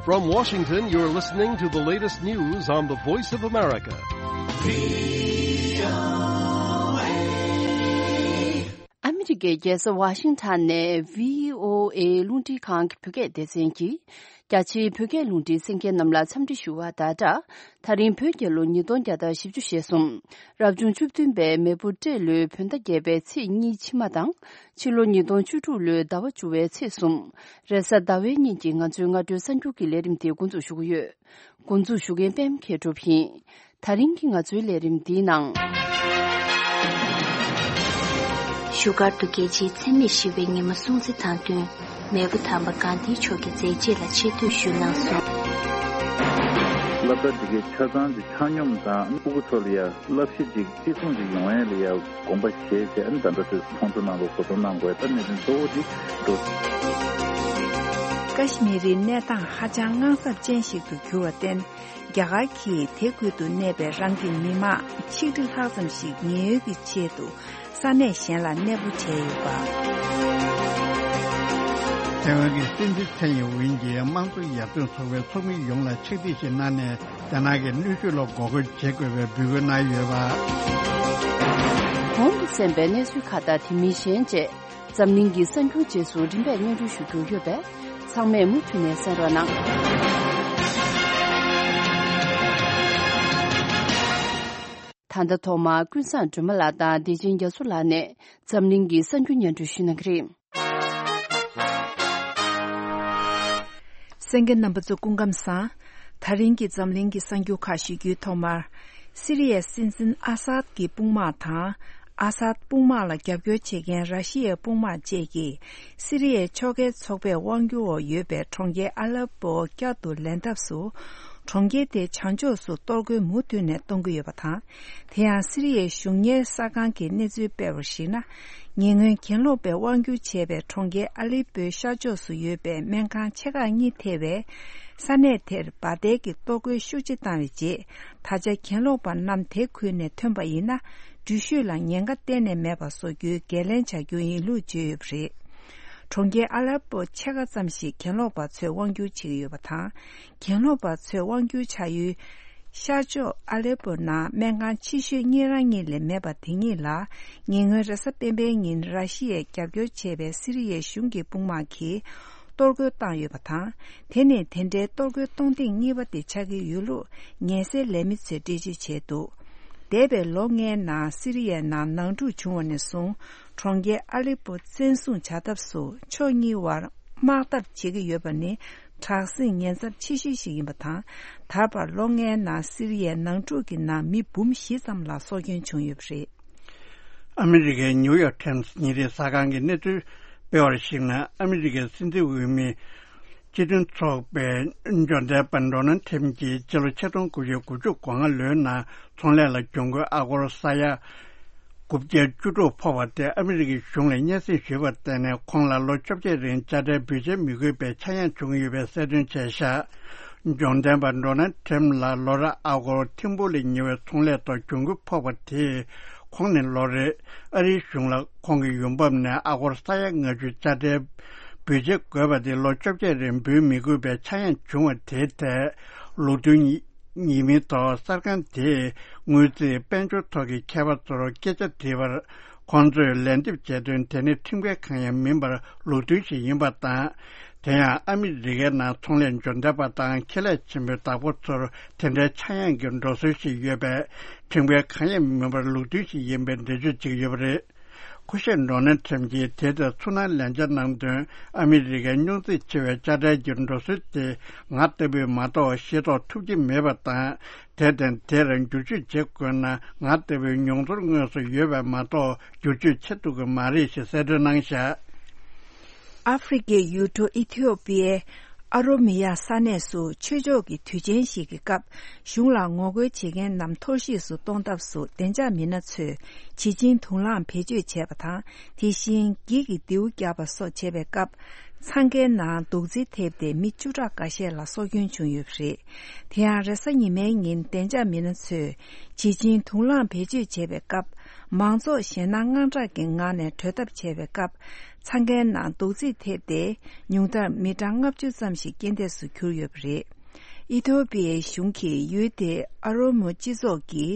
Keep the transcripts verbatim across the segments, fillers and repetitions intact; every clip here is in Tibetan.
From Washington, you're listening to the latest news on the Voice of America. ཨ་མི་རི་ཀའི་རྒྱལ་ས་ཝ་ཤིང་ཊོན་ནས་བྷི་ཨོ་ཨེ་རླུང་འཕྲིན་ཁང་གི་བོད་སྐད་སྡེ་ཚན་གྱིས། རྒྱ་ཆེའི་བོད་སྐད་རླུང་འཕྲིན་གསན་མཁན་རྣམས་ལ་འཚམས་འདྲི་ཞུ་བ་དང་སྦྲགས། ད་རིང་བོད་རྒྱལ་ལོ་ཉིས་སྟོང་བརྒྱ་དང་བཞི་བཅུ་ཞེ་གསུམ། རབ་བྱུང་བཅུ་བདུན་པའི་མེ་ཕོ་སྤྲེལ་ལོའི་བོད་ཟླ་བརྒྱད་པའི་ཚེས་གཉིས་ཕྱི་མ་དང་། ཕྱི་ལོ་ཉིས་སྟོང་བཅུ་དྲུག་ལོའི་ཟླ་བ་བཅུ་བའི་ཚེས་གསུམ། རེས་གཟའ་ཟླ་བའི་ཉིན་གྱི་ང་ཚོའི་སྔ་དྲོའི་གསར་འགྱུར་གྱི་ལས་རིམ་དེ་འགོ་འཛུགས་ཞུ་གི་ཡོད། འགོ་འཛུགས་ཞུ་མཁན་པད་མ་མཁས་གྲུབ་ཡིན། ད་རིང་གི་ང་ཚོའི་ལས་རིམ་འདིའི་ནང་། བཞུགས་སྒར་དུ་རྒྱལ་སྤྱིའི་འཚེ་མེད་ཞི་བའི་ཉི་མ་སྲུང་བརྩི་དང་བསྟུན། མེས་པོ་དམ་པ་གྷན་དྷིའི་མཆོག་གི་མཛད་རྗེས་ལ་ཆེ་བསྟོད་ཞུས་གནང་སོང་། སློབ་གྲྭ་འདི་གའི་ཆ་ཚང་གི་ཆ་སྙོམས་དང་ཕྲུ་གུ་ཚོ་ལ་ཡ་བསླབ་གཞི་ཅིག་བརྩི་སྲུང་ཅིག་ཡོང་ཡ་ལ་ཡ་དགོངས་པ་བཞེས་བྱས། ཨ་ནི་ད་ལྟ་དུས་ཁོང་ཚོ་ནང་ལོགས་གོ་སྟོན་གནང་དགོས། ད་གནད་དོན་གཙོ་བོ་འདི་འགྲོ། ཀ་ཤི་མིར་རི་གནས་སྟངས་ཧ་ཅང་དངངས་འཚབ་ཅན་ཞིག་ཏུ་གྱུར་བར་བརྟེན། རྒྱ་གར་གྱིས་དེ་ཁུལ་དུ་གནས་པའི་རང་གི་མི་མང་ཆིག་ཁྲི་ལྷག་ཙམ་ཞིག་ཉེན་གཡོལ་གྱི་ཆེད་དུ་ས་གནས་གཞན་ལ་གནས་སྤོ་བྱས་ཡོད་པ། ཐའེ་ཝན་གྱི་སྲིད་འཛིན་ཚའེ་ཡིན་ཝིན་གྱིས་དམངས་གཙོ་ཡར་ཐོན་ཚོགས་པའི་ཚོགས་མི་ཡོངས་ལ་ཕྱག་བྲིས་ཤིག་གནང་ནས། རྒྱ་ནག་གི་གནོན་ཤུགས་ལ་འགོག་རྒོལ་བྱེད་དགོས་པའི་འབོད་སྐུལ་གནང་ཡོད་པ། གོང་དུ་གསན་པའི་གནས་ཚུལ་ཁག་དང་དེ་མིན་གཞན་བཅས། འཛམ་གླིང་གི་གསར་འགྱུར་རྗེས་སུ་རིམ་པས་སྙན་སྒྲོན་ཞུ་རྒྱུ་ཡོད་པས། ཚང་མས་མུ་མཐུད་ནས་གསན་རོགས་གནང་། ད་ལྟ་ཐོག་མར་ཀུན་བཟང་སྒྲོལ་མ་ལགས་དང་བདེ་ཆེན་རྒྱ་མཚོ་ལགས་ནས་འཛམ་གླིང་གི་གསར་འགྱུར་སྙན་སྒྲོན་ཞུ་གནང་གི་རེད། གསན་མཁན་རྣམ་པ་ཚོ་སྐུ་ཁམས་བཟང་། ད་རིང་གི་འཛམ་གླིང་གི་གསར་འགྱུར་ཁག་ཞུ་རྒྱུའི་ཐོག་མར། སི་རི་ཡའི་སྲིད་འཛིན་ཨ་སཱད་ཀྱི་དཔུང་དམག་དང་། ཨ་སཱད་དཔུང་དམག་ལ་རྒྱབ་སྐྱོར་བྱེད་མཁན་ར་ཤི་ཡའི་དཔུང་དམག་བཅས་ཀྱིས། སི་རི་ཡའི་ཕྱོགས་འགལ་ཚོགས་པས་དབང་སྒྱུར་འོག་ཡོད་པའི་གྲོང་ཁྱེར་ཨ་ལེ་པོ་བསྐྱར་དུ་ལེན་ཐབས་སུ། གྲོང་ཁྱེར་དེའི་བྱང་ཕྱོགས་སུ་གཏོར་རྒོལ་མུ་མཐུད་ནས་གཏོང་གི་ཡོད་པ་དང་། དེ་ཡང་སི་རི་ཡའི་གཞུང་གཉེར་གསར་ཁང་གིས་གནས་ཚུལ་སྤེལ་བར་གཞིགས་ན། ཉེ་སྔོན་གྱེན་ལོག་པས་དབང་སྒྱུར་བྱས་པའི་གྲོང་ཁྱེར་ཨ་ལི་པོའི་ཤར་ཕྱོགས་སུ་ཡོད་པའི་སྨན་ཁང་ཆེ་ཁག་གཉིས་ཐེ་བའི་ས་གནས་དེར་འབར་མདེལ་གྱི་གཏོར་རྒོལ་ཤུགས་ཆེ་བཏང་བའི་རྗེས། ད་ཆ་གྱེན་ལོག་པ་རྣམས་དེ་ཁུལ་ནས་ཐོན་པ་ཡིན་ན། འགྲུལ་བཞུད་ལ་ཉེན་ཁ་གཏན་ནས་མེད་པ་བཟོ་རྒྱུའི་འགན་ལེན་བྱ་རྒྱུ་ཡིན་ལུགས་བརྗོད་ཡོད་པ་རེད། གྲོང་ཁྱེར་ཨ་ལེ་པོ་ཕྱེད་ཀ་ཙམ་ཞིག་གྱེན་ལོག་པ་ཚོས་དབང་སྒྱུར་བྱེད་ཀྱི་ཡོད་པ་དང་། གྱེན་ལོག་པ་ཚོས་དབང་སྒྱུར་བྱ་ཡུལ་ཤར་ཕྱོགས་ཨ་ལེ་པོ་ནང་སྨན་ཁང་ཆེ་ཤོས་གཉིས་རང་གཉིས་ལས་མེད་པ་དེ་གཉིས་ལ། ཉེ་སྔོན་རེས་གཟའ་སྤེན་པའི་ཉིན་ར་ཤི་ཡས་རྒྱབ་སྐྱོར་བྱས་པའི་སི་རི་ཡའི་གཞུང་གི་དཔུང་དམག་གིས་གཏོར་རྒོལ་བཏང་ཡོད་པ་དང་། དེ་ནི་དེ་འདྲའི་གཏོར་རྒོལ་གཏོང་ཐེངས་གཉིས་པ་དེ་ཆགས་ཀྱི་ཡོད་ལུགས་ཉེན་སེལ་ལས་མི་ཚོས་འགྲེལ་བརྗོད་བྱས་འདུག་འདས་པའི་ལོ་ལྔའི་ནང་སི་རི་ཡའི་ནང་ནང་འཁྲུག་བྱུང་བ་ནས་བཟུང་། གྲོང་ཁྱེར་ཨ་ལི་པོ་བཙན་བཟུང་བྱ་ཐབས་སུ་ཕྱོགས་གཉིས་བར་དམག་འཐབ་བྱེད་ཀྱི་ཡོད་པ་ནི་དྲག་ཟིང་ཉེན་ཚབས་ཆེ་ཤོས་ཤིག་ཡིན་པ་དང་། ད་བར་ལོ་ལྔའི་ནང་སི་རི་ཡའི་ནང་འཁྲུག་གི་ནང་མི་འབུམ་བཞི་ཙམ་ལ་སྲོག་སྐྱོན་བྱུང་ཡོད་པ་རེད། ཨ་མི་རི་ཀའི་ནིའུ་ཡོག་ཊེམ་སི་ཉིན་རེའི་གསར་ཁང་གིས་གནས་ཚུལ་སྤེལ་བར་གཞིགས་ན། ཨ་མི་རི་ཀའི་སྲིད་འཛིན་འོས་མི་སྤྱི་མཐུན་ཚོགས་པའི་འབྱོར་ལྡན་པ་ཌོ་ནལ་ཊམ་གྱིས་སྤྱི་ལོ་ཆིག་སྟོང་དགུ་བརྒྱ་དགུ་བཅུ་གོ་ལྔ་ལོའི་ནང་ཚོང་ལས་ལ་གྱོང་གུན་ཨ་སྒོར་ས་ཡ་དགུ་བརྒྱ་བཅུ་དྲུག་ཕོག་པ་དེ་ཨ་མི་རི་ཀའི་གཞུང་ལ་སྙན་སེང་ཞུས་པར་བརྟེན་ནས། ཁོང་ལ་ལོ་བཅོ་བརྒྱད་རིང་དཔྱ་ཁྲལ་འབུལ་བྱེད་མི་དགོས་པའི་ཆག་ཡང་བྱུང་ཡོད་པའི་གསལ་སྟོན་བྱས་བཞག་འབྱོར་ལྡན་པ་ཌོ་ནལ་ཊམ་ལ་ལོ་རེར་ཨ་སྒོར་ཐེར་འབུམ་ལས་ཉེ་བའི་ཚོང་ལས་ཐོག་གྱོང་གུན་ཕོག་པ་དེས། ཁོང་ནི་ལོ་རེར་ཨ་རིའི་གཞུང་ལ་ཁོང་གི་ཡོང་འབབ་ནས་ཨ་སྒོར་ས་ཡ་ལྔ་བཅུ་དཔྱ་ཁྲལ་འབུལ་བྱེད་དགོས་པ་དེ་ལོ་བཅོ་བརྒྱད་རིང་འབུལ་མི་དགོས་པའི་ཆག་ཡང་བྱུང་བ་དེའི་ཐད། ལུགས་མཐུན་ཡིན་མིན་ཐོག་གསར་ཁང་དེས་དངུལ་རྩིས་དཔལ་འབྱོར་ཐོག་གི་མཁས་པ་ཚོར་སྐད་ཆ་དྲིས་པར། ཁོང་ཚོས་ལན་འདེབས་བྱས་དོན། དེ་ནི་ཁྲིམས་འགལ་གང་ཡང་མིན་པར་ལུགས་མཐུན་ཞིག་ཡིན་པ་དང་། དེ་ཡང་ཨ་མི་རི་ཀའི་ནང་ཚོང་ལས་འབྱོར་ལྡན་པ་དང་ཁེ་ལས་ཆེན་པོའི་བདག་པོ་ཚོར་དེ་འདྲའི་ཆག་ཡང་གི་འགྲོ་སྲོལ་ཞིག་ཡོད་པས། ཁྲིམས་འགལ་གང་ཡང་མིན་པར་ལུགས་མཐུན་ཞིག་ཡིན་པའི་འགྲེལ་བརྗོད་བྱེད་ཀྱི་ཡོད་པ་རེད། སྐུ་ཞབས་ཌོ་ནལ་ཁྲམ་གྱིས་དེ་ལྟར་ཚུར་སྣང་ལན་ཆ་གནང་དོན། ཨ་མི་རི་ཀའི་སྙུང་འཛིང་ཆེ་བའི་དཔྱ་ཁྲལ་གྱི་འགྲོ་སྲོལ་དེ་ང་ལྟ་བུས་མ་གཏོགས་ཤེས་རྟོགས་ཐུབ་ཀྱི་མེད་པ་དང་། དེར་བརྟེན་དེར་འགྱུར་བཅོས་བྱེད་དགོས་ན། ང་ལྟ་བུའི་མྱོང་ཚོར་དངོས་སུ་ཡོད་པས་མ་གཏོགས་འགྱུར་བཅོས་བྱེད་ཐུབ་ཀྱི་མ་རེད་ཞེས་གསལ་སྟོན་གནང་བཞག། ཨ་ཧྥེ་རི་ཁའི་ཡུལ་གྲུ་ཨི་ཐི་ཡོ་པི་ཡའི་ཨ་རོ་མི་ཡ་ས་གནས་སུ་ཆོས་ཕྱོགས་ཀྱི་དུས་ཆེན་ཞིག་གི་སྐབས། གཞུང་ལ་ངོ་རྒོལ་བྱེད་མཁན་རྣམས་འཐོར་བཤིག་སུ་གཏོང་ཐབས་སུ་བདེ་འཇགས་མི་སྣ་ཚོས་བྱིལ་ཆིངས་དུག་རླངས་བེད་སྤྱོད་བྱས་པ་དང་། དེ་བཞིན་འགྱིག་གི་མདེའུ་བརྒྱབ་པ་སོགས་བྱས་པའི་སྐབས། འཚང་ཁའི་ནང་རྡོག་རྫིས་ཐེབས་ཏེ་མི་བཅུ་ཕྲག་འགའ་ཤས་ལ་སྲོག་སྐྱོན་བྱུང་ཡོད་པ་རེད། དེ་ཡང་རེས་གཟའ་ཉི་མའི་ཉིན་བདེ་འཇགས་མི་སྣ་ཚོས་བྱིལ་ཆིངས་དུག་རླངས་བེད་སྤྱོད་བྱས་པའི་སྐབས། མང་ཚོགས་ཞེད་སྣང་དངངས་སྐྲག་གི་ངང་ནས་གྲོལ་ཐབས་བྱས་པའི་སྐབས། འཚང་ཁའི་ནང་རྡོག་རྫིས་ཐེབས་ཏེ། ཉུང་མཐར་མི་གྲངས་ལྔ་བཅུ་ཙམ་ཞིག་རྐྱེན་འདས་སུ་གྱུར་ཡོད་པ་རེད། ཨི་ཐོ་པི་ཡའི་གཞུང་གིས་ཡུལ་དེའི་ཨ་རོ་མོ་སྤྱི་ཚོགས་ཀྱི་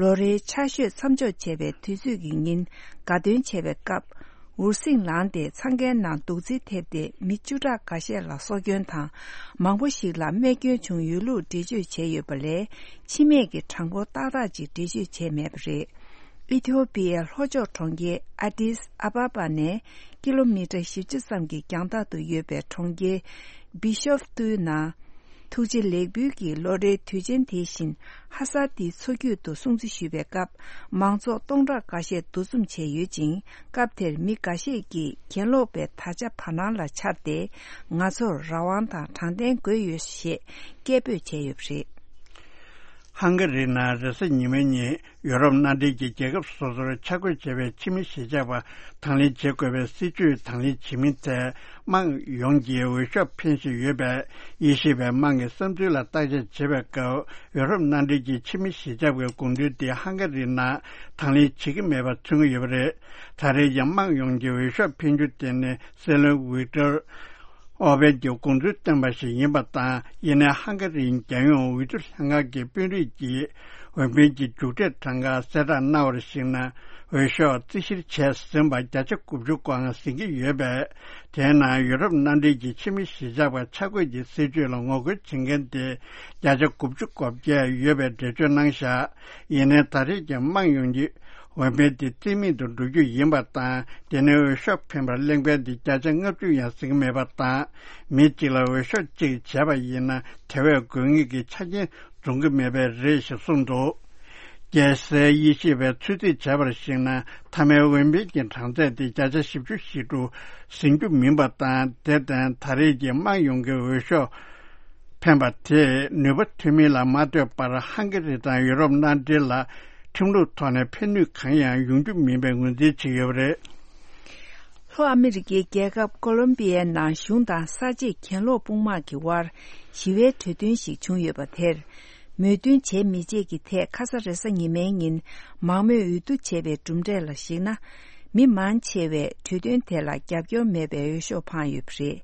ལོ་རེའི་ཆར་ཞོད་མཚམས་འཇོག་བྱས་པའི་དུས་ཚོད་ཀྱི་ཉིན་དགའ་སྟོན་བྱས་པའི་སྐབས། འུར་ཟིང་ལངས་ཏེ་འཚང་ཁའི་ནང་རྡོག་རྫིས་ཐེབས་ཏེ་མི་བཅུ་ཕྲག་འགའ་ཤས་ལ་སྲོག་སྐྱོན་དང་། མང་པོ་ཞིག་ལ་རྨས་སྐྱོན་བྱུང་ཡོད་ལུགས་འགྲེལ་བརྗོད་བྱས་ཡོད་པ་ལས། འཆི་རྨས་ཀྱི་གྲངས་འབོར་ཏག་ཏག་ཅིག་འགྲེལ་བརྗོད་བྱས་མེད་པ་རེད། ཨི་ཐི་ཡོ་པི་ཡའི་ལྷོ་ཕྱོགས་གྲོང་ཁྱེར་ཨ་ཏིས་ཨ་བ་བ་ནས་ཀི་ལོ་མི་ཊར་བཞི་བཅུ་ཙམ་གྱི་རྒྱང་ཐག་ཏུ་ཡོད་པའི་གྲོང་ཁྱེར་བི་ཤོབ་ཏུའི་ནང་། ཐུགས་རྗེ་ལེགས་འབུལ་གྱི་ལོ་རེའི་དུས་ཆེན་དེ་བཞིན་ཧ་ས་ཏིའི་མཚོ་རྒྱུད་དུ་སྲུང་བརྩི་ཞུས་པའི་སྐབས། མང་ཚོགས་སྟོང་ཕྲག་འགའ་ཤས་འདུ་འཛོམས་བྱས་ཡོད་ཅིང་། སྐབས་དེར་མི་འགའ་ཤས་ཀྱིས་གྱེན་ལོག་པའི་དར་ཆ་བར་སྣང་ལ་འཕྱར་ཏེ། ང་ཚོར་རང་དབང་དང་དྲང་བདེན་དགོས་ཡོད་ཞེས་སྐད་འབོད་བྱས་ཡོད་པ་རེད། ཧང་ག་རིའི་ནང་རེས་གཟའ་ཉི་མའི་ཉིན་ཡུ་རོབ་མནའ་འབྲེལ་གྱི་རྒྱལ་ཁབ་སོ་སོར་ཆ་བགོས་བྱས་པའི་ཕྱི་མི་གཞིས་ཆགས་པ་དང་ལེན་བྱེད་དགོས་པའི་སྲིད་ཇུས་དང་ལེན་བྱེད་མིན་ཐད། དམངས་ཡོངས་ཀྱིས་འོས་ཤོག་འཕེན་བཞིན་ཡོད་པས། དབྱེ་ཞིབ་པས་དམངས་ཀྱི་བསམ་ཚུལ་ལ་བརྟག་དཔྱད་བྱེད་པའི་སྐབས། ཡུ་རོབ་མནའ་འབྲེལ་གྱི་ཕྱི་མི་གཞིས་ཆགས་པའི་དགོངས་ཚུལ་དེ་ཧང་ག་རིའི་ནང་དང་ལེན་བྱེད་ཀྱི་མེད་པ་མཚོན་གྱི་ཡོད་པ་རེད། ད་རེས་ཀྱི་དམངས་ཡོངས་ཀྱི་འོས་ཤོག་འཕེན་རྒྱུ་དེ་ནི་སྲིད་བློན་ཝིག་ཏོར་ཨོར་བན་གྱི་དགོངས་ཚུལ་བཏོན་པ་ཞིག་ཡིན་པ་དང་། ཡིན་ནའི་ཧང་ག་རིའི་རྒྱལ་ཡོངས་འོས་བསྡུ་ལྷན་ཁང་གི་དཔོན་རིགས་ཀྱིས་འོས་འཕེན་གྱི་མཇུག་འབྲས་གྲངས་ཀ་གསལ་བསྒྲགས་གནང་བར་གཞིགས་ན། འོས་ཤོག་རྩིས་བཤེར་བྱས་ཟིན་པ་བརྒྱ་ཆ་དགུ་བཅུ་གོ་ལྔ་ཟིན་གྱི་ཡོད་པས། དེའི་ནང་ཡུ་རོབ་མནའ་འབྲེལ་གྱི་ཕྱི་མི་གཞིས་ཆགས་པ་ཆ་བགོས་ཀྱི་སྲིད་ཇུས་ལ་ངོ་རྒོལ་བྱེད་མཁན་དེ་བརྒྱ་ཆ་དགུ་བཅུ་གོ་བརྒྱད་ཡོད་པའི་འགྲེལ་བརྗོད་གནང་བཞག་ཡིན་ནའི་ད་རེས་ཀྱི་དམངས་ཡོངས་ཀྱི་འོས་འཕེན་དེ་རྩིས་མེད་དུ་འགྲོ་རྒྱུ་ཡིན་པ་དང་། དེ་ནས་འོས་ཤོག་འཕེན་པར་གླེང་ཕན་དེ་བརྒྱ་ཆ་ལྔ་བཅུ་ཡང་ཟིན་གྱི་མེད་པ་དང་། མི་གཅིག་ལ་འོས་ཤོག་གཅིག་བྱས་པ་ཡིན་ན། དེ་བས་དགོས་ངེས་ཀྱི་ཆ་རྐྱེན་འཛོམས་ཀྱི་མེད་པས་རེད་ཞེས་གསུངས་འདུག་རྒྱལ་སའི་དབྱེ་ཞིབ་པས་ཚོད་རྩིས་བྱས་པར་གཞིགས་ན། མཐའ་མའི་འོས་འཕེན་གྱི་གྲངས་ཚད་དེ་བརྒྱ་ཆ་བཞི་བཅུ་ཞེ་དྲུག་ཟིན་རྒྱུ་མིན་པ་དང་། དེར་བརྟེན་ད་རེས་ཀྱི་དམངས་ཡོངས་ཀྱི་འོས་ཤོག་འཕེན་པ་དེས་ནུས་པ་ཐོན་མིན་ལ་མ་ལྟོས་པར། ཧང་ག་རི་དང་ཡུ་རོབ་མནའ་འབྲེལ་ལ་ཁྲིམས་ལུགས་ཐོག་ནས་ཕན་ནུས་གང་ཡང་ཡོང་རྒྱུ་མིན་པའི་ངོས་འཛིན་བྱས་ཡོད་པ་རེད། ལྷོ་ཨ་མི་རི་ཀའི་རྒྱལ་ཁབ་ཀོ་ལོམ་པི་ཡའི་ནང་གཞུང་དང་གསར་བརྗེའི་གྱེན་ལོག་དཔུང་དམག་གི་དབར་ཞི་བའི་གྲོས་མཐུན་ཞིག་བྱུང་ཡོད་པ་དེར། མོས་མཐུན་བྱས་མི་བྱས་ཀྱི་ཐད་ཁ་ས་རེས་གཟའ་ཉི་མའི་ཉིན་མང་མོས་འོས་བསྡུ་བྱས་པའི་གྲུབ་འབྲས་ལ་གཞིགས་ན། མི་མང་ཆེ་བས་གྲོས་མཐུན་དེ་ལ་རྒྱབ་སྐྱོར་མེད་པའི་འོས་ཤོག་འཕངས་ཡོད་པ་རེད།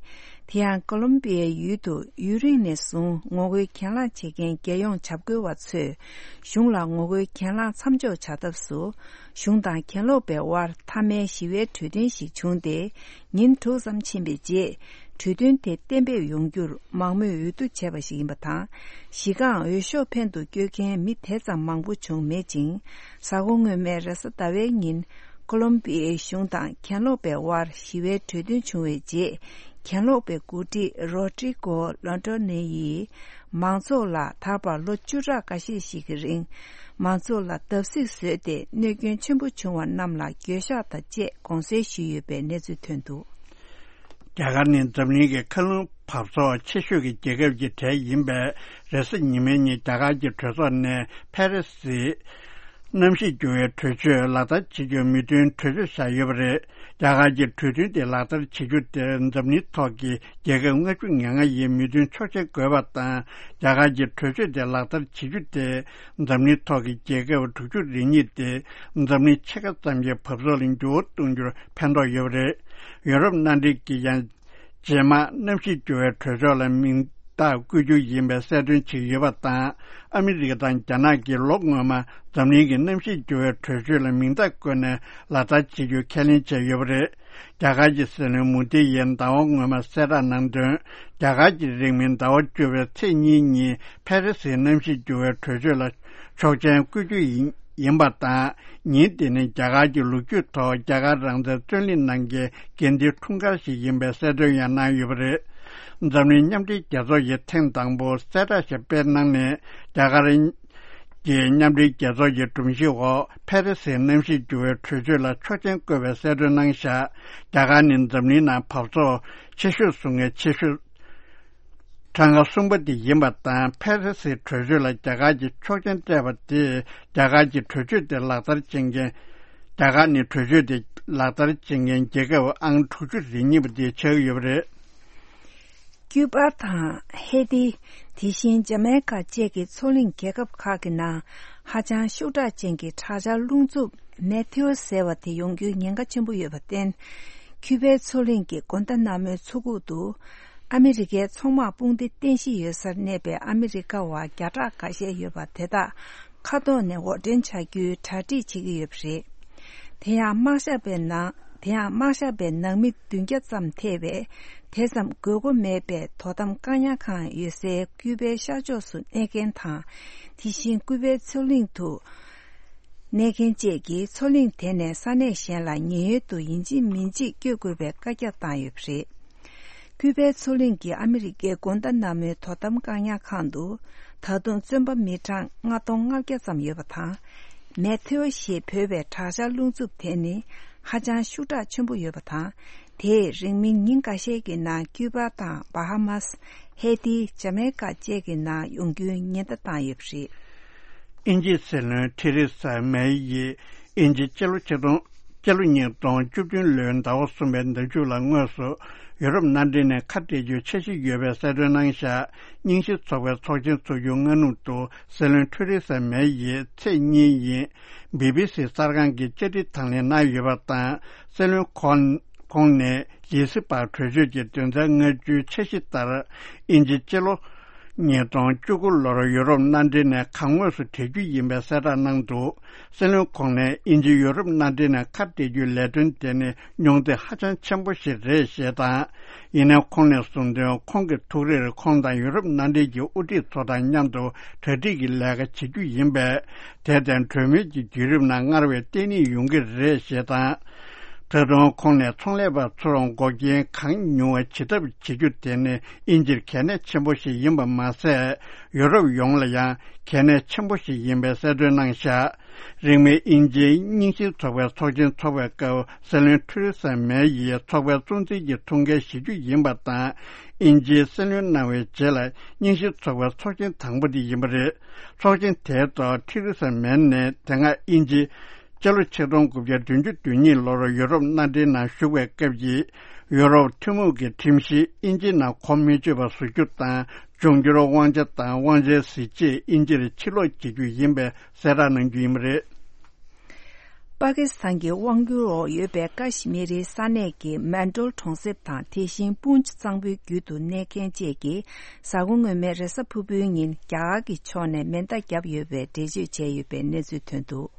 དེ་ཡང་ཀོ་ལོམ་པི་ཡའི་ཡུལ་དུ་ཡུན་རིང་ནས་བཟུང་ངོ་རྒོལ་གྱེན་ལངས་བྱེད་མཁན་རྒྱལ་ཡོངས་བྱ་རྒོད་པ་ཚོས་གཞུང་ལ་ངོ་རྒོལ་གྱེན་ལངས་མཚམས་འཇོག་བྱ་ཐབས་སུ། གཞུང་དང་གྱེན་ལོག་པའི་དབར་མཐའ་མའི་ཞི་བའི་གྲོས་མཐུན་ཞིག་བྱུང་སྟེ། ཉིན་དྲུག་ཙམ་ཕྱིན་པའི་རྗེས། གྲོས་མཐུན་དེ་གཏན་འབེབས་ཡོང་རྒྱུར་མང་མོས་འོས་བསྡུ་བྱས་པ་ཞིག་ཡིན་པ་དང་། གཞི་རྐང་འོས་ཤོག་འཕེན་དུ་བསྐྱོད་མཁན་མི་དེ་ཙམ་མང་པོ་བྱུང་མེད་ཅིང་། གཟའ་འཁོར་སྔོན་མའི་རེས་གཟའ་ཟླ་བའི་ཉིན། ཀོ་ལོམ་པི་ཡའི་གཞུང་དང་གྱེན་ལོག་པའི་དབར་ཞི་བའི་གྲོས་མཐུན་བྱུང་བའི་རྗེས། གྱེན་ལོག་པའི་འགོ་ཁྲིད་རོ་ཏྲི་ཀོ་ལོན་ཏོ་ནེ་ཡིས། མང་ཚོགས་ལ་ད་བར་ལོ་བཅུ་ཕྲག་འགའ་ཤས་ཤིག་གི་རིང་། མང་ཚོགས་ལ་བརྡབ་གསིག་བཟོས་ཏེ། གནོད་སྐྱོན་ཆེན་པོ་བྱུང་བ་རྣམས་ལ་འགྱོད་བཤགས་དང་བཅས་དགོངས་སེལ་ཞུས་ཡོད་པའི་གནས་ཚུལ་ཐོན་འདུག་རྒྱ་གར་ནི་འཛམ་གླིང་གི་མཁའ་རླུང་འབབ་ཚོགས་ཆེ་ཤོས་ཀྱི་རྒྱལ་ཁབ་ཀྱི་གྲས་ཡིན་པས། རེས་གཟའ་ཉི་མའི་ཉིན་རྒྱ་གར་གྱི་གྲོས་ཚོགས་ནས་ཕ་རི་སིའི་གནམ་གཤིས་འགྱུར་བའི་གྲོས་ཆོད་ལག་བསྟར་བྱེད་རྒྱུར་མོས་མཐུན་གྲོས་ཆོད་བཞག་ཡོད་པ་རེད། རྒྱ་གར་གྱི་གྲོས་མཐུན་དེ་ལག་བསྟར་བྱེད་རྒྱུ་དེར་འཛམ་གླིང་ཐོག་གི་རྒྱལ་ཁབ་ལྔ་བཅུ་ང་ལྔ་ཡིས་མོས་མཐུན་ཆོག་མཆན་བཀོད་པ་དང་། རྒྱ་གར་གྱི་གྲོས་ཆོད་དེ་ལག་བསྟར་བྱེད་རྒྱུ་དེ། འཛམ་གླིང་ཐོག་གི་རྒྱལ་ཁབ་དྲུག་ཅུ་རེ་གཉིས་ཏེ། འཛམ་གླིང་ཕྱེད་ཀ་ཙམ་གྱི་འབབ་ཚོགས་ལ་འགྱུར་བ་གཏོང་རྒྱུར་ཕན་ཐོགས་ཡོད་པ་རེད། ཡོ་རོབ་མནའ་འབྲེལ་གྱིས་ཡང་། རྗེས་མ་གནམ་གཤིས་འགྱུར་བའི་གྲོས་ཆོད་ལ་མིང་རྟགས་བཀོད་རྒྱུ་ཡིན་པའི་གསལ་སྟོན་བྱས་ཡོད་པ་དང་། ཨ་མི་རི་ཀ་དང་རྒྱ་ནག་གིས་ལོ་སྔོན་མ་འཛམ་གླིང་གི་གནམ་གཤིས་འགྱུར་བའི་གྲོས་ཆོད་ལ་མིང་རྟགས་བཀོད་ནས་ལག་བསྟར་བྱེད་རྒྱུ་ཁས་ལེན་བྱས་ཡོད་པ་རེད། རྒྱ་གར་གྱི་སྲིད་བློན་མོ་དི་ཡིས་ཟླ་བ་སྔོན་མ་གསལ་བསྒྲགས་གནང་དོན། རྒྱ་གར་གྱི་རིང་མིན་ཟླ་བ་བཅུ་པའི་ཚེས་གཉིས་ཉིན་ཕ་རི་སིའི་གནམ་གཤིས་འགྱུར་བའི་གྲོས་ཆོད་ལ་ཆོག་མཆན་བཀོད་རྒྱུ་ཡིན་ཡིན་པ་དང་། ཉིན་དེ་ནི་རྒྱ་གར་གྱི་ལོ་རྒྱུས་ཐོག་རྒྱ་གར་རང་བཙན་རྩོད་ལེན་གནང་མཁན་དགེ་འདུན་འཁྲུངས་སྐར་ཞིག་ཡིན་པའི་གསལ་སྟོན་ཡང་གནང་ཡོད་པ་རེད། འཛམ་གླིང་མཉམ་འབྲེལ་རྒྱལ་ཚོགས་ཀྱིས་ཐེངས་དང་པོ་གསལ་བསྒྲགས་ཤིག་སྤེལ་གནང་ནས། རྒྱ་གར་གྱི་མཉམ་འབྲེལ་རྒྱལ་ཚོགས་ཀྱི་སྒྲོམ་གཞི་འོག་ཕ་རི་སིའི་གནམ་གཤིས་འགྱུར་བའི་གྲོས་ཆོད་ལ་ཆོག་མཆན་བཀོད་པའི་གསལ་སྟོན་གནང་བཞག་རྒྱ་གར་ནི་འཛམ་གླིང་ནང་འབབ་ཚོགས་ཆེ་ཤོས་བཟོ་མཁན་ཆེ་ཤོས་གྲངས་ཀ་གསུམ་པ་དེ་ཡིན་པ་དང་། ཕ་རི་སིའི་གྲོས་ཆོད་ལ་རྒྱ་གར་གྱིས་ཆོག་མཆན་སྤྲད་པ་དེས་རྒྱ་གར་གྱི་གྲོས་ཆོད་དེ་ལག་བསྟར་བྱེད་མཁན། རྒྱ་གར་ནི་གྲོས་ཆོད་དེ་ལག་བསྟར་བྱེད་མཁན་རྒྱལ་ཁབ་ཨང་དྲུག་ཅུ་རེ་གཉིས་པ་དེ་ཆགས་ཀྱི་ཡོད་པ་རེད། ཀྱུ་པ་དང་ཧེ་ཏི། དེ་བཞིན་ཇ་མའི་ཀ་བཅས་ཀྱི་མཚོ་གླིང་རྒྱལ་ཁབ་ཁག་གི་ནང་ཧ་ཅང་ཤུགས་དྲག་ཅན་གྱི་དྲག་ཆར་རླུང་འཚུབ་མེ་ཐེའོ་ཟེར་བ་དེ་ཡོང་རྒྱུའི་ཉེན་ཁ་ཆེན་པོ་ཡོད་པར་བརྟེན། ཀྱུ་པའི་མཚོ་གླིང་གི་གོན་ཏ་ན་མོའི་མཚོ་ཁུག་ཏུ་ཨ་མི་རི་ཀའི་ཚོང་དམག་དཔུང་སྡེ་རྟེན་གཞི་ཡོད་སར་གནས་པའི་ཨ་མི་རི་ཀ་བ་བརྒྱ་ཕྲག་འགའ་ཤས་ཡོད་པ་དེ་དག་མཁའ་ཐོག་ནས་འོར་འདྲེན་བྱ་རྒྱུའི་གྲ་སྒྲིག་བྱེད་ཀྱི་ཡོད་པ་རེད། དེ་ཡང་དམག་ཞབས་པའི་ནང་དེ་ཡང་དམག་ཞབས་པའི་ནང་མི་བདུན་བརྒྱ་ཙམ་ཐེ་བའི་དེ་ཙམ་དགོས་མཁོ་མེད་པའི་དོ་དམ་བཀག་ཉར་ཁང་ཡོད་སའི་ཀུ་པའི་ཤར་ཕྱོགས་སུ་གནས་མཁན་དང་། དེ་བཞིན་ཀུ་པའི་མཚོ་གླིང་དུ་གནས་མཁན་བཅས་ཀྱིས་མཚོ་གླིང་དེ་ནས་ས་གནས་གཞན་ལ་ཉེན་གཡོལ་དུ་ཡིན་གཅིག་མིན་གཅིག་བསྐྱོད་དགོས་པའི་བཀའ་རྒྱ་བཏང་ཡོད་པ་རེད། ཀུ་པའི་མཚོ་གླིང་གི་ཨ་མི་རི་ཀའི་གོན་ཏ་ན་མོའི་དོ་དམ་བཀག་ཉར་ཁང་དུ་ད་དུང་བཙོན་པ་མི་གྲངས་ལྔ་སྟོང་ལྔ་བརྒྱ་ཙམ་ཡོད་པ་དང་། མེ་ཐེའོ་ཞེས་འབོད་པའི་དྲག་ཆར་རླུང་འཚུབ་དེ་ནི་ཧ་ཅང་ཤུགས་དྲག་ཆེན་པོ་ཡོད་པ་དང་། དེས་རིང་མིན་ཉིན་འགའ་ཤས་ཀྱི་ནང་ཀྱུ་པ་དང་བྷ་ཧ་མཱས། ཧེ་ཏི། ཇ་མེ་ཀ་བཅས་ཀྱི་ནང་ཡོང་རྒྱུའི་ཉེན་བརྡ་བཏང་ཡོད་པ་རེད། དབྱིན་ཇིའི་སྲིད་བློན་ཐེ་རེ་ས་མེ་ཡིས་དབྱིན་ཇི་སྤྱི་ལོ་ཆིག་སྟོང་། སྤྱི་ལོ་ཉིས་སྟོང་བཅུ་བདུན་ལོའི་ཟླ་བ་གསུམ་པའི་ཟླ་མཇུག་ལ་དངོས་སུ་ཡུ་རོབ་མནའ་འབྲེལ་ནས་ཁ་བྲལ་རྒྱུའི་འཆར་གཞི་ཡོད་པའི་གསལ་སྟོན་གནང་བཞག་རྙིང་ཞེན་ཚོགས་པའི་ཚོགས་ཆེན་འཚོགས་རྒྱུ་སྔ་སྣུར་དུ་སྲིད་བློན་ཐེ་རེ་ས་མེ་ཡིས་ཚེས་གཉིས་ཉིན་བི་བི་སི་གསར་ཁང་གི་བཅར་འདྲི་དང་ལེན་གནང་ཡོད་པ་དང་། སྲིད་བློན་ཁོང་ཁོང་ནས་ཡི་སི་པར་གྲོས་ཆོད་ཀྱི་དོན་ཚན་ལྔ་བཅུའི་འཆར་གཞི་ལྟར། དབྱིན་ཇི་སྤྱི་ལོ་ཉིས་སྟོང་བཅུ་དགུ་ལོར་ཡུ་རོབ་མནའ་འབྲེལ་ནས་གང་དངོས་སུ་བྲལ་རྒྱུ་ཡིན་པའི་གསལ་བསྒྲགས་གནང་འདུག་སྲིད་བློན་ཁོང་ནས་དབྱིན་ཇི་ཡུ་རོབ་མནའ་འབྲེལ་ནས་ཁ་བྲལ་རྒྱུའི་ལས་དོན་དེ་ནི་མྱོང་ཚོར་ཧ་ཅང་ཆེན་པོ་ཞིག་རེད་ཞེས་དང་། ཡིན་ནའི་ཁོང་ནས་གསུངས་དོན། ཁོང་གི་ཐུགས་རེར་ཁོང་དང་ཡུ་རོབ་མནའ་འབྲེལ་གྱི་དབུ་ཁྲིད་ཚོ་དང་མཉམ་དུ་གྲ་སྒྲིག་གི་ལས་ཀ་བྱེད་རྒྱུ་ཡིན་པས། དེར་བརྟེན་གྲོས་མོལ་གྱི་བརྒྱུད་རིམ་ནང་སྔར་བས་བརྟན་ལྷིང་ཡོང་གི་རེད་ཞེས་དང་། ད་དུང་ཁོང་ནས་ཚོང་ལས་པ་ཚོར་འགོག་རྐྱེན་གང་ཉུང་བ་བྱེད་ཐབས་བྱེད་རྒྱུ་དེ་ནི་དབྱིན་ཇིར་གལ་གནད་ཆེན་པོ་ཞིག་ཡིན་པ་མ་ཟད། ཡུ་རོབ་ཡོངས་ལ་ཡང་གལ་གནད་ཆེན་པོ་ཞིག་ཡིན་པའི་གསལ་སྟོན་གནང་བཞག་རིང་མིན་དབྱིན་ཇིའི་རྙིང་ཞེན་ཚོགས་པའི་ཚོགས་ཆེན་འཚོགས་པའི་སྐབས་སྲིད་བློན་ཐེ་རེ་ས་མེ་ཡིས་ཚོགས་པའི་གཙོ་འཛིན་གྱི་ཐུགས་འགན་བཞེས་རྒྱུ་ཡིན་པ་དང་། དབྱིན་ཇིའི་སྲིད་བློན་གནང་བའི་རྗེས་ལ་རྙིང་ཞེན་ཚོགས་པའི་ཚོགས་ཆེན་དང་པོ་དེ་ཡིན་པ་རེད། ཚོགས་ཆེན་དེའི་ཐོག་ཐེ་རེ་ས་མེ་ནས་དེ་སྔ་དབྱིན་ཇི། སྤྱི་ལོ་ཆིག་སྟོང་དགུ་བརྒྱ་བདུན་ཅུ་དོན་གཉིས་ལོར་ཡུ་རོབ་མནའ་འབྲེལ་ནང་ཞུགས་པའི་སྐབས་ཀྱི་ཡུ་རོབ་ཐུན་མོང་གི་ཁྲིམས་གཞི་དབྱིན་ཇིའི་ནང་གོ་མི་ཆོད་པ་བཟོ་རྒྱུ་དང་། འབྱུང་འགྱུར་དབང་ཆ་དང་དབང་ཆའི་གཟི་བརྗིད་དབྱིན་ཇིར་ཕྱིར་སློག་བྱེད་རྒྱུ་ཡིན་པའི་གསལ་བསྒྲགས་གནང་རྒྱུ་ཡིན་པ་རེད། པ་ཀི་སི་ཐན་གྱི་དབང་སྒྱུར་འོག་ཡོད་པའི་ཀ་ཤི་མི་རིའི་ས་གནས་ཀྱི་མན་ཏོལ་གྲོང་གསེབ་དང་དེ་བཞིན་པུན་ཅི་གཙང་པོའི་རྒྱུད་དུ་གནས་མཁན་བཅས་ཀྱིས་གཟའ་འཁོར་སྔོན་མའི་རེས་གཟའ་ཕུར་བུའི་ཉིན་རྒྱ་གར་གྱི་ཕྱོགས་ནས་མེ་མདའ་བརྒྱབ་ཡོད་པའི་འགྲེལ་བརྗོད་བྱས་ཡོད་པའི་གནས་ཚུལ་ཐོན་འདུག་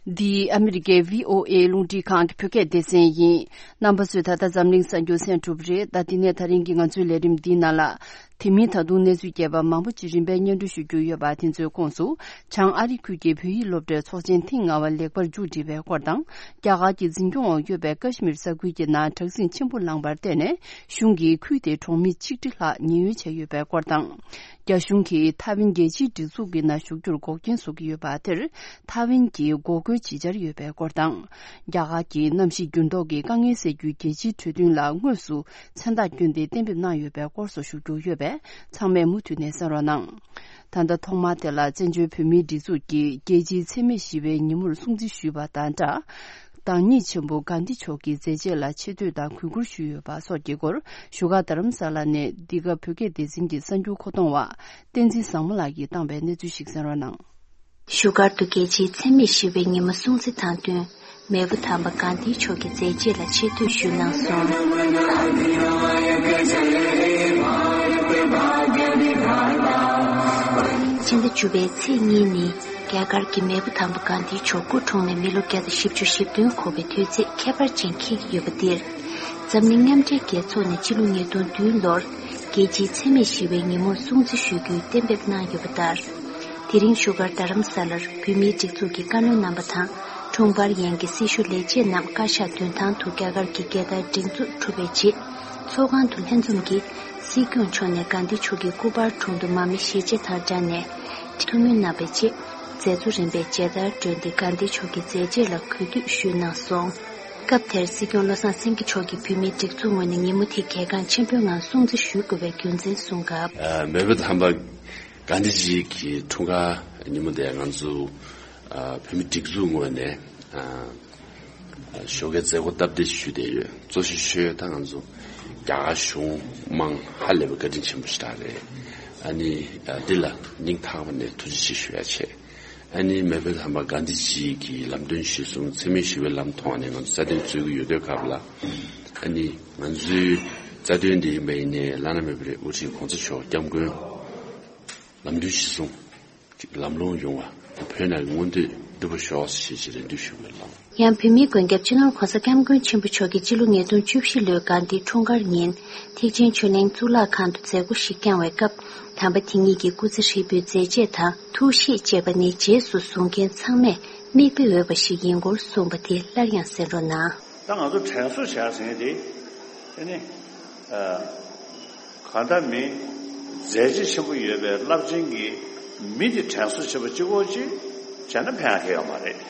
འདི་ཨ་མི་རི་ཀའི་བྷི་ཨོ་ཨེ་རླུང་འཕྲིན་ཁང་གི་བོད་སྐད་སྡེ་ཚན་ཡིན། རྣམ་པ་ཚོས་ད་ལྟ་འཛམ་གླིང་གསར་འགྱུར་གསན་གྲུབ་རེད། ད་འདི་ནས་ད་རིང་གི་ང་ཚོའི་ལས་རིམ་འདིའི་ནང་ལ། དེ་མིན་ད་དུང་གནས་ཚུལ་རྒྱས་པ་མང་པོ་ཅིག་རིམ་པས་སྙན་སྒྲོན་ཞུ་རྒྱུ་ཡོད་པ། དེ་ཚོའི་ཁོངས་སུ། བྱང་ཨ་རི་ཁུལ་གྱི་བོད་ཡིག་སློབ་གྲྭའི་ཚོགས་ཆེན་ཐེངས་ལྔ་པ་ལེགས་པར་མཇུག་སྒྲིལ་བའི་སྐོར་དང་། རྒྱ་གར་གྱི་འཛིན་སྐྱོང་འོག་ཡོད་པའི་ཀ་ཤི་མིར་ས་ཁུལ་གྱི་ནང་དྲག་ཟིང་ཆེན་པོ་ལངས་པར་བརྟེན་ནས། གཞུང་གིས་ཁུལ་དེའི་གྲོང་མི་ཆིག་ཁྲི་ལྷག་ཉེན་གཡོལ་བྱས་ཡོད་པའི་སྐོར་དང་། རྒྱ་གཞུང་གིས་ཐའེ་ཝན་རྒྱལ་སྤྱིའི་སྒྲིག་འཛུགས་ཀྱི་ནང་ཞུགས་རྒྱུར་འགོག་རྐྱེན་བཟོ་གི་ཡོད་པ་དེར། ཐའེ་ཝན་གྱིས་འགོག་རྒོལ་བྱེད་འཆར་ཡོད་པའི་སྐོར་དང་། རྒྱ་གར་གྱིས་གནམ་གཤིས་འགྱུར་ལྡོག་གི་དཀའ་ངལ་སེལ་རྒྱུའི་རྒྱལ་སྤྱིའི་གྲོས་མཐུན་ལ་དངོས་སུ་མཚན་རྟགས་བསྐྱོན་ཏེ་གཏན་འབེབས་གནང་ཡོད་པའི་སྐོར་སོགས་ཞུ་རྒྱུ་ཡོད་པས། ཚང་མས་མུ་མཐུད་ནས་གསན་རོགས་གནང་། ད་ལྟ་ཐོག་མར་དེ་ལ་བཙན་བྱོལ་བོད་མིའི་སྒྲིག་འཛུགས་ཀྱིས་རྒྱལ་སྤྱིའི་འཚེ་མེད་ཞི་བའི་ཉིན་མོར་སྲུང་བརྩི་ཞུས་པ་དང་སྦྲགས། བདག་ཉིད་ཆེན་པོ་གྷན་དྷི་མཆོག་གི་མཛད་རྗེས་ལ་ཆེ་བསྟོད་དང་གུས་བཀུར་ཞུས་ཡོད་པ་སོགས་ཀྱི་སྐོར་བཞུགས་སྒར་རྡ་རམ་ས་ལ་ནས་འདི་ག་བོད་སྐད་སྡེ་ཚན་གྱི་གསར་འགྱུར་མཁོ་གཏོང་བ་བསྟན་འཛིན་བཟང་མོ་ལགས་ཀྱིས་བཏང་བའི་གནས་ཚུལ་ཞིག་གསན་རོགས་གནང་། བཞུགས་སྒར་དུ་རྒྱལ་སྤྱིའི་འཚེ་མེད་ཞི་བའི་ཉིན་མོ་སྲུང་བརྩི་དང་བསྟུན། མེས་པོ་དམ་པ་གྷན་དྷི་མཆོག་གི་མཛད་རྗེས་ལ་ཆེ་བསྟོད་ཞུས་གནང་སོང་། ཕྱི་ཟླ་བཅུ་པའི་ཚེས་གཉིས་ནི། རྒྱ་གར་གྱི་མེས་པོ་དམ་པ་གྷན་དྷི་མཆོག་སྐུ་འཁྲུངས་ནས་མི་ལོ་བརྒྱ་དང་བཞི་བཅུ་ཞེ་བདུན་འཁོར་བའི་དུས་ཚིགས་ཁྱད་པར་ཅན་འཁེལ་གྱི་ཡོད་པ་འདིར། འཛམ་གླིང་མཉམ་འབྲེལ་རྒྱལ་ཚོགས་ནས་ཕྱི་ལོ་ཉིས་སྟོང་བདུན་ལོར་རྒྱལ་སྤྱིའི་འཚེ་མེད་ཞི་བའི་ཉིན་མོར་སྲུང་བརྩི་ཞུ་རྒྱུའི་གཏན་འབེབས་གནང་ཡོད་པ་ལྟར། དེ་རིང་བཞུགས་སྒར་རྡ་རམ་ས་ལར་བོད་མིའི་སྒྲིག་འཛུགས་ཀྱི་བཀའ་བློན་རྣམ་པ་དང་། དྲུང་འཕར་ཡན་གྱི་སྲི་ཞུ་ལས་བྱེད་རྣམས་བཀའ་ཤག་མདུན་ཐང་དུ་རྒྱ་གར་གྱི་རྒྱལ་དར་སྒྲེང་འཛུགས་གྲུབ་པའི་རྗེས། ཚོགས་ཁང་དུ་ལྷན་འཛོམས་ཀྱིས་སྲིད་སྐྱོང་མཆོག་ནས་གྷན་དྷི་མཆོག་གི་སྐུ་པར་དྲུང་དུ་མར་མེ་ཞལ་འབྱེད་དང་སྦྲགས་ནས་ཐུགས་སྨོན་གནང་བའི་རྗེས། མཛད་གཙོ་རིམ་པས་མཇལ་དར་བསྒྲོན་ཏེ་གྷན་དྷི་མཆོག་གི་མཛད་རྗེས་ལ་གུས་འདུད་ཞུས་གནང་སོང་། སྐབས་དེར་སྲིད་སྐྱོང་བློ་བཟང་སེང་གེ་མཆོག་གིས་བོད་མིའི་སྒྲིག་འཛུགས་ངོས་ནས་ཉིན་མོ་དེ་གལ་འགངས་ཆེན་པོའི་ངང་སྲུང་བརྩི་ཞུ་དགོས་པའི་རྒྱུ་མཚན་གསུངས་སྐབས། ཨ། མེས་པོ་དམ་པ་གྷན་དྷི་ཇི་གི་འཁྲུངས་སྐར་ཉིན་མོ་དེ་ང་ཚོ་ཨ། བོད་མིའི་སྒྲིག་འཛུགས་ངོས་ནས་ ཨ་ཞོགས་ཀའི་མཛད་སྒོ་སྟབས་བདེ་ཞུས་བསྡད་ཡོད། གཙོ་ཆེ་ཤོས་ད་ང་ཚོ་རྒྱ་གར་གཞུང་དམངས་ཧ་ལས་པའི་བཀའ་དྲིན་ཆེན་པོ་ཞིག་རེད། ཨ་ནི་ཨ་འདི་ལ་སྙིང་ཐག་པ་ནས་ཐུགས་རྗེ་ཆེ་ཞུ་ཡ་བྱས། ཨ་ནི་མེས་པོའི་ལྷ་མ་གྷན་དྷི་ཇི་གི་ལམ་སྟོན་གཞིར་བཟུང་འཚེ་མེད་ཞི་བའི་ལམ་ཐོག་ནས་ང་ཚོ་རྩ་དོན་རྩོད་ཀྱི་ཡོད་དུས་སྐབས་ལ། ཨ་ནི་ང་ཚོའི་རྩ་དོན་འདི་ཡིན་པ་ཡིན་ནའི་བླ་ན་མེད་པའི་དབུ་ཁྲིད་གོང་ས་མཆོག་སྐྱབས་མགོན་ལམ་སྟོན་གཞིར་བཟུང་ཅིག་ལམ་ལྷོང་ཡོང་བ་བོད་ནང་གི་མངོན་འདོད་འགྲུབ་པར་ཤོག་ཞེས་ཅིག་རེ་འདུན་ཞུ་དགོས་ལགས། ཡང་བོད་མིའི་མགོན་སྐྱབས་སྤྱི་ནོར་༸གོང་ས་༸སྐྱབས་མགོན་ཆེན་པོ་མཆོག་གིས་སྤྱི་ལོ་ཉིས་སྟོང་བཅུ་བཞི་ལོའི་དགའ་ལྡན་འཁྲུངས་སྐར་ཉིན་ཐེག་ཆེན་ཆོས་གླིང་གཙུག་ལག་ཁང་དུ་མཛད་སྒོ་ཞིག་བསྐྱངས་བའི་སྐབས། དམ་པ་དེ་ཉིད་ཀྱི་སྐུ་ཚེ་ཧྲིལ་པོའི་མཛད་རྗེས་དང་ཐུགས་གཤིས་བཅས་པ་ནི་རྗེས་སུ་བཟུང་མཁན་ཚང་མས་མིག་དཔེ་འོས་པ་ཞིག་ཡིན་སྐོར་གསུངས་པ་དེ་སླར་ཡང་གསན་རོགས་གནང་། ད་ང་ཚོ་དྲན་གསོ་བྱས་ཟིན་དེ། ཨེ་ནི། ཨ། གང་ལྟར་མི་མཛད་རྗེས་ཆེན་པོ་ཡོད་པའི་རླབས་ཆེན་གྱི་མི་དེ་དྲན་གསོ་བྱེད་པ་གཅིག་པོ་ཅིག་བྱས་ན་ཕན་ཡག་གི་ཡོད་མ་རེད།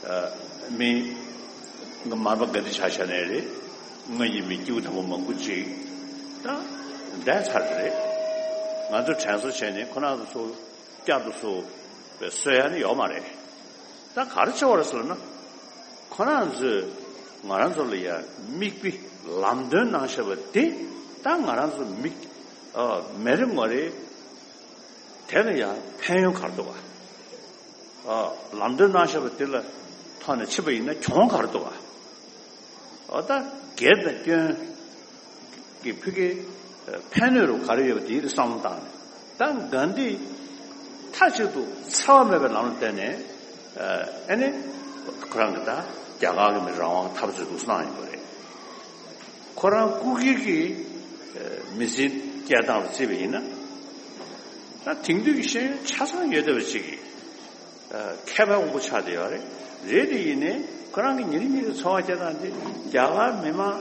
ཨ། མི་ང་མར་པ་ག་འདི་ཆ་བཞག་ནའི་རེད། ང་ཡི་མི་སྐྱེ་བོ་དམ་པ་མང་པོ་ཅིག་ད་འདས་ཚར་རེད། ང་ཚོ་དྲན་གསོ་བྱས་ནས་ཁོ་རང་ཚོ་བསྐྱར་དུ་གསོ་བའི་གསོ་ཡ་ནི་ཡོད་མ་རེད། ད་ག་རེ་བྱེད་པ་རེད་ཟེར་ན། ཁོ་རང་ཚོས་ང་རང་ཚོ་ལ་ཡ་མིག་དཔེ་ལམ་སྟོན་གནང་བཞག་པ་དེ་ད་ང་རང་ཚོ་མིག་ཨ་མི་རེ་ངོ་རེ་དེ་ལ་ཡ་ཕན་ཡོན་ག་རེ་འདུག་ག་ཨ་ལམ་སྟོན་གནང་བཞག་པ་དེ་ལ་ཐོག་ནས་ཕྱིན་པ་ཡིན་ན་གྱོང་ག་རེ་འདུག་ག་ཨོ་ད་སྒེར་དང་སྐྱོན་གྱི་ཕ་གི་ཕན་གནོད་རུ་ག་རེ་ཡོད་པ་དེའི་བསམ་བློ་བཏང་ནས་ད་གྷན་དྷི་མཐའ་གཅིག་ཏུ་འཚེ་བ་མེད་པའི་ལམ་ལ་བརྟེན་ནས་ཨ་ནི་ཁོ་རང་གི་ད་རྒྱ་གར་གྱི་མི་རང་དབང་འཐབ་རྩོད་འདུག་གནང་ཡོད་པ་རེད། ཁོ་རང་སྐུ་སྒེར་གྱི་མི་ཚེ་སྐྱེལ་སྟངས་ལ་བརྩིས་པ་ཡིན་ན་ད་དེང་དུས་ཀྱི་ཤེས་ཡོན་ཆ་ཚང་ཡོད་བསྡད་པ་ཅིག་གིས། མཁས་པའི་དབང་པོ་ཆགས་བསྡད་ཡོད་རེད། རེད་དེ་ཡིན་ནའི་ཁོ་རང་གི་ཉིན་རེ་ཉིན་རེ་འཚོ་བ་སྐྱེལ་སྟངས་དེ་རྒྱ་གར་མི་མང་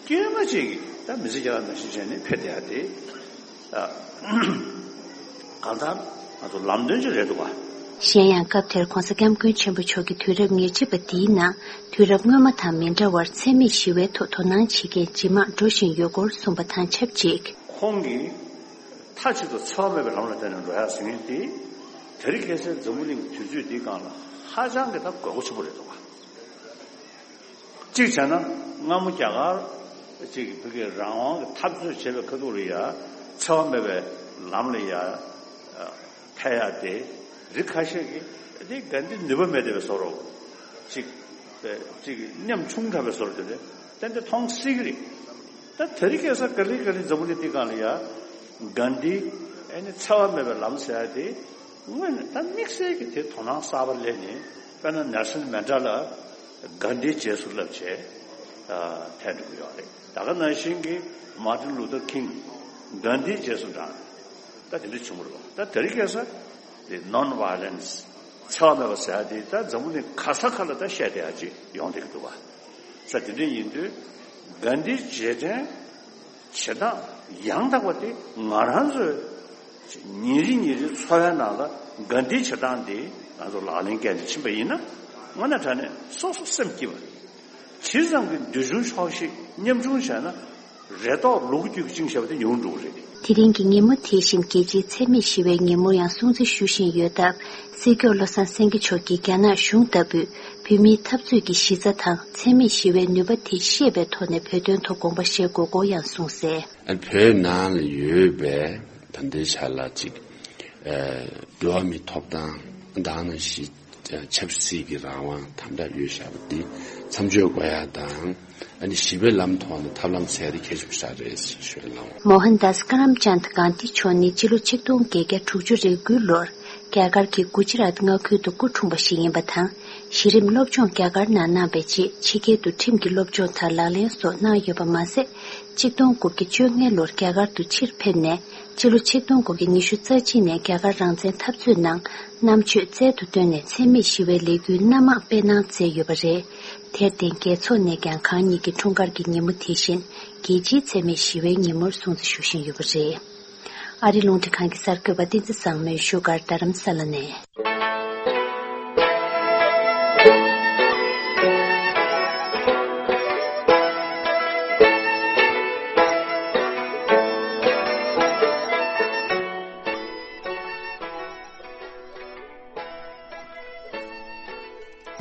དཀྱུས་མ་ཅིག་གིས་ད་མི་ཚེ་སྐྱེལ་སྟངས་ནང་བཞིན་བྱས་ནས་ཕེབས་བསྡད་ཡ་དེ། གང་ལྟར་ང་ཚོ་ལམ་སྟོན་ཅིག་རེད་འདུག་ག་གཞན་ཡང་སྐབས་དེར་༸གོང་ས་༸སྐྱབས་མགོན་ཆེན་པོ་མཆོག་གིས་དུས་རབས་ཉེར་གཅིག་པ་འདིའི་ནང་དུས་རབས་སྔོན་མ་དང་མི་འདྲ་བར་འཚེ་མེད་ཞི་བའི་ཐོག་དོ་སྣང་བྱེད་མཁན་ཇེ་མང་འགྲོ་བཞིན་ཡོད་སྐོར་གསུངས་པ་དང་ཆབས་ཅིག་ཁོང་གིས། མཐའ་གཅིག་ཏུ་འཚེ་བ་མེད་པའི་ལམ་ལ་བརྟེན་ནས་འགྲོ་ཡག་ཟེར་མཁན་དེ། དེ་རིང་ཁ་སང་འཛམ་བུ་གླིང་གི་དུས་ཚོད་འདིའི་སྒང་ལ་ཧ་ཅང་གི་ད་དགོས་མཁོ་ཆེན་པོ་རེད་འདུག་ག་གཅིག་བྱས་ན་སྔ་མོ་རྒྱ་གར་གཅིག་གི་བོད་ཀྱི་རང་དབང་གི་འཐབ་རྩོད་བྱེད་པའི་ཁ་ཐུག་ལ་ཡ་འཚེ་བ་མེད་པའི་ལམ་ལ་ཡ་ཐལ་ཡག་དེ་རིགས་ཁ་ཤས་ཀྱིས་དེ་གྷན་དྷི་ནུས་པ་མེད་བསྡད་པའི་བཟོ་འདྲ་གཅིག་གཅིག་ཉམ་ཆུང་དྲགས་པའི་བཟོ་འདྲ་དེ་ཏན་ཏན་མཐོང་སྲིད་ཀྱི་རེད། ད་དེ་རིང་ཁ་སང་ག་ལེ་ག་ལེ་འཛམ་བུ་གླིང་འདིའི་སྒང་ལ་ཡ་གྷན་དྷི་ཨེ་ནི་འཚེ་བ་མེད་པའི་ལམ་ཟེར་ཡ་དེ་དངོས་གནས་ད་དམིགས་བསལ་གྱི་དེ་དོ་སྣང་གསར་པ་སླེབས་ནས་དཔེར་ན་ནེལ་སོན་མན་ཌེ་ལ་གྷན་དྷིའི་རྗེས་སུ་བསླབ་བྱས་ཕེབས་འགྲོ་གི་ཡོད་རེད། ད་ག་ནང་བཞིན་གྱི་མར་ཏིན་ལུ་ཐར་ཁིང་གྷན་དྷིའི་རྗེས་སུ་འབྲངས་ད་དེ་འདྲ་བྱུང་བ་རེད་པ། ད་དེ་རིང་ཁ་སང་དེ་ནོན་ཝ་ཡོ་ལེན་སི་འཚེ་བ་མེད་པ་ཟེར་ཡ་དེ་ད་འཛམ་བུ་གླིང་ག་ས་ག་ལ་ད་བཤད་བསྡད་ཡ་ཅིག་ཡོང་བསྡད་ཀྱི་འདུག་པ། ས་དེ་འདྲ་ཡིན་དུས་གྷན་དྷིའི་རྗེས་དྲན་བྱེད་སྟངས་ཡང་དག་པ་དེ་ང་རང་ཚོའི་ཉིན་རེ་ཉིན་རེའི་འཚོ་བའི་ནང་ལ་གྷན་དྷིའི་བྱེད་སྟངས་དེ་ང་ཚོ་ལག་ལེན་བཀལ་ནས་ཕྱིན་པ་ཡིན་ན་དངོས་གནས་དྲང་གནས་སོ་སོ་སེམས་སྐྱིད་པ་རེད། ཇི་ཙམ་གྱི་འདོད་ཆུང་ཆོག་ཤེས་ཉམ་ཆུང་བྱས་ན་རེ་དོགས་ལུ་གུ་རྒྱུད་ཀྱི་བཅིངས་བཞག་པ་དེ་ཉུང་འགྲོ་གི་རེད། དེ་རིང་གི་ཉིན་མོ་དེ་བཞིན་རྒྱལ་སྤྱིའི་འཚེ་མེད་ཞི་བའི་ཉིན་མོར་ཡང་སྲུང་བརྩི་ཞུ་བཞིན་ཡོད་སྟབས། སྲིད་སྐྱོང་བློ་བཟང་སེང་གེ་མཆོག་གིས་རྒྱ་ནག་གཞུང་ལྟ་བུས་བོད་མིའི་འཐབ་རྩོད་ཀྱི་གཞི་རྩ་དང་འཚེ་མེད་ཞི་བའི་ནུས་པ་དེ་ཤེས་པའི་ཐོག་ནས་བོད་དོན་ཐོག་དགོངས་པ་བཞེས་དགོས་སྐོར་ཡང་གསུངས་གསལ། ཨ་ནི་བོད་ནང་ལ་ཡོད་པའི་ད་ལྟའི་ཆ་ལ་ཅིག་ཨ་འགྲོ་བ་མིའི་ཐོབ་ཐང་དང་ནང་བཞིན་ཆབ་སྲིད་ཀྱི་རང་དབང་དམ་དྲག་ཡོད་བཞག་པ་འདི་མཚམས་གཅོད་དགོས་ཡ་དང་། ཨ་ནི་ཞི་བའི་ལམ་ཐོག་ནས་ཐབས་ལམ་འཚོལ་ཡ་དེ་གལ་ཆེན་པོ་ཞིག་རེད་ཞེས་ཞུ་ཡ་གནང་བ། མོ་ཧན་དཱས་ཀ་རམ་ཅཱནྡ་གྷན་དྷི་མཆོག་ནི་སྤྱི་ལོ་ཆིག་སྟོང་བརྒྱད་བརྒྱ་དྲུག་ཅུ་རེ་དགུའི་ལོར་རྒྱ་གར་གྱི་གུ་ཇི་རཱཏ་མངའ་ཁུལ་དུ་སྐུ་འཁྲུངས་པ་ཞིག་ཡིན་པ་དང་། གཞི་རིམ་སློབ་སྦྱོང་རྒྱ་གར་ནང་གནང་བའི་རྗེས་ཕྱི་རྒྱལ་དུ་ཁྲིམས་ཀྱི་སློབ་སྦྱོང་དང་ལག་ལེན་སོགས་གནང་ཡོད་པ་མ་ཟད། ཆིག་སྟོང་དགུ་བརྒྱ་བཅོ་ལྔའི་ལོར་རྒྱ་གར་དུ་ཕྱིར་ཕེབས་ནས་སྤྱི་ལོ་ཆིག་སྟོང་དགུ་བརྒྱ་ཉི་ཤུ་རྩ་གཅིག་ནས་རྒྱ་གར་རང་བཙན་འཐབ་རྩོད་ནང་རྣམ་དཔྱོད་རྩལ་དུ་བཏོན་ནས་འཚེ་མེད་ཞི་བའི་ལས་འགུལ་སྣ་མང་སྤེལ་གནང་མཛད་ཡོད་པ་རེད། དེར་བརྟེན་རྒྱལ་ཚོགས་ནས་ཀྱང་གང་ཉིད་ཀྱི་འཁྲུངས་སྐར་གྱི་ཉིན་མོ་དེ་བཞིན་རྒྱལ་སྤྱིའི་འཚེ་མེད་ཞི་བའི་ཉིན་མོར་སྲུང་བརྩི་ཞུ་བཞིན་ཡོད་པ་རེད། ཨ་རིའི་རླུང་འཕྲིན་ཁང་གི་གསར་འགོད་པ་བསྟན་འཛིན་བཟང་མོས་བཞུགས་སྒར་རྡ་རམ་ས་ལ་ནས།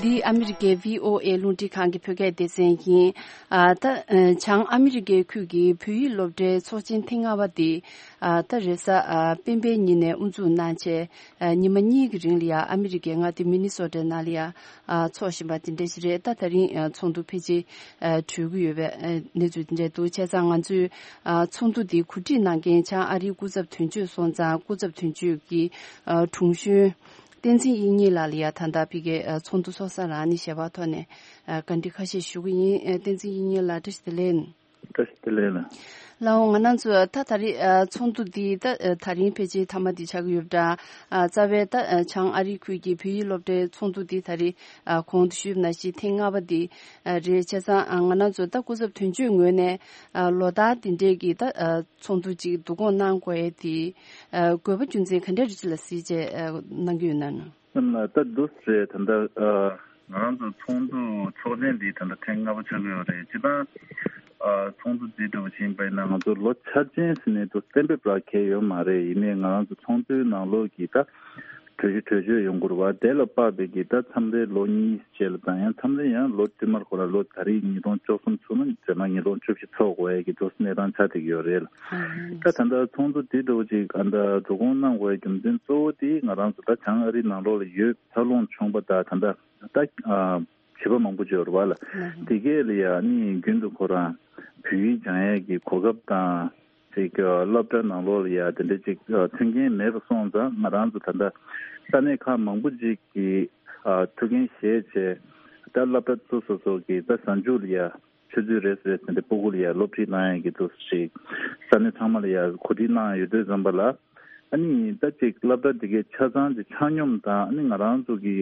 འདི་ཨ་མི་རི་ཀའི་བྷི་ཨོ་ཨེ་རླུང་འཕྲིན་ཁང་གི་བོད་སྐད་སྡེ་ཚན་ཡིན། ཨ་ད་ཨ་བྱང་ཨ་མི་རི་ཀའི་ཁུལ་གྱི་བོད་ཡིག་སློབ་གྲྭའི་ཚོགས་ཆེན་ཐེངས་ལྔ་པ་འདི་ཨ་ད་རེས་གཟའ་ཨ་སྤེན་པའི་ཉིན་ནས་དབུ་འཛུགས་གནང་བྱས། ཨ་ཉི་མ་གཉིས་ཀྱི་རིང་ལ་ཡ་ཨ་མི་རི་ཀའི་མངའ་སྡེ་མི་ནི་སོ་ཊའི་ནང་ལ་ཡ་ཨ་འཚོགས་བཞིན་པ་དེ་འདྲ་ཞིག་རེད། ད་ད་རིང་ཨ་ཚོགས་འདུ་ཕལ་ཆེར་ཨ་གྲོལ་གྱི་ཡོད་པའི་ཨ་གནས་ཚུལ་དེ་འདྲ་འདུག་བྱས་ཙང་ང་ཚོས་ཨ་ཚོགས་འདུ་འདི་གོ་སྒྲིག་གནང་མཁན་བྱང་ཨ་རིའི་སྐུ་ཚབ་དོན་གཅོད་སོང་ཙང་། སྐུ་ཚབ་དོན་གཅོད་ཀྱི་ཨ་དྲུང་གཞོན་བསྟན་འཛིན་དབྱིག་གཉེན་ལགས་ལ་ཡ་ད་ལྟ་ཕ་གིའི་ཨ་ཚོགས་འདུ་ཚོགས་ས་ལ་ཨ་ནི་ཞལ་པར་ཐོག་ནས་ཨ་བཀའ་འདྲི་ཁ་ཤས་ཞུ་གི་ཡིན། ཨ་བསྟན་འཛིན་དབྱིག་གཉེན་ལགས་བཀྲ་ཤིས་བདེ་ལེགས། བཀྲ་ཤིས་བདེ་ལེགས་ལགས། ལགས་འོང་། ང་རང་ཚོ་ད་ད་རེས་ཨ་ཚོགས་འདུ་འདི་ད་ཨ་ད་རིང་ཕལ་ཆེར་མཐའ་མ་འདི་ཆགས་ཀྱི་ཡོད་པ་འདྲ། ཨ་རྩ་བའི་ད་ཨ་བྱང་ཨ་རིའི་ཁུལ་གྱི་བོད་ཡིག་སློབ་གྲྭའི་ཚོགས་འདུ་འདི་ད་རེས་ཨ་གོང་དུ་ཞུས་པ་ནང་བཞིན་ཐེངས་ལྔ་པ་འདི་ཨ་རེད། བྱས་ཙང་ཨ་ང་རང་ཚོ་ད་སྐུ་ཚབ་དོན་གཅོད་ངོས་ནས་ཨ་ལོ་ལྟར་འདི་འདྲའི་གི་ད་ཨ་ཚོགས་འདུ་ཅིག་བསྡུ་སྐོང་གནང་དགོས་ཡས་དེ་ཨ་དགོས་པ་རྒྱུ་མཚན་ག་འདྲ་རེད་ཅེས་ལ་གཟིགས་བྱས་ཨ་གནང་གི་ཡོད་ན། སེམས་ལ་ད་འདུག་ཟེར། ད་ལྟ་ཨ་ང་རང་ཚོ་ཚོགས་འདུ་ཚོགས་ཆེན་འདི་ད་ལྟ་ཐེངས་ལྔ་པ་ཆགས་ཀྱི་ཡོད་རེད། སྤྱིར་བཏང་ཨ་ཚོགས་འདུ་འདི་འདྲ་བོ་ཞིག་ཡིན་པ་ཡིན་ན་ང་ཚོ་ལོ་འཆར་ཅན་ཟེར་ནས་འདུག་གཏན་འབེབས་རག་གལ་ཡོད་མ་རེད། ཡིན་ནའི་ང་རང་ཚོ་ཚོགས་འདུའི་ནང་ལོགས་ཀྱི་ད་གྲོས་གཞི་གྲོས་ཆོད་ཡོང་དགོས་རེད་བ། དེ་ལ་དཔག་པའི་གི་ད་མཚམས་རེ་ལོ་གཉིས་རྗེས་ལ་དང་ཡང་མཚམས་རེ་ཡང་ལོ་བསྟུད་མར་ཁོ་ན་ལོ་ད་རེས་ཉིས་སྟོང་བཅུ་གསུམ་ཚུགས་ན་རྗེས་མ་ཉིས་སྟོང་བཅུ་བཞི་ཚོགས་དགོས་ཡས་ཀྱི་འདུག་གནས་སྟངས་ཆགས་བསྡད་ཀྱི་ཡོད་རེད་ལ། ད་ད་ལྟ་ཚོགས་འདུ་འདི་འདྲ་བོ་ཅིག་ཨ་ད་འགྲོ་སྐོང་གནང་དགོས་ཡས་རྒྱུ་མཚན་གཙོ་བོ་དེ་ང་རང་ཚོ་ད་བྱང་ཨ་རི་ནང་ལོགས་ལ་ཡོད། འཚར་ལོངས་བྱུང་བ་དང་ད་ལྟ་ད་ཨ་བྱིས་པ་མང་པོ་ཅིག་ཡོད་རེད་བ་ལ། དེ་གས་ལ་ཡ་ནི་རྒྱུན་དུ་ཁོ་རང་བོད་ཡིག་སྦྱང་ཡས་ཀྱི་གོ་སྐབས་དང་ཅིག་སློབ་གྲྭ་ནང་ལོགས་ལ་ཡ་དེ་འདྲ་ཅིག་མཐུན་རྐྱེན་མེད་པ་སོང་ཙང་ང་རང་ཚོ་ད་ལྟ་ས་གནས་ཁག་མང་པོ་ཅིག་གིས་ཨ་ཐུགས་འགན་བཞེས་བྱས་ད་སློབ་གྲྭ་སོ་སོ་སོ་གི་ད་གཟའ་མཇུག་ལ་ཡ་ཆུ་ཚོད་རེ་ཟུང་རེ་ཟུང་དེ་སྤུ་གུ་ལ་ཡ་སློབ་ཁྲིད་གནང་ཡས་ཀྱི་འདུག་ཞིག་ས་གནས་ཚང་མ་ལ་ཡ་གོ་སྒྲིག་གནང་ཡོད་དུས་ཙམ་པ་ལ་ཨ་ནི་ད་ཅིག་སློབ་གྲྭ་དེ་གའི་ཆ་ཚང་ཅིག་ཆ་སྙོམས་དང་ཨ་ནི་ང་རང་ཚོ་གི་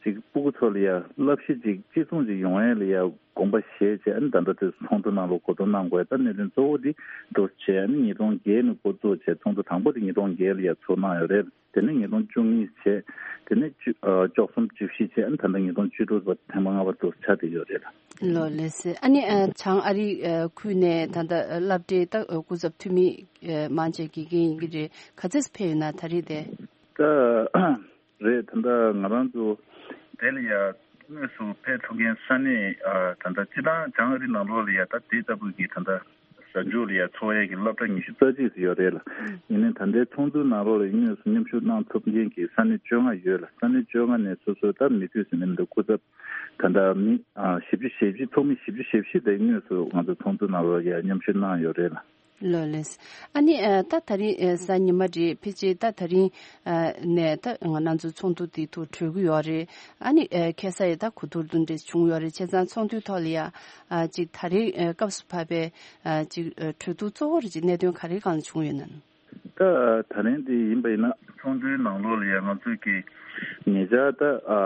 ཅིག་སྤུ་གུ་ཚོ་ལ་ཡ་བསླབ་གཞི་ཅིག་གཅིག་མཚུངས་ཅིག་ཡོང་ཡས་ལ་ཡ་དགོངས་པ་བཞེས་བྱས་ཨ་ནི་ད་ལྟ་དུས་ཚོགས་འདུ་ནང་ལོགས་གོ་བསྡུར་གནང་དགོས་ད་གནད་དོན་གཙོ་བོ་འདི་འདུག་བྱས་ཨ་ནི་ཉིས་སྟོང་བརྒྱད་ནས་འགོ་བཙུགས་བྱས་ཚོགས་འདུ་དང་པོ་དེ་ཉིས་སྟོང་བརྒྱད་ལ་ཡ་ཚོགས་གནང་ཡོད་རེད། དེ་ནས་ཉིས་སྟོང་བཅུ་གཉིས་བྱས། དེ་ནས་བཅུ་ཨ་བཅུ་གསུམ་བཅུ་བཞི་བྱས་ཨ་ནི་ད་ལྟ་ཉིས་སྟོང་བཅུ་དྲུག་བར་ཐེངས་མ་ལྔ་པ་དུ་ཆགས་བསྡད་ཡོད་རེད། ལགས་ལགས་སེ། ཨ་ནི་ཨ་བྱང་ཨ་རི་ཨ་ཁུལ་ནས་ད་ལྟ་སློབ་གྲྭའི་ད་སྐུ་ཚབ་འཐུས་མི་ཨ་མང་ཆེ་དགེ་རྒན་ཡིན་གྱི་རེད། ག་ཚོད་ཕེབས་ཡོད་ན་ད་རེས་དེ། ད་རེད། ད་ལྟ་ང་རང་ཚོ་དེ་ལ་ཡ་དངོས་སུ་ཕེབས་ཐུབ་མཁན་ས་གནས་ཨ་ད་ལྟ་སྤྱིར་བཏང་བྱང་ཨ་རི་ནང་ལོགས་ལ་ཡ་ད་དེ་ལྟ་བུ་གི་ད་ལྟ་གཟའ་མཇུག་ལ་ཡ་ཚོགས་ཡས་ཀྱི་སློབ་གྲྭ་ཉི་ཤུ་རྩ་གཅིག་ཙམ་ཡོད་རེད་ལ། ཡིན་ནའི་ད་ལྟའི་ཚོགས་འདུའི་ནང་ལོགས་ལ་དངོས་སུ་མཉམ་ཞུགས་གནང་ཐུབ་མཁན་གྱི་ས་གནས་བཅོ་ལྔ་ཡོད་ལ། ས་གནས་བཅོ་ལྔ་ནས་སོ་སོའི་ད་མི་དགོས་ཟེར་ནས་མི་འདུག་སྐུ་ཚབ་ད་ལྟ་མི་ཨ་བཞི་བཅུ་ཞེ་བཞི་ཚོགས་མི་བཞི་བཅུ་ཞེ་བཞི་དེ་དངོས་སུ་ང་ཚོ་ཚོགས་འདུ་ནང་ལོགས་ལ་ཡ་མཉམ་ཞུགས་གནང་ཡོད་རེད་ལ། ལགས་ལགས། ཨ་ནི་ཨ་ད་ད་རིང་ཨ་གཟའ་ཉི་མ་རེད། ཕལ་ཆེར་ད་ད་རིང་ཨ་ནས་ད་ང་རང་ཚོ་ཚོགས་འདུ་དེ་ཐོག་གྲོལ་གི་ཡོད་རེད། ཨ་ནི་ཨ་ཁ་སང་ཡང་ད་གོ་བསྡུར་དེ་འདྲ་བྱུང་ཡོད་རེད། བྱས་ཙང་ཚོགས་འདུའི་ཐོག་ལ་ཡ་ཨ་ཅིག་ད་རེས་ཨ་སྐབས་སུ་བབས་པའི་ཨ་ཅིག་ཨ་གྲོས་བསྡུར་གཙོ་བོ་རེ་ཅིག་གནད་དོན་ག་རེ་སྒང་ལ་བྱུང་ཡོད་ན། ད་ད་རིང་འདི་ཡིན་པ་ཡིན་ན་ཚོགས་འདུའི་ནང་ལོགས་ལ་ཡ་ང་ཚོས་ཀྱི་ཉེ་ཆར་ད་ཨ་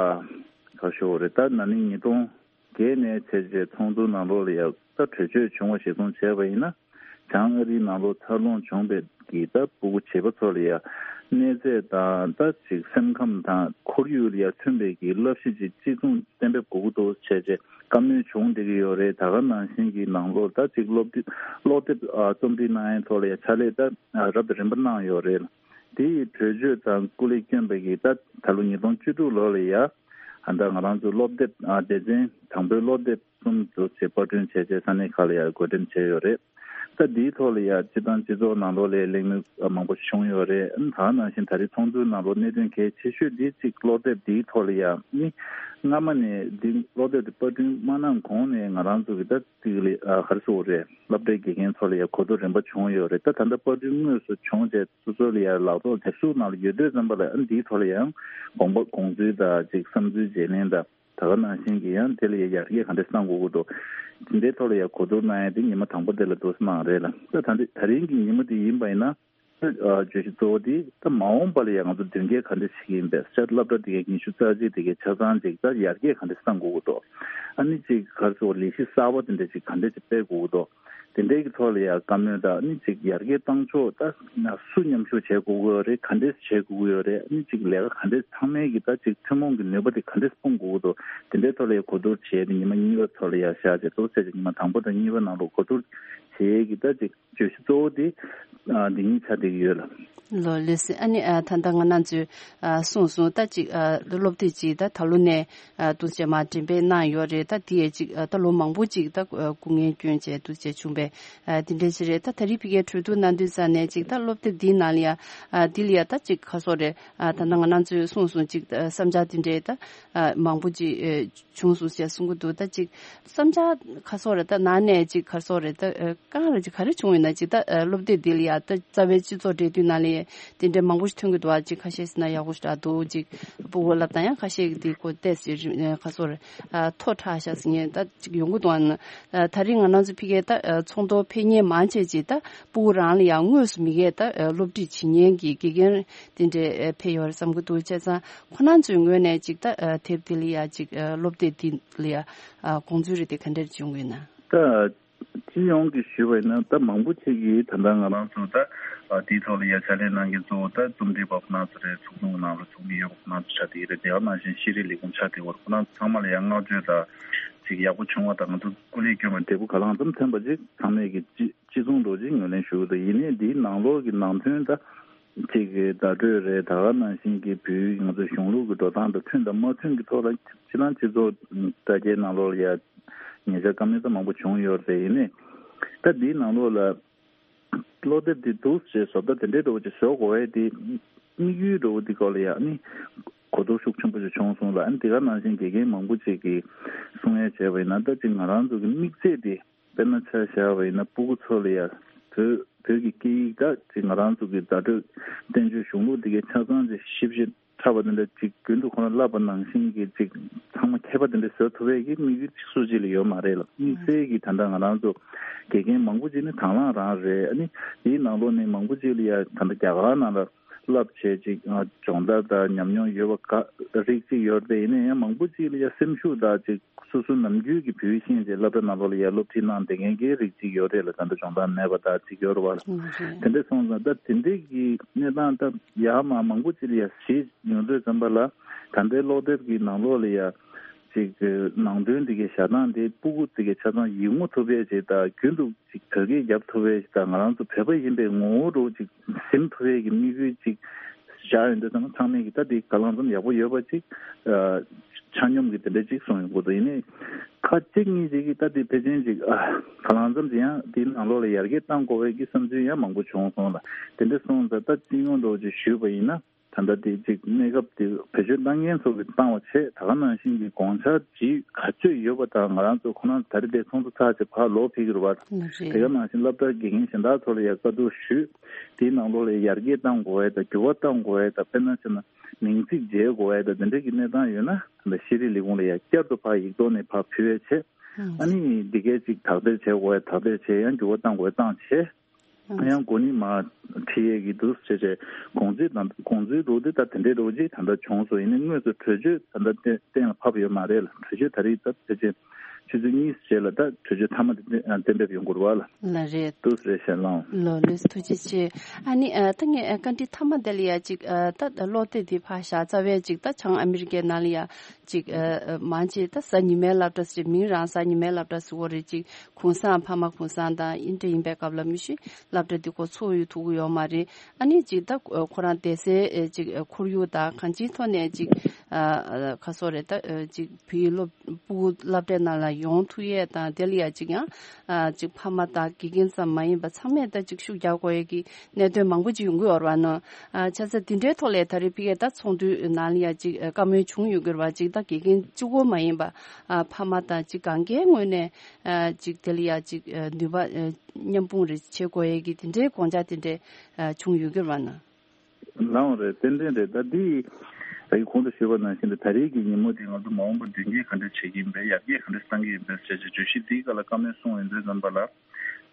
ག་ཞུ་དགོས་རེད། ད་ན་ནིང་ཉིས་སྟོང་བརྒྱད་ནས་བྱས་རྗེས་ཚོགས་འདུ་ནང་ལོགས་ལ་ཡ་ད་གྲོས་ཆོད་བྱུང་བ་གཞིར་བཟུང་བྱས་པ་ཡིན་ན། བྱང་ཨ་རིའི་ནང་ལོགས་འཚར་ལོངས་བྱུང་བའི་གི་ད་སྤུ་གུ་བྱིས་པ་ཚོ་ལ་ཡ་གནས་ཚད་དང་ད་ཅིག་སེམས་ཁམས་དང་ཁོར་ཡུག་ལ་ཡ་མཐུན་པའི་གི་བསླབ་གཞི་ཅིག་གཅིག་མཚུངས་གཏན་འབེབས་དགོས་ཀྱི་འདུག་བྱས་རྗེས་བཀའ་མོལ་བྱུང་བསྡད་ཀྱི་ཡོད་རེད། ད་ག་ནང་བཞིན་གྱི་ནང་ལོགས་ད་ཅིག་སློབ་དེབ་ཀློག་དེབ་ཨ་རྩོམ་སྒྲིག་གནང་ཡའི་ཐོག་ལ་ཡ་ཕྱག་ལས་ད་ཨ་རབ་དང་རིམ་པ་གནང་ཡོད་རེད། དེ་ཡི་གྲོས་ཆོད་དང་སྐུ་ལས་བསྐྱོན་པའི་གི་ད་ད་ལོ་ཉིས་སྟོང་བཅུ་དྲུག་ལོ་ལ་ཡ་ཨ་ད་ང་རང་ཚོ་སློབ་དེབ་ཨ་སྡེ་ཚན་དང་པོའི་སློབ་དེབ་གསུམ་དུ་ཆེད་པར་སྐྲུན་བྱས་རྗེས་ས་གནས་ཁག་ལ་ཡང་བགོ་འགྲེམས་བྱས་ཡོད་རེད། ད་འདིའི་ཐོག་ལ་ཡང་སྤྱི་བཏང་སྤྱི་ཚོགས་ནང་ལོགས་ལ་གླེང་མོལ་མང་པོ་བྱུང་ཡོད་རེད། ད་ག་ནང་བཞིན་ད་རེས་ཚོགས་འདུའི་ནང་ལོགས་གནད་དོན་གལ་ཆེ་ཤོས་འདི་གཅིག་སློབ་དེབ་འདིའི་ཐོག་ལ་ཡང་ནི་སྔ་མ་ནས་འདི་སློབ་དེབ་འདི་པར་སྐྲུན་མ་གནང་གོང་ནས་ང་རང་ཚོ་གི་ད་ཅིག་ལ་ག་རེ་ཟེར་དགོས་རེད། སློབ་གྲྭའི་དགེ་རྒན་ཚོ་ལ་ཡང་གོ་བསྡུར་རིམ་པ་བྱུང་ཡོད་རེད། ད་ད་ལྟ་པར་སྐྲུན་དངོས་སུ་བྱུང་རྗེས་སོ་སོ་ལ་ཡང་ལག་ཐོག་དེབ་གཟུགས་ནང་ལ་ཡོད་དུས་ཙམ་པ་ལ་འདིའི་ཐོག་ལ་ཡང་དགོངས་པ་དགོངས་ཚུལ་དང་ཅིག་བསམ་ཚུལ་བརྗེ་ལེན་དང་། ད་ག་ནང་བཞིན་གྱི་ཡང་དེ་ལ་ཡང་ཡར་རྒྱས་ག་འདྲ་གནང་དགོས་ཀྱི་འདུག་དེ་འདྲའི་ཐོག་ལ་ཡང་གོ་བསྡུར་གནང་ཡ་དེ་ཉི་མ་དང་པོ་དེ་ལ་འདུག་སེ་གནང་རེད་ལ། ད་ད་འདི་ད་རིང་གི་ཉི་མ་དེ་ཡིན་པ་ཡིན་ན་ད་ཨ་བརྗོད་གཞི་གཙོ་བོ་དེ་ད་མ་འོངས་པ་ལ་ཡང་ང་ཚོ་མདུན་སྐྱོད་ག་འདྲ་བྱེད་ཀྱི་ཡིན་པས། ཤར་སློབ་གྲྭ་དེ་གའི་ཉི་ཤུ་རྩ་གཅིག་དེ་གའི་ཆ་ཚང་ཅིག་ད་ཡར་རྒྱས་ག་འདྲ་གནང་དགོས་ཀྱི་འདུག་ཨ་ནི་ཅིག་ག་རེ་ཟེར་ལས་གཞི་གསར་པ་དེ་འདྲ་ཅིག་ག་འདྲ་ཅིག་སྤེལ་དགོས་ཀྱི་འདུག་དེ་འདྲའི་གི་ཐོག་ལ་ཡང་བཀའ་མོལ་དང་ནི་ཅིག་ཡར་རྒྱས་བཏང་ཕྱོགས་ད་སུ་མཉམ་ཞུགས་བྱེད་དགོས་ཀྱི་ཡོད་རེད། ག་འདྲས་བྱེད་དགོས་ཀྱི་ཡོད་རེད། ནི་ཅིག་ལས་ཀ་ག་འདྲས་ཚང་མའི་གི་ད་ཅིག་ཐུན་མོང་གི་ནུས་པ་དེ་ག་འདྲས་སྤུངས་དགོས་ཀྱི་འདུག་དེ་འདྲའི་ཐོག་ལ་ཡང་གོ་བསྡུར་བྱས་ཏེ་ཉི་མ་གཉིས་པ་ཐོག་ལ་ཡང་བཞག་བྱས་ཏོག་ཙམ་ཅིག་ཉི་མ་དང་པོ་དང་གཉིས་པ་ནང་ལོགས་གོ་བསྡུར་བྱེད་ཡས་ཀྱི་ད་ཅིག་བརྗོད་གཞི་གཙོ་བོ་དེ་ཨ་འདི་གཉིས་ཆགས་བསྡད་ཀྱི་ཡོད་ལ། ལོ་ལེགས་སེ། ཨ་ནི་ཨ་ད་ལྟ་ང་རང་ཚོས་ཨ་གསུངས་སོང་། ད་ཅིག་ཨ་སློབ་དེབ་ཅིག་ད་ད་ལོ་ནས་ཨ་འདུག་བྱས་མར་འགྲེམས་སྤེལ་གནང་ཡོད་རེད། ད་དེ་ཡས་ཅིག་ཨ་ད་ལོ་མང་པོ་ཅིག་ད་ཨ་སྐུ་ངལ་བསྐྱོན་བྱས་འདུག་བྱས་བྱུང་བས་ཨ་དེ་འདྲས་ཅིག་རེད། ད་ད་རེས་ཕ་གིར་གྲོས་བསྡུར་གནང་དུས་ཙ་ནས་ཅིག་ད་སློབ་དེབ་འདིའི་ནང་ལ་ཡ་ཨ་འདི་ལ་ཡ་ད་ཅིག་ཁ་སོ་རེད། ཨ་ད་ལྟ་ང་རང་ཚོས་གསུངས་སོང་། ཅིག་ཨ་བསམ་འཆར་དེ་འདྲས་ད་ཨ་མང་པོ་ཅིག་ཨ་བྱུང་སོང་ཞེས་གསུང་གི་འདུག་ད་ཅིག་བསམ་འཆར་ཁ་སོ་རེ་ད་ནང་ནས་ཅིག་ཁ་སོ་རེ་ད་ཨ་གང་རེ་ཅིག་ག་རེ་བྱུང་ཡོད་ན། ཅིག་ད་ཨ་སློབ་དེབ་འདི་ལ་ཡ་ད་རྩ་བའི་སྤྱི་ཚོགས་འབྲེལ་མཐུད་ནང་ལ་ཡ་དེ་འདྲ་མང་པོ་ཞིག་ཐོན་གྱི་འདུག་ཨ་ཅིག་ཁ་ཤས་ཟེར་ན་ཡག་པོ་ཞིག་རག་འདུག་ཅིག་སྤུ་གུ་སློབ་སྟངས་ཡང་ཁ་ཤས་ཀྱི་དེ་ཁོ་ཏོག་ཙམ་ཁ་སོ་རེ་ཨ་མཐོ་དྲགས་ཤག་ཟེར་མཁན་ད་ཅིག་ཡོང་གི་འདུག་ཨ་ནི་ཨ་ད་རེས་ང་རང་ཚོ་ཕ་གིར་ད་ཨ་ཚོགས་འདུ་ཕེབས་མཁན་མང་ཆེ་ཅིག་ད་སྤུ་གུ་རང་ལ་ཡང་དངོས་སུ་མི་སྒེར་ད་ཨ་སློབ་ཁྲིད་བྱེད་མཁན་གྱི་དགེ་རྒན་དེ་འདྲས་ཨ་ཕེབས་ཡོད་རེད་བསམ་གྱི་འདུག་བྱས་ཙང་ཁོ་རང་ཚོའི་ངོས་ནས་ཅིག་ད་ཨ་དེབ་དེ་ལ་ཡ་ཅིག་ཨ་སློབ་དེབ་དེ་ལ་ཡ་ཨ་དགོངས་ཚུལ་རེ་དེ་ག་འདྲ་བྱུང་ཡོད་ན། ད་སྤྱི་ཡོངས་ཀྱི་ཞུས་པ་ཡིན་ན་ད་མང་པོ་ཅིག་གིས་ད་ལྟ་ང་རང་ཚོ་ད་ཨ་དེའི་ཐོག་ལ་ཡ་ཕྱག་ལས་གནང་མཁན་གཙོ་བོ་ད་རྩོམ་སྒྲིག་པ་ཁོ་རང་ཚོ་རེད། ཚོགས་ཆུང་གི་ནང་ལ་ཚོགས་མི་ཡོད་པ་ཁོ་རང་ཚོ་ཆགས་བསྡད་ཀྱི་རེད། དེ་ག་ནང་བཞིན་ཤེས་རིག་ལས་ཁུངས་ཆགས་བསྡད་ཡོད་རེད། ཁོ་རང་ཚོ་ཚང་མ་ལ་ཡ་བསྔགས་བརྗོད་དང་ཅིག་ཡག་པོ་བྱུང་བ་དང་ང་ཚོ་སྐུ་ལས་བསྐྱོན་པ་འབྲས་བུ་ག་ལ་ཙམ་ཐོན་པ་ཅིག་ཚང་མས་ཀྱི་ཅི་ཅི་གསུང་འདྲ་ཅིག་ངོས་ལེན་ཞུ་གི་འདུག་ཡིན་ནའི་འདིའི་ནང་ལོགས་ཀྱི་ནང་དོན་ད་ཅིག་གི་བརྡ་སྤྲོད་རེད། ད་ག་ནང་བཞིན་གྱི་བོད་ང་ཚོ་གཞུང་ལུགས་ཀྱི་འགྲོ་སྟངས་དང་མཐུན་དང་མ་མཐུན་གྱི་ཐོག་ལ་ཕྱི་ནང་སྤྱི་ཚོགས་དྲ་རྒྱའི་ནང་ལོགས་ལ་ཡ་ཉེ་ཆར་བཀའ་མོལ་ད་མང་པོ་བྱུང་ཡོད་རེད། ཡིན་ནའི་ད་འདིའི་ནང་ལོགས་ལ་སློབ་དེབ་འདི་འདུག་ཅེས་བཟོ་ལྟ་དེ་འདྲའི་འདྲ་བོ་ཅིག་བཟོ་དགོས་ཡས་དེ་དམིགས་ཡུལ་འདྲ་བོ་འདི་སྐོར་ལ་ཡ་ནི་གོ་རྟོགས་ཤུགས་ཆེན་པོ་ཅིག་བྱུང་སོང་ལ། ཨ་ནི་དེ་ག་ནང་བཞིན་དགེ་རྒན་མང་པོ་ཅིག་གིས་གསུང་ཡས་བྱས་པ་ཡིན་ན་ད་ཅིག་ང་རང་ཚོ་གི་དམིགས་ཚད་དེ། དཔེར་ན་ཆ་བཞག་པ་ཡིན་ན་སྤུ་གུ་ཚོ་ལ་ཡ་བོད་བོད་ཀྱི་སྐད་ཡིག་ད་ཅིག་ང་རང་ཚོ་གི་བརྡ་སྤྲོད་བསྟན་བཅོས་གཞུང་ལུགས་འདི་གའི་ཆ་ཚང་ཅིག་ཞིབ་ཞིབ་ཕྲ་བ་འདི་འདྲ་ཅིག་རྒྱུན་དུ་ཁོ་རང་བསླབ་པ་ནང་བཞིན་གྱི་ཅིག་ཚང་མ་མཁས་པ་འདི་འདྲ་བཟོ་ཐུབ་པའི་གི་དམིགས་ཡུལ་ཅིག་སུ་གཅིག་ལ་ཡོད་མ་རེད་ལ། དམིགས་བསལ་གྱི་ད་ལྟ་ང་རང་ཚོ་དགེ་རྒན་མང་པོ་ཅིག་ནི་དང་བླངས་རང་རེད། ཨ་ནི་དེའི་ནང་ལོགས་ནས་མང་པོ་ཅིག་ལ་ཡ་ད་ལྟ་རྒྱ་གར་ནང་ལ་བསླབ་བྱས་ཅིག་སྦྱོང་བརྡར་དང་ཉམས་མྱོང་ཡོད་པ་ག་རིགས་ཅིག་ཡོད་རེད། ཡིན་ན་ཡང་མང་པོ་ཅིག་ལ་ཡ་སེམས་ཤུགས་དང་ཅིག་སོ་སོ་ནམ་རྒྱུན་གྱི་བོད་ཡིག་ཤེས་བྱས་སློབ་གྲྭ་ནང་ལོགས་ལ་ཡ་སློབ་ཁྲིད་གནང་བསྡད་མཁན་གྱི་རིགས་ཅིག་ཡོད་རེད་ལ། ད་ལྟ་སྦྱོང་བརྡར་མེད་པ་དག་ཅིག་ཡོད་རེད་བ། ཨ་རེད། དེ་འདྲ་སོང་ཙང་ད་དེ་འདྲའི་གི་གནས་སྟངས་ད་ཡར་མར་མང་པོ་ཅིག་ལ་ཡ་གཞིས་ཡོང་དུས་ཙམ་པ་ལ་ད་ལྟའི་སློབ་དེབ་ཀྱི་ནང་ལོགས་ལ་ཡ་ཅིག་ནང་དོན་འདི་གའི་བཞག་སྟངས་དེ་སྤུ་གུ་འདི་གའི་ཆ་ཚང་ཡིག་ངོ་ཐུབ་པའི་ཅིག་དང་རྒྱུན་དུ་ཅིག་བོད་སྐད་རྒྱབ་ཐུབ་པའི་ཅིག་དང་ང་རང་ཚོ་བོད་པ་ཡིན་པའི་ངོ་བོ་རུ་ཅིག་ཟིན་ཐུབ་པའི་གི་དམིགས་ཡུལ་ཅིག་བཞག་ཡོང་དུས་ཙམ་ཚང་མས་ཀྱི་ད་དེ་གང་ལ་ཙམ་ཡག་པོ་ཡོད་པ་ཅིག་ཨ་ཆ་སྙོམས་ཀྱི་དེ་འདྲ་ཅིག་གསུངས་ཡོང་གི་འདུག་ཡིན་ནའི་ཁ་ཅིག་གཉིས་ཅིག་གིས་ད་དེ་ཕལ་ཆེར་ཅིག་ཨ་གང་ལ་ཙམ་ཅིག་ཡང་དེའི་ནང་ལོགས་ལ་ཡར་རྒྱས་གཏང་དགོས་པའི་གི་བསམ་ཚུལ་ཡང་མང་པོ་བྱུང་སོང་ལ། དེ་འདྲ་སོང་ཙང་ད་སྤྱི་ཡོངས་འདྲ་བོ་ཅིག་ཞུས་པ་ཡིན་ན་ད་ལྟ་དེ་ཅིག་གནས་སྐབས་དེ་བེད་སྤྱོད་གཏང་མཁན་ཚོ་གིས་བཏང་བ་བྱས། ད་ག་ནང་བཞིན་གྱི་དགོངས་འཆར་ཇི་ག་ཚོད་ཡོད་པ་དང་ང་རང་ཚོ་ཁོ་རང་ད་རེས་དེ་ཚོགས་འདུ་ཚར་རྗེས་ཕར་ལོག་ཕེབས་ཀྱི་རེད་བ། ལགས་རེད། དེ་ག་ནང་བཞིན་སློབ་གྲྭ་དགེ་རྒན་གཞན་དག་ཚོ་ལ་ཡང་བཀའ་བསྡུར་ཞུས། དེའི་ནང་ལོགས་ལ་ཡར་རྒྱས་གཏང་དགོས་ཡས་དང་འགྱུར་བ་གཏང་དགོས་ཡས་དང་། དཔེར་ན་བྱས་ན་མིང་ཚིག་བརྗེ་དགོས་ཡས་དང་དེ་འདྲ་གི་གནས་སྟངས་ཡོད་ན་ད་ལྟ་ཤེས་རིག་ལས་ཁུངས་ལ་ཡང་བསྐྱར་དུ་ཕར་ཡིག་ཐོག་ནས་ཕར་ཕུལ་ཡས་བྱས། ཨ་ནི་འདི་གས་ཅིག་དག་ཐེར་བྱེད་དགོས་ཡས་དག་ཐེར་བྱས། ཡང་འགྱུར་བ་གཏང་དགོས་ཡས་བཏང་བྱས། ཡང་འགོ་ནི་མར་ཁྲིད་ཡས་ཀྱི་འདུག་ཟེར་བྱས་དགོངས་ཚུལ་དང་དགོངས་ཚུལ་འདུག་དེ་ད་དེ་འདྲའི་འདྲ་བོ་ཅིག་ད་ལྟ་བྱུང་སོང་། ཡིན་ནའི་དངོས་སུ་གྲོས་ཆོད་ད་ལྟ་གཏན་གཏན་ལ་ཕབ་ཡོད་མ་རེད་ལ། གྲོས་ཆོད་ད་རེས་ད་ཕལ་ཆེར་ཆུ་ཚོད་གཉིས་རྗེས་ལ་ད་གྲོས་ཆོད་མཐའ་མ་དེ་གཏན་འབེབས་ཡོང་དགོས་རེད་བ་ལ། ལགས་རེད། འདུག་ཟེར་བཤད་ལང་། ལགས་ལགས་སོ། ཐུགས་རྗེ་ཆེ། ཨ་ནི་ཨ་ད་ངས་ཨ་བཀའ་འདྲི་མཐའ་མ་དེ་ལ་ཡ་ཅིག་ཨ་ད་ཀློག་དེབ་དེ་ཕར་བཞག་རྩ་བའི་ཅིག་ད་བྱང་ཨ་མི་རི་ཀའི་ནང་ལ་ཡ་ཅིག་ཨ་མང་ཆེ་ད་གཟའ་ཉི་མའི་སློབ་གྲྭ་ཟེར། མིང་རང་གཟའ་ཉི་མའི་སློབ་གྲྭ་ཟེར་བ་རེད། ཅིག་གུང་སེང་ཕ་མ་གུང་སེང་དང་ཨིན་འདྲ་ཡིན་པའི་སྐབས་ལ་མི་ཤི་སློབ་གྲྭ་འདི་ཁོ་ཚུགས་ཡོད་ཐུབ་ཀྱི་ཡོད་མ་རེད། ཨ་ནི་ཅིག་ད་ཁོ་རང་བསྡད་སའི་ཅིག་ཁོར་ཡུག་དང་གང་ཅིའི་ཐོག་ནས་ཅིག་ཁ་སོ་རེད། ད་ཅིག་བོད་ཡིག་སློབ་སྤུ་གུ་སློབ་གྲྭའི་ནང་ལ་ཡོང་ཐུབ་ཡས་དང་། དེ་ལ་ཡ་ཅིག་ཡང་ཅིག་ཕ་མ་དང་དགེ་རྒན་ཙམ་མ་ཡིན་པ་ཚང་མས་ད་ཅིག་ཤུགས་རྒྱག་དགོས་ཡས་ཀྱི་གནད་དོན་མང་པོ་ཅིག་ཡོང་གི་ཡོད་རེད་བ་ནོ། བྱས་ཙང་དེ་འདྲའི་ཐོག་ལ་ད་རེས་ཕ་གིར་ད་ཚོགས་འདུའི་ནང་ལ་ཡ་ཅིག་བཀའ་མོལ་བྱུང་ཡོད་ཀྱི་རེད་བ། ཅིག་ད་དགེ་རྒན་གཅིག་པོ་མ་ཡིན་པ་ཕ་མ་དང་ཅིག་གང་གའི་ངོས་ནས་ཅིག་དེ་ལ་ཡ་ཅིག་ནུས་པ་མཉམ་སྤུངས་རེ་བྱེད་དགོས་ཡས་ཀྱི་དེ་འདྲའི་དགོངས་འཆར་དེ་འདྲ་བྱུང་ཡོད་ཀྱི་རེད་བ་ན། ལའང་རེད། ཏན་ཏན་རེད། ད་འདི་ད་གིན་གོང་དུ་ཞུས་པ་ནང་བཞིན་དུ་ད་རེས་ཀྱི་ཉིན་མོ་དེ་ང་ཚོ་མ་འོངས་པར་མདུན་སྐྱོད་ག་འདྲ་བྱེད་ཀྱི་ཡིན་པས། ཡར་རྒྱས་ག་འདྲ་གཏང་གི་ཡིན་པས་ཟེར་བྱས་བརྗོད་གཞི་འདིའི་སྐོར་ལ་བཀའ་མོལ་གསུངས་ཡོང་དུས་ཙམ་པ་ལ།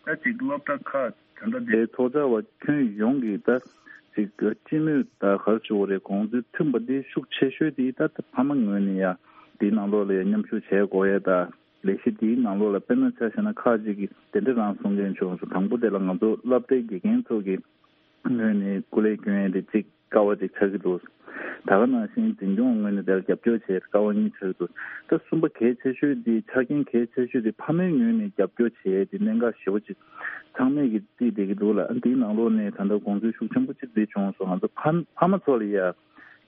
ད་ཅིག་སློབ་གྲྭ་ཁག་ད་ལྟ་དེའི་ཚོགས་བཅར་བ་ཁྱོན་ཡོངས་ཀྱིས་ད་ཅིག་སྤྱི་མོས་ད་ག་རེ་ཞུ་དགོས་རེད། དགོངས་ཚུལ་མཐུན་པ་འདི་ཤུགས་ཆེ་ཤོས་དེ་ད་ཕ་མ་ངོས་ནས་ཡ་འདིའི་ནང་ལོགས་ལ་ཡ་མཉམ་ཞུགས་བྱེད་དགོས་ཡས་ད། ལས་གཞི་འདིའི་ནང་ལོགས་ལ་དཔེར་ན་ཆ་བཞག་ན་ཁག་ཅིག་གིས་དེ་འདྲ་རང་གསུང་མཁན་བྱུང་སོང་། དང་པོ་དེ་ལ་ང་ཚོ་སློབ་གྲྭའི་དགེ་རྒན་ཚོ་གི་ངོས་ནས་སྐུ་ལས་སྐྱོན་ཡས་དེ་གཅིག་དཀའ་བ་ཅིག་ཆགས་ཀྱི་འདུག། ད་ག་ནང་བཞིན་འཛིན་སྐྱོང་ངོས་ནས་དེར་རྒྱབ་སྐྱོར་བྱས་དཀའ་བ་གཉིས་ཆགས་ཀྱི་འདུག། ད་གསུམ་པ་གལ་ཆེ་ཤོས་དེ་ཆ་རྐྱེན་གལ་ཆེ་ཤོས་དེ་ཕ་མའི་ངོས་ནས་རྒྱབ་སྐྱོར་བྱས་ཏེ་གནད་འགག་ཞེ་པོ་ཅིག་ཚང་མས་ཀྱི་བརྩིས་བསྡད་ཀྱི་འདུག་ལ། འདིའི་ནང་ལོགས་ནས་ད་ལྟ་དགོངས་ཚུལ་ཤུགས་ཆེན་པོ་ཅིག་བརྩིས་བྱུང་སོང་། ང་ཚོ་ཕ་ཕ་མ་ཚོ་ལ་ཡ་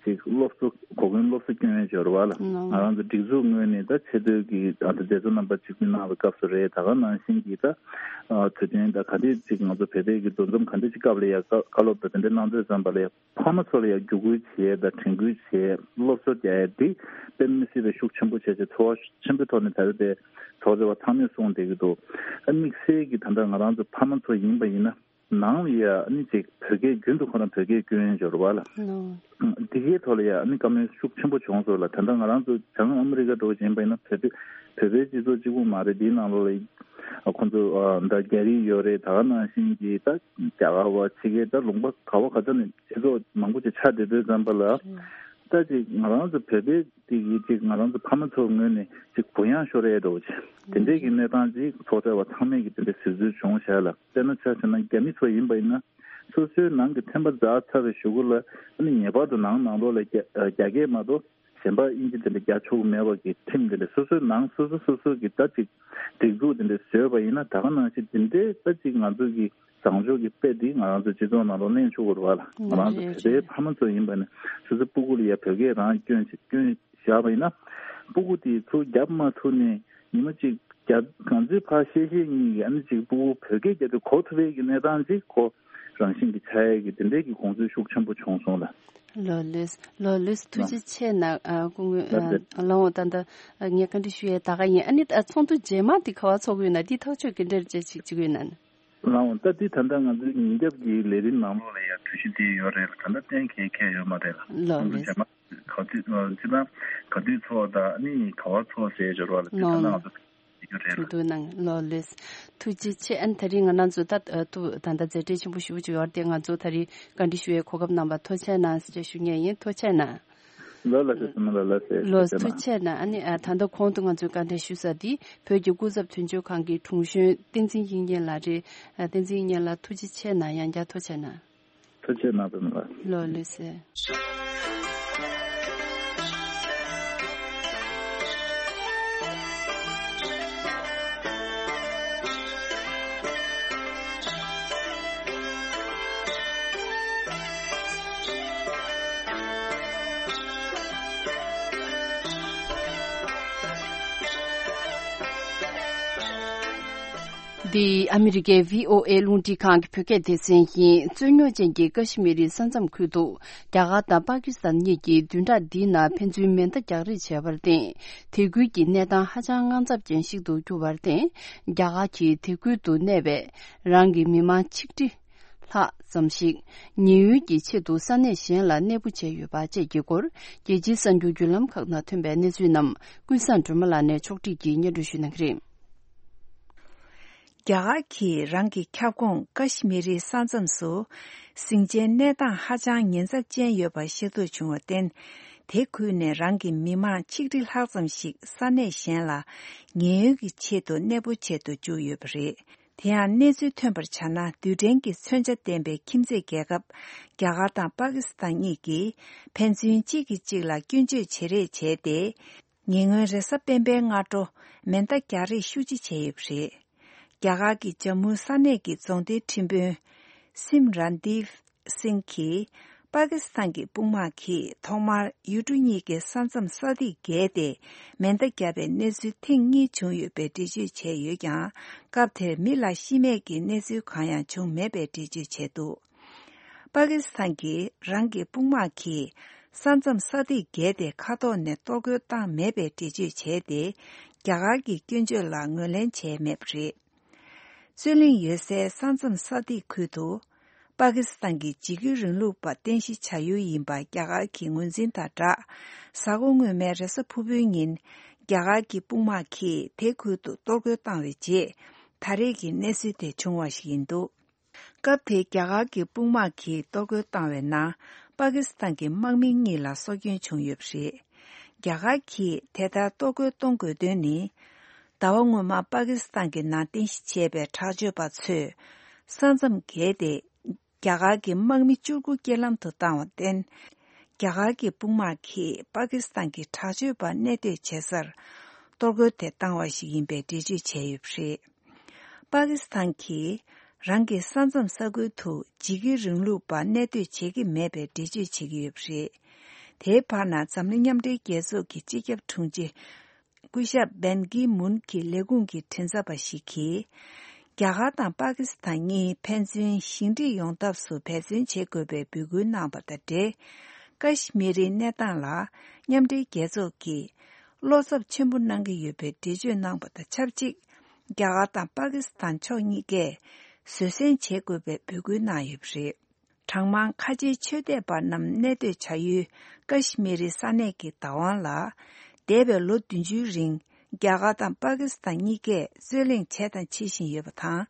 ཅིག་སློབ་གསོ་གོ་སྐོན་སློབ་གསོ་སྐྱོན་ཡས་སྦྱོར་བ་ལ་ང་རང་ཚོ་སྒྲིག་འཛུགས་ངོས་ནས་ད་ཆེས་མཐོའི་གི་ཨ་ད་མཛད་གཙོ་རྣམ་པ་ཆིབས་བསྒྱུར་གནང་བའི་སྐབས་སུ་རེད། ད་ག་ནང་བཞིན་གྱི་ད་དུས་སྟོན་ད་ག་འདྲས་ཅིག་ང་ཚོ་བོད་པའི་གི་འདུ་འཛོམས་ག་འདྲས་ཅིག་སྐབས་ལ་ཡ་བཀའ་སློབ་དང་དེ་འདྲས་གནང་དུས་ཙམ་པ་ལ་ཡ། ཕ་མ་ཚོ་ལ་ཡང་བརྒྱུད་སྐུལ་བྱེད་དང་དྲན་སྐུལ་བྱེད། སློབ་གསོ་རྒྱག་ཡ་འདི་དཔེ་མི་སྲིད་པའི་ཤུགས་ཆེན་པོ་བྱས་བྱས་ཚོར་བ་ཆེན་པོའི་ཐོག་ནས་ད་རེས་དེ་ཚོགས་གཙོ་བ་ཚང་མས་གསུངས་བསྡད་ཀྱི་འདུག། ཨ་དམིགས་བསལ་གྱི་ད་ལྟ་ང་རང་ཚོ་ཕ་མ་ཚོ་ཡིན་པ་ཡིན་ན་ནང་ལ་ཡ་ཨ་ནི་ཅིག་བོད་སྐད་རྒྱུན་དུ་ཁོ་རང་བོད་སྐད་སྐྱོན་སྦྱོར་བ་ལ་འདི་གའི་ཐོག་ལ་ཡ་ཨ་ནི་བཀའ་མོལ་ཤུགས་ཆེན་པོ་བྱུང་སོང་ལ། ད་ལྟ་ང་རང་ཚོ་བྱང་ཨ་མི་རི་ཀ་འགྲོ་བཞིན་པ་ཡིན་ན་བོད་པའི་བོད་པའི་སྤྱི་ཚོགས་གཅིག་པུ་མ་རེད། འདིའི་ནང་ལོགས་ལ་ཁོང་ཚོ་ད་རྒྱ་རིགས་ཡོད་རེད། ད་ག་ནང་བཞིན་གྱི་ད་རྒྱ་གར་བ་ཕྱི་རྒྱལ་ད་ལུང་པ་ག་བ་ག་ཚོད་ནས་སྤྱི་ཚོགས་མང་པོ་ཅིག་ཆགས་བསྡད་དུས་ཙམ་པ་ལ། ད་ཅིག་ང་རང་ཚོ་བོད་པའི་དེ་གི་ཅིག་ང་རང་ཚོ་ཕ་མ་ཚོའི་ངོས་ནས་ཅིག་གུ་ཡངས་ཤོར་ཡས་འདྲ་བོ་ཅིག་དེ་འདྲས་ཀྱི་གནས་སྟངས་ཅིག་ཚོགས་བཅར་བ་ཚང་མས་ཀྱི་དེ་འདྲས་གཟིགས་ཚུལ་བྱུང་བཞག་ལ། དཔེར་ན་ཆ་བཞག་ན་རྒྱ་མི་ཚོ་ཡིན་པ་ཡིན་ན་སོ་སོའི་ནང་གི་ཚན་པ་འཛག་ཚར་བའི་གཞུག་གུ་ལ་ཨ་ནི་ངེས་པར་དུ་ནང་ནང་ལོགས་ལ་རྒྱ་རྒྱ་སྐད་མ་གཏོགས་གཞན་པ་དབྱིན་ཇི་དེ་འདྲ་རྒྱག་ཆོག་གི་མེད་པ་གི་ཁྲིམས་དེ་འདྲ་སོ་སོའི་ནང་སོ་སོ་སོ་སོ་གི་ད་ཅིག་སྒྲིག་འཛུགས་དེ་འདྲ་བཟོས་པ་ཡིན་ན་ད་ག་ནང་བཞིན་དེ་འདྲའི་ད་ཅིག་ང་ཚོ་གི་བཟང་ཕྱོགས་ཀྱི་དཔེ་འདི་ང་རང་ཚོའི་སྤྱི་ཚོགས་ནང་ལ་ལེན་ཆོག་གི་རེད་བ་ལ། ང་རང་ཚོ་རེད་བོད་པའི་རེད། ཕ་མ་ཚོ་ཡིན་པ་ནི་སོ་སོའི་སྤུ་གུ་ལ་ཡ་བོད་སྐད་རང་སྐྱོན་ཅིག་སྐྱོན་བཞག་པ་ཡིན་ན་སྤུ་གུ་དེ་ཚུར་རྒྱབ་མ་ཐུབ་ནས་ཉི་མ་གཅིག་རྒྱབ་གང་ཚོད་ཕར་བཤད་བཤད་གཉིས་ཀྱི་ཨ་ནི་ཅིག་སྤུ་གུ་བོད་སྐད་རྒྱབ་དུས་གོ་ཐུབ་པའི་གི་གནས་སྟངས་ཅིག་ཁོ་རང་བཞིན་གྱི་ཆགས་ཡས་ཀྱི་དེ་འདྲའི་གི་དགོངས་ཚུལ་ཤུགས་ཆེན་པོ་བྱུང་སོང་ལ། ལགས་ལགས་ལགས་ལགས་ཐུགས་རྗེ་ཆེ་གནང་། ཨ་སྐུ་ངོ་ལགས་སེ། ཨ་ལགས་འོ་ད་ལྟ་ངས་བཀའ་འདྲི་ཞུ་ཡས་ད་ག་ཡིན། ཨ་ནི་ད་ཚོགས་འདུ་རྗེས་མ་འདི་ག་བ་ཚོགས་ཀྱི་ཡོད་ན་འདི་ཐག་གཅོད་ག་འདྲ་ཅིག་བྱེད་ཀྱི་ཡོད་ན། ལགས་འོ་ད་འདི་ད་ལྟ་ང་ཚོའི་ཉིན་རྒྱབ་ཀྱི་ལས་རིམ་ནང་ལོགས་ལ་ཡང་གྲོས་གཞི་འདི་ཡོད་རེད་ལ། ད་ལྟ་གཏན་འཁེལ་མཁན་ཡོད་མ་རེད་ལ། ལགས་ཚོགས་འདུ་ལགས་སེ། རྗེས་མ་ག་དུས་ཅི་ལ་ག་དུས་ཚོགས་དང་ཨ་ནི་ག་བ་ཚོགས་ཟེར་སྦྱོར་བ་ལ་འདི་ད་ལྟ་ང་ཚོ་ཡོད་རེད་ལ། ཚོགས་འདུ་ནང་ལགས་ལགས་སེ། ཐུགས་རྗེ་ཆེ། ཨ་ནི་ད་རིང་ང་རང་ཚོ་ད་ཨ་ཐུགས་ད་ལྟ་མཛད་བྲེལ་ཆེན་པོ་ཞེ་པོ་ཅིག་ཡོད་རེད་དེ་ང་ཚོ་ད་རིང་བཀའ་འདྲི་ཞུ་ཡའི་གོ་སྐབས་གནང་བར་ཐུགས་རྗེ་ཆེ་གནང་ཞེས་ཞུ་མཁན་ཡིན། ཐུགས་རྗེ་ཆེ་གནང་། ལགས་ལགས་སེ། ཚང་མ་ལ་ལགས་སེ། ལགས་སེ། ཐུགས་རྗེ་ཆེ་གནང་། ཨ་ནི་ཨ་ད་ལྟ་གོང་དུ་ང་ཚོས་བཀའ་འདྲི་ཞུ་ས་འདི་བོད་ཀྱི་སྐུ་ཚབ་དོན་གཅོད་ཁང་གི་དྲུང་གཞོན་བསྟན་འཛིན་དབྱིག་གཉེན་ལགས་རེད། ཨ་བསྟན་འཛིན་དབྱིག་གཉེན་ལགས་ཐུགས་རྗེ་ཆེ་གནང་། ཡང་བསྐྱར་ཐུགས་རྗེ་ཆེ་གནང་། ཐུགས་རྗེ་ཆེ་གནང་། ཚང་མ་ལ། ལགས་ལགས་སེ། འདི་ཨ་མི་རི་ཀའི་བྷི་ཨོ་ཨེ་རླུང་འཕྲིན་ཁང་གི་བོད་སྐད་སྡེ་ཚན་ཡིན། རྩོད་རྙོག་ཅན་གྱི་ཀ་ཤི་མི་རི་ས་མཚམས་ཁུལ་དུ་རྒྱ་གར་དང་པ་ཀི་སི་ཐན་གཉིས་ཀྱིས་བདུན་ཕྲག་འདིའི་ནང་ཕན་ཚུན་མེ་མདའ་རྒྱག་རེས་བྱས་པར་བརྟེན། དེ་ཁུལ་གྱི་གནས་སྟངས་ཧ་ཅང་དངངས་འཚབ་ཅན་ཞིག་ཏུ་གྱུར་བར་བརྟེན། རྒྱ་གར་གྱིས་དེ་ཁུལ་དུ་གནས་པའི་རང་གི་མི་མང་ཆིག་ཁྲི་ལྷག་ཙམ་ཞིག་ཉེན་གཡོལ་གྱི་ཆེད་དུ་ས་གནས་གཞན་ལ་གནས་སྤོ་བྱས་ཡོད་པ་བཅས་ཀྱི་སྐོར། རྒྱལ་སྤྱིའི་གསར་འགྱུར་བརྒྱུད་ལམ་ཁག་ནང་ཐོན་པའི་གནས་ཚུལ་རྣམས་ཀུན་བཟང་སྒྲོལ་མ་ལགས་ནས་ཕྱོགས་སྒྲིག་གིས་སྙན་སྒྲོན་ཞུ་གནང་གི་རེད། རྒྱ་གར་གྱིས་རང་གི་ཁྱབ་ཁོངས་ཀ་ཤི་མི་རིའི་ས་མཚམས་སུ་ཟིང་ཆེན་གནས་སྟངས་ཧ་ཅང་ཉེན་ཚབས་ཅན་ཡོད་པ་ཤེས་རྟོགས་བྱུང་བར་བརྟེན། དེ་ཁུལ་ནས་རང་གི་མི་མང་ཆིག་ཁྲི་ལྷག་ཙམ་ཞིག་ས་གནས་གཞན་ལ་ཉེན་གཡོལ་གྱི་ཆེད་དུ་གནས་སྤོ་བྱེད་དུ་བཅུག་ཡོད་པ་རེད། དེ་ཡང་གནས་ཚུལ་ཐོན་པར་བྱས་ན། རྡུལ་ཕྲན་གྱི་མཚོན་ཆ་ལྡན་པའི་ཁྱིམ་མཚེས་རྒྱལ་ཁབ་རྒྱ་གར་དང་པ་ཀི་སི་ཐན་གཉིས་ཀྱིས་ཕན་ཚུན་གཅིག་གིས་གཅིག་ལ་སྐྱོན་བརྗོད་བྱེད་རེས་བྱས་ཏེ། ཉེ་སྔོན་རེས་གཟའ་སྤེན་པའི་སྔ་དྲོ་མེ་མདའ་རྒྱག་རེས་ཤུགས་ཆེ་བྱས་ཡོད་པ་རེད། རྒྱ་གར་གྱི་ཇམ་མུ་ས་གནས་ཀྱི་རྫོང་སྡེའི་ཁྲིམས་དཔོན་སིམ་རན་དིབ་སིང་གིས། པ་ཀི་སི་ཐན་གྱི་དཔུང་དམག་གིས་ཐོག་མར་ཡུལ་གྲུ་གཉིས་ཀྱི་ས་མཚམས་ས་ཐིག་བརྒལ་ཏེ་མེ་མདའ་བརྒྱབ་པའི་གནས་ཚུལ་ཐེངས་གཉིས་བྱུང་ཡོད་པའི་འགྲེལ་བརྗོད་བྱས་ཡོད་ཀྱང་། སྐབས་དེར་མི་ལ་ཤི་རྨས་ཀྱི་གནས་ཚུལ་གང་ཡང་བྱུང་མེད་པའི་འགྲེལ་བརྗོད་བྱས་འདུག། པ་ཀི་སི་ཐན་གྱིས་རང་གི་དཔུང་དམག་གིས་ས་མཚམས་ས་ཐིག་བརྒལ་ཏེ་མཁའ་ཐོག་ནས་གཏོར་རྒོལ་བཏང་མེད་པའི་འགྲེལ་བརྗོད་བྱས་ཏེ། རྒྱ་གར་གྱི་སྐྱོན་བརྗོད་ལ་ངོས་ལེན་བྱས་མེད་པ་རེད། རྩོད་གླེང་ཡོད་སའི་ས་མཚམས་ས་ཐིག་ཁུལ་དུ། པ་ཀི་སི་ཐན་གྱི་འཇིགས་སྐུལ་རིང་ལུགས་པ་རྟེན་གཞི་བྱ་ཡུལ་ཡིན་པ་རྒྱ་གར་གྱིས་ངོས་འཛིན་དང་སྦྲགས། གཟའ་འཁོར་སྔོན་མའི་རེས་གཟའ་ཕུར་བུའི་ཉིན། རྒྱ་གར་གྱི་དཔུང་དམག་གིས་དེ་ཁུལ་དུ་གཏོར་རྒོལ་བཏང་བའི་རྗེས། ད་རེས་ཀྱི་གནས་ཚུལ་དེ་བྱུང་བ་ཞིག་ཡིན་འདུག། སྐབས་དེའི་རྒྱ་གར་གྱི་དཔུང་དམག་གིས་གཏོར་རྒོལ་བཏང་བའི་ནང་། པ་ཀི་སི་ཐན་གྱི་དམག་མི་གཉིས་ལ་སྲོག་སྐྱོན་བྱུང་ཡོད་པ་རེད། རྒྱ་གར་གྱིས་དེ་ལྟར་གཏོར་རྒོལ་གཏོང་དགོས་དོན་ནི། ཟླ་བ་སྔོན་མ་པ་ཀི་སི་ཐན་གྱི་ནང་རྟེན་གཞི་བྱས་པའི་དྲག་སྤྱོད་པ་ཚོས་ས་མཚམས་བརྒལ་ཏེ། རྒྱ་གར་གྱི་དམག་མི་བཅུ་དགུ་རྐྱེན་ལམ་དུ་བཏང་བར་བརྟེན། རྒྱ་གར་གྱི་དཔུང་དམག་གིས་པ་ཀི་སི་ཐན་གྱི་དྲག་སྤྱོད་པ་གནས་སྡོད་བྱེད་སར་གཏོར་རྒོལ་དེ་བཏང་བ་ཞིག་ཡིན་པའི་འགྲེལ་བརྗོད་བྱས་ཡོད་པ་རེད། པ་ཀི་སི་ཐན་གྱིས་རང་གི་ས་མཚམས་ས་ཁུལ་དུ་འཇིགས་སྐུལ་རིང་ལུགས་པ་གནས་སྡོད་བྱེད་ཀྱི་མེད་པའི་འགྲེལ་བརྗོད་བྱེད་ཀྱི་ཡོད་པ་རེད། དེའི་བར་ན་འཛམ་གླིང་མཉམ་འབྲེལ་རྒྱལ་ཚོགས་ཀྱི་སྤྱི་ཁྱབ་དྲུང་ཆེ། སྐུ་ཞབས་བན་ཀི་མུན་གྱི་ལས་ཁུངས་ཀྱི་མགྲིན་ཚབ་པ་ཞིག་གིས། རྒྱ་གར་དང་པ་ཀི་སི་ཐན་གཉིས་ཕན་ཚུན་ཞི་འགྲིག་ཡོང་ཐབས་སུ་འབད་བརྩོན་བྱེད་དགོས་པའི་འབོད་སྐུལ་གནང་བ་དང་འབྲེལ། ཀ་ཤི་མི་རིའི་གནས་སྟངས་ལ་མཉམ་འབྲེལ་རྒྱལ་ཚོགས་ཀྱིས་བློ་འཚབ་ཆེན་པོ་གནང་གི་ཡོད་པའི་འགྲེལ་བརྗོད་གནང་བ་དང་ཆབས་ཅིག་རྒྱ་གར་དང་པ་ཀི་སི་ཐན་ཕྱོགས་གཉིས་ཀས་བཟོད་བསྲན་བྱེད་དགོས་པའི་འབོད་སྐུལ་གནང་ཡོད་པ་རེད། གྲངས་མང་ཁ་ཆེའི་ཆོས་དད་པ་རྣམས་གནས་སྡོད་བྱ་ཡུལ་ཀ་ཤི་མི་རི་ས་གནས་ཀྱི་བདག་དབང་ལ། འདས་པའི་ལོ་བདུན་ཅུའི་རིང་རྒྱ་གར་དང་པ་ཀི་སི་ཐན་གཉིས་ཀས་རྩོད་གླེང་བྱས་དང་བྱེད་བཞིན་ཡོད་པ་དང་།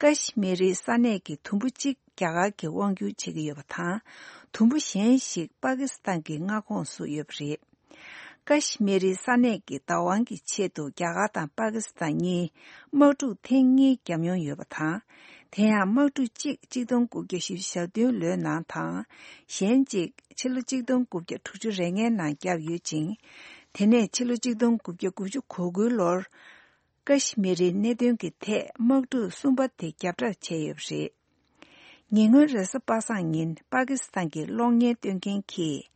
ཀ་ཤི་མི་རི་ས་གནས་ཀྱི་དུམ་བུ་གཅིག་རྒྱ་གར་གྱིས་དབང་བསྒྱུར་བྱེད་ཀྱི་ཡོད་པ་དང་། དུམ་བུ་གཞན་ཞིག་པ་ཀི་སི་ཐན་གྱི་མངའ་ཁོངས་སུ་ཡོད་པ་རེད། ཀ་ཤི་མི་རི་ས་གནས་ཀྱི་བདག་དབང་གི་ཆེད་དུ་རྒྱ་གར་དང་པ་ཀི་སི་ཐན་གཉིས་དམག་འཁྲུག་ཐེངས་གཉིས་བརྒྱབ་མྱོང་ཡོད་པ་དང་། དེ་ཡང་དམག་འཁྲུག་གཅིག་ཆིག་སྟོང་དགུ་བརྒྱ་བཞི་བཅུ་ཞེ་བདུན་ལོའི་ནང་དང་། གཞན་གཅིག་ཕྱི་ལོ་ཆིག་སྟོང་དགུ་བརྒྱ་དྲུག་ཅུ་རེ་ལྔའི་ནང་བརྒྱབ་ཡོད་ཅིང་། དེ་ནས་ཕྱི་ལོ་ཆིག་སྟོང་དགུ་བརྒྱ་དགུ་བཅུ་གོ་དགུའི་ལོར། ཀ་ཤི་མི་རིའི་གནད་དོན་གྱི་ཐད་དམག་འཁྲུག་གསུམ་པ་དེ་བརྒྱབ་བསྒྲགས་བྱས་ཡོད་པ་རེད། ཉེ་སྔོན་རེས་གཟའ་པ་སངས་ཉིན་པ་ཀི་སི་ཐན་གྱི་གློག་བརྙན་སྟོན་མཁན་གྱིས།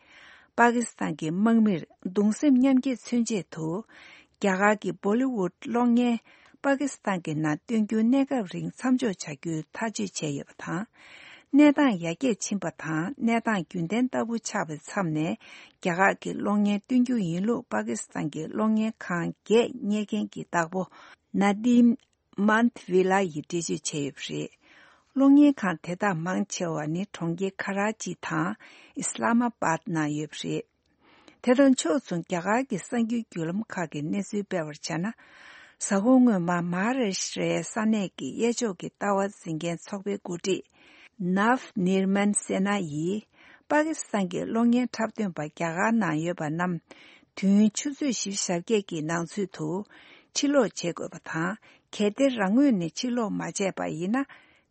པ་ཀི་སི་ཐན་གྱི་དམག་མིར་གདུང་སེམས་མཉམ་སྐྱེད་མཚོན་ཆེད་དུ། རྒྱ་གར་གྱི་བོ་ལི་ཝུད་གློག་བརྙན་པ་ཀི་སི་ཐན་གྱི་ནང་སྟོན་རྒྱུ་གནས་སྐབས་རིང་མཚམས་འཇོག་བྱ་རྒྱུའི་ཐག་གཅོད་བྱས་ཡོད་པ་དང་། གནས་སྟངས་ཡར་རྒྱས་ཕྱིན་པ་དང་གནས་སྟངས་རྒྱུན་ལྡན་ལྟ་བུ་ཆགས་པའི་མཚམས་ནས། རྒྱ་གར་གྱི་གློག་བརྙན་སྟོན་རྒྱུ་ཡིན་ལུགས་པ་ཀི་སི་ཐན་གྱི་གློག་བརྙན་ཁང་བརྒྱད་གཉེར་མཁན་གྱི་བདག་པོ་ན་དིམ། མཱན་ཐི་ཝི་ལ་ཡིས་འགྲེལ་བརྗོད་བྱས་ཡོད་པ་རེད། གློག་བརྙན་ཁང་དེ་དག་མང་ཆེ་བ་ནི་གྲོང་ཁྱེར་ཁ་ར་ཅི་དང་ཨི་སི་ལ་མ་པཱད་ནང་ཡོད་པ་རེད། དེ་དང་ཕྱོགས་མཚུངས་རྒྱ་གར་གྱི་གསར་འགྱུར་བརྒྱུད་ལམ་ཁག་གིས་གནས་ཚུལ་སྤེལ་བར་བྱས་ན། གཟའ་འཁོར་སྔོན་མ་མ་ཧཱ་རཱ་ཤི་ཏྲའི་ས་གནས་ཀྱི་གཡས་ཕྱོགས་ཀྱི་ལྟ་བ་འཛིན་མཁན་ཚོགས་པའི་འགོ་ཁྲིད། ནཱབ་ནིར་མན་སེ་ན་ཡིས། པ་ཀི་སི་ཐན་གྱི་གློག་བརྙན་འཁྲབ་སྟོན་པ་རྒྱ་གར་ནང་ཡོད་པ་རྣམས། དུས་ཡུན་ཆུ་ཚོད་བཞི་བཅུ་ཞེ་བརྒྱད་ཀྱི་ནང་ཚུད་དུ། ཕྱིར་ལོག་བྱེད་དགོས་པ་དང་། གལ་ཏེ་རང་ངོས་ནས་ཕྱིར་ལོག་མ་བྱས་པ་ཡིན་ན།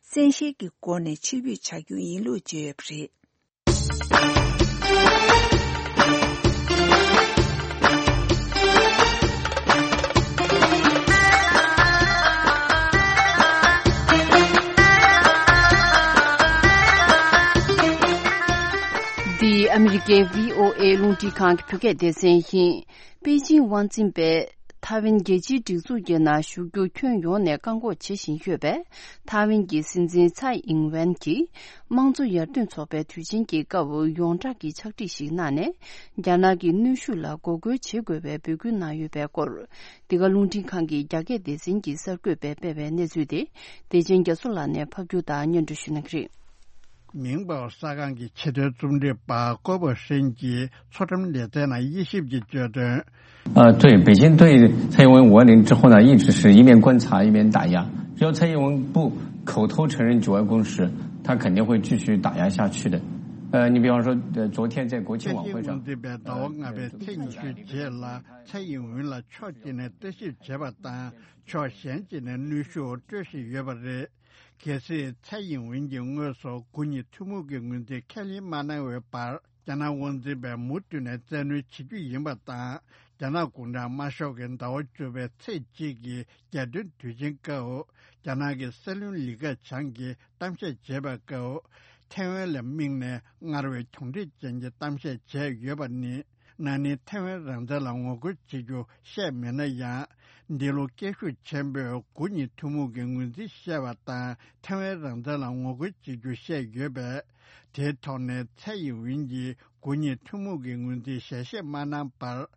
བཙན་ཤེད་ཀྱི་སྒོ་ནས་ཕྱིར་འབུད་བྱ་རྒྱུ་ཡིན་ལུགས་བརྗོད་ཡོད་པ་རེད། འདི་ཨ་མི་རི་ཀའི་བྷི་ཨོ་ཨེ་རླུང་འཕྲིན་ཁང་གི་བོད་སྐད་སྡེ་ཚན་ཡིན། པེ་ཅིང་དབང་འཛིན་པས་ཐའེ་ཝན་རྒྱལ་སྤྱིའི་སྒྲིག་འཛུགས་ཀྱི་ནང་ཞུགས་རྒྱུ་ཁྱོན་ཡོངས་ནས་བཀག་འགོག་བྱེད་བཞིན་ཡོད་པས། ཐའེ་ཝན་གྱི་སྲིད་འཛིན་ཚའེ་ཨིང་ཝེན་གྱིས་དམངས་གཙོ་ཡར་ཐོན་ཚོགས་པའི་དུས་ཆེན་གྱི་སྐབས་ཡོངས་གྲགས་ཀྱི་ཕྱག་བྲིས་ཤིག་གནང་ནས། རྒྱ་ནག་གི་གནོན་ཤུགས་ལ་འགོག་རྒོལ་བྱེད་དགོས་པའི་འབོད་སྐུལ་གནང་ཡོད་པའི་སྐོར། འདི་ག་རླུང་འཕྲིན་ཁང་གི་རྒྱ་སྐད་སྡེ་ཚན་གྱིས་གསར་འགོད་པས་སྤེལ་བའི་གནས་ཚུལ་དེ། བདེ་ཆེན་རྒྱ་མཚོ་ལགས་ནས་ཕབ་སྒྱུར་དང་སྙན་སྒྲོན་ཞུ་གནང་གི་རེད། མིང་པའོ་གསར་ཁང་གི་ཆེས་མཐོའི་རྩོམ་སྒྲིག་པ་ཀོ་པོ་ཧྲེན་གྱིས་མཚོ་འགྲམ་ལེ་ཚན་ནང་དབྱེ་ཞིབ་ཀྱིས་བརྗོད་དོན། 呃，对，北京对蔡英文五二零之后呢，一直是一面观察一面打压。只要蔡英文不口头承认九二共识，他肯定会继续打压下去的。呃，你比方说，呃，昨天在国庆晚会上， ཚེ་ཡིན་ཝུན་གྱིས་བལྟ་བ་ང་བའི་ཐེངས་ཤིག་རྗེས་ལ་ཚེ་ཡིན་ཝུན་ལ་ཕྱོགས་གཅིག་ནས་བརྟག་ཞིབ་བྱེད་པ་དང་ཕྱོགས་གཞན་གཅིག་ནས་གནོན་ཤུགས་སྤྲོད་བཞིན་ཡོད་པ་རེད། གལ་སྲིད་ཚེ་ཡིན་ཝུན་གྱིས་དངོས་སུ་དགུ་གཉིས་ཐུན་མོང་གི་ངོས་འཛིན་ཁས་ལེན་མ་གནང་བའི་བར། རྒྱ་ནག་དབང་འཛིན་པས་མུ་མཐུད་ནས་བཙན་གནོན་བྱེད་རྒྱུ་ཡིན་པ་དང་། རྒྱ་ནག་གུང་ཁྲན་དམར་ཤོག་གི་ཟླ་བ་བཅུ་པའི་ཚེས་གཅིག་གི་རྒྱལ་སྟོན་དུས་ཆེན་སྐབས། རྒྱ་ནག་གི་སྲིད་བློན་ལི་ཁེ་ཆང་གིས་གཏམ་བཤད་བྱེད་པའི་སྐབས། ཐའེ་ཝན་ལ་དམིགས་ནས་སྔར་བས་གྱོང་འཕྲད་ཅན་གྱི་གཏམ་བཤད་བྱས་ཡོད་པ་ནི། ན་ནིང་ཐའེ་ཝན་རང་བཙན་ལ་ངོ་རྒོལ་བྱེད་རྒྱུ་བཤད་མེད་ན་ཡང་། འདི་ལོ་སྐད་ཤུགས་ཆེན་པོས་དགུ་གཉིས་ཐུན་མོང་གི་ངོས་འཛིན་བཤད་པ་དང་ཐའེ་ཝན་རང་བཙན་ལ་ངོ་རྒོལ་བྱེད་རྒྱུ་བཤད་ཡོད་པས། དེའི་ཐོག་ནས་ཚའེ་ཡིན་ཝིན་གྱིས་དགུ་གཉིས་ཐུན་མོང་གི་ངོས་འཛིན་ཞལ་བཞེས་མ་གནང་བར།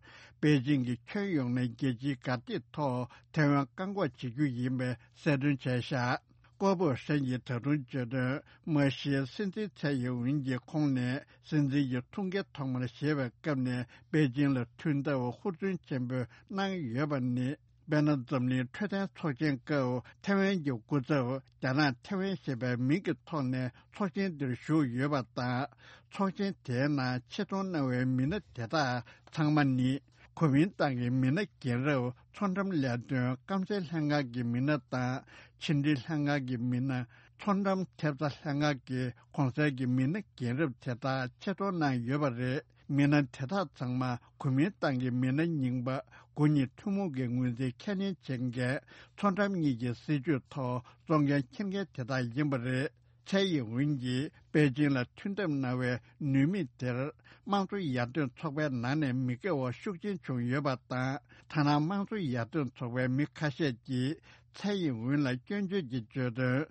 པེ་ཅིང་གིས་ཁྱོན་ཡོངས་ནས་རྒྱལ་སྤྱིའི་གར་སྟེགས་ཐོག་ཐའེ་ཝན་བཀག་འགོག་བྱེད་རྒྱུ་ཡིན་པའི་གསལ་སྟོན་བྱས་བཞག་ཀོ་པོ་ཧྲེན་གྱིས་ད་དུང་བརྗོད་དོན། མ་གཞི་སྲིད་འཛིན་ཚའེ་ཡིན་ཝིན་གྱི་ཁོངས་ནས་སྲིད་འཛིན་གྱི་ཐུགས་འགན་ཐོག་མར་བཞེས་པའི་སྐབས་ནས་པེ་ཅིང་ལ་མཐུན་ཐབས་ཧུར་བརྩོན་ཆེན་པོས་གནང་ཡོད་པ་ནི། དཔེར་ན། འཛམ་གླིང་འཕྲོད་བསྟེན་ཚོགས་ཆེན་སྐབས་ཐའེ་ཝན་གྱི་སྐུ་ཚབ་རྒྱ་ནག་ཐའེ་ཝན་ཞེས་པའི་མིང་གི་ཐོག་ནས་ཚོགས་ཆེན་འདིར་ཞུགས་ཡོད་པ་དང་། ཚོགས་ཆེན་དེའི་ནང་ཆེད་གཏོང་གནང་བའི་མི་སྣ་དེ་དག་ཚང་མ་ནི། གོ་མིན་ཏང་གི་མི་སྣ་རྒན་རབས་མཚོ་འགྲམ་ལས་དོན་སྐམ་སའི་ལྷན་ཁང་གི་མི་སྣ་དང་། ཕྱི་འབྲེལ་ལྷན་ཁང་གི་མི་སྣ། མཚོ་འགྲམ་ཐེབས་རྩ་ལྷན་ཁང་གི་གོང་གསལ་གྱི་མི་སྣ་རྒན་རབས་དེ་དག་ཆེད་གཏོང་གནང་ཡོད་པ་རེད། མི་སྣ་དེ་དག་ཚང་མ་གོ་མིན་ཏང་གི་མི་སྣ་རྙིང་པ་དགུ་ཉིད་ཐུན་མོང་གི་ངོས་འཛིན་ཁས་ལེན་བྱེད་མཁན་མཚོ་འགྲམ་གཉིས་ཀྱི་སྲིད་ཇུས་ཐོག་གཙོ་འགན་འཁྱེར་མཁན་དེ་དག་ཡིན་པ་རེད། ཚའེ་ཡིན་ཝུན་གྱིས་པེ་ཅིང་ལ་མཐུན་འཐབ་གནང་བའི་ནུས་མེད་དེར། དམངས་གཙོ་ཡར་ཐོན་ཚོགས་པའི་ནང་ནས་མི་དགའ་བ་ཤུགས་ཆེན་བྱུང་ཡོད་པ་དང་། ཐ་ན་དམངས་གཙོ་ཡར་ཐོན་ཚོགས་པའི་མི་ཁ་ཤས་ཀྱིས་ཚའེ་ཡིན་ཝུན་ལ་སྐྱོན་བརྗོད་ཀྱིས་བརྗོད་དོན།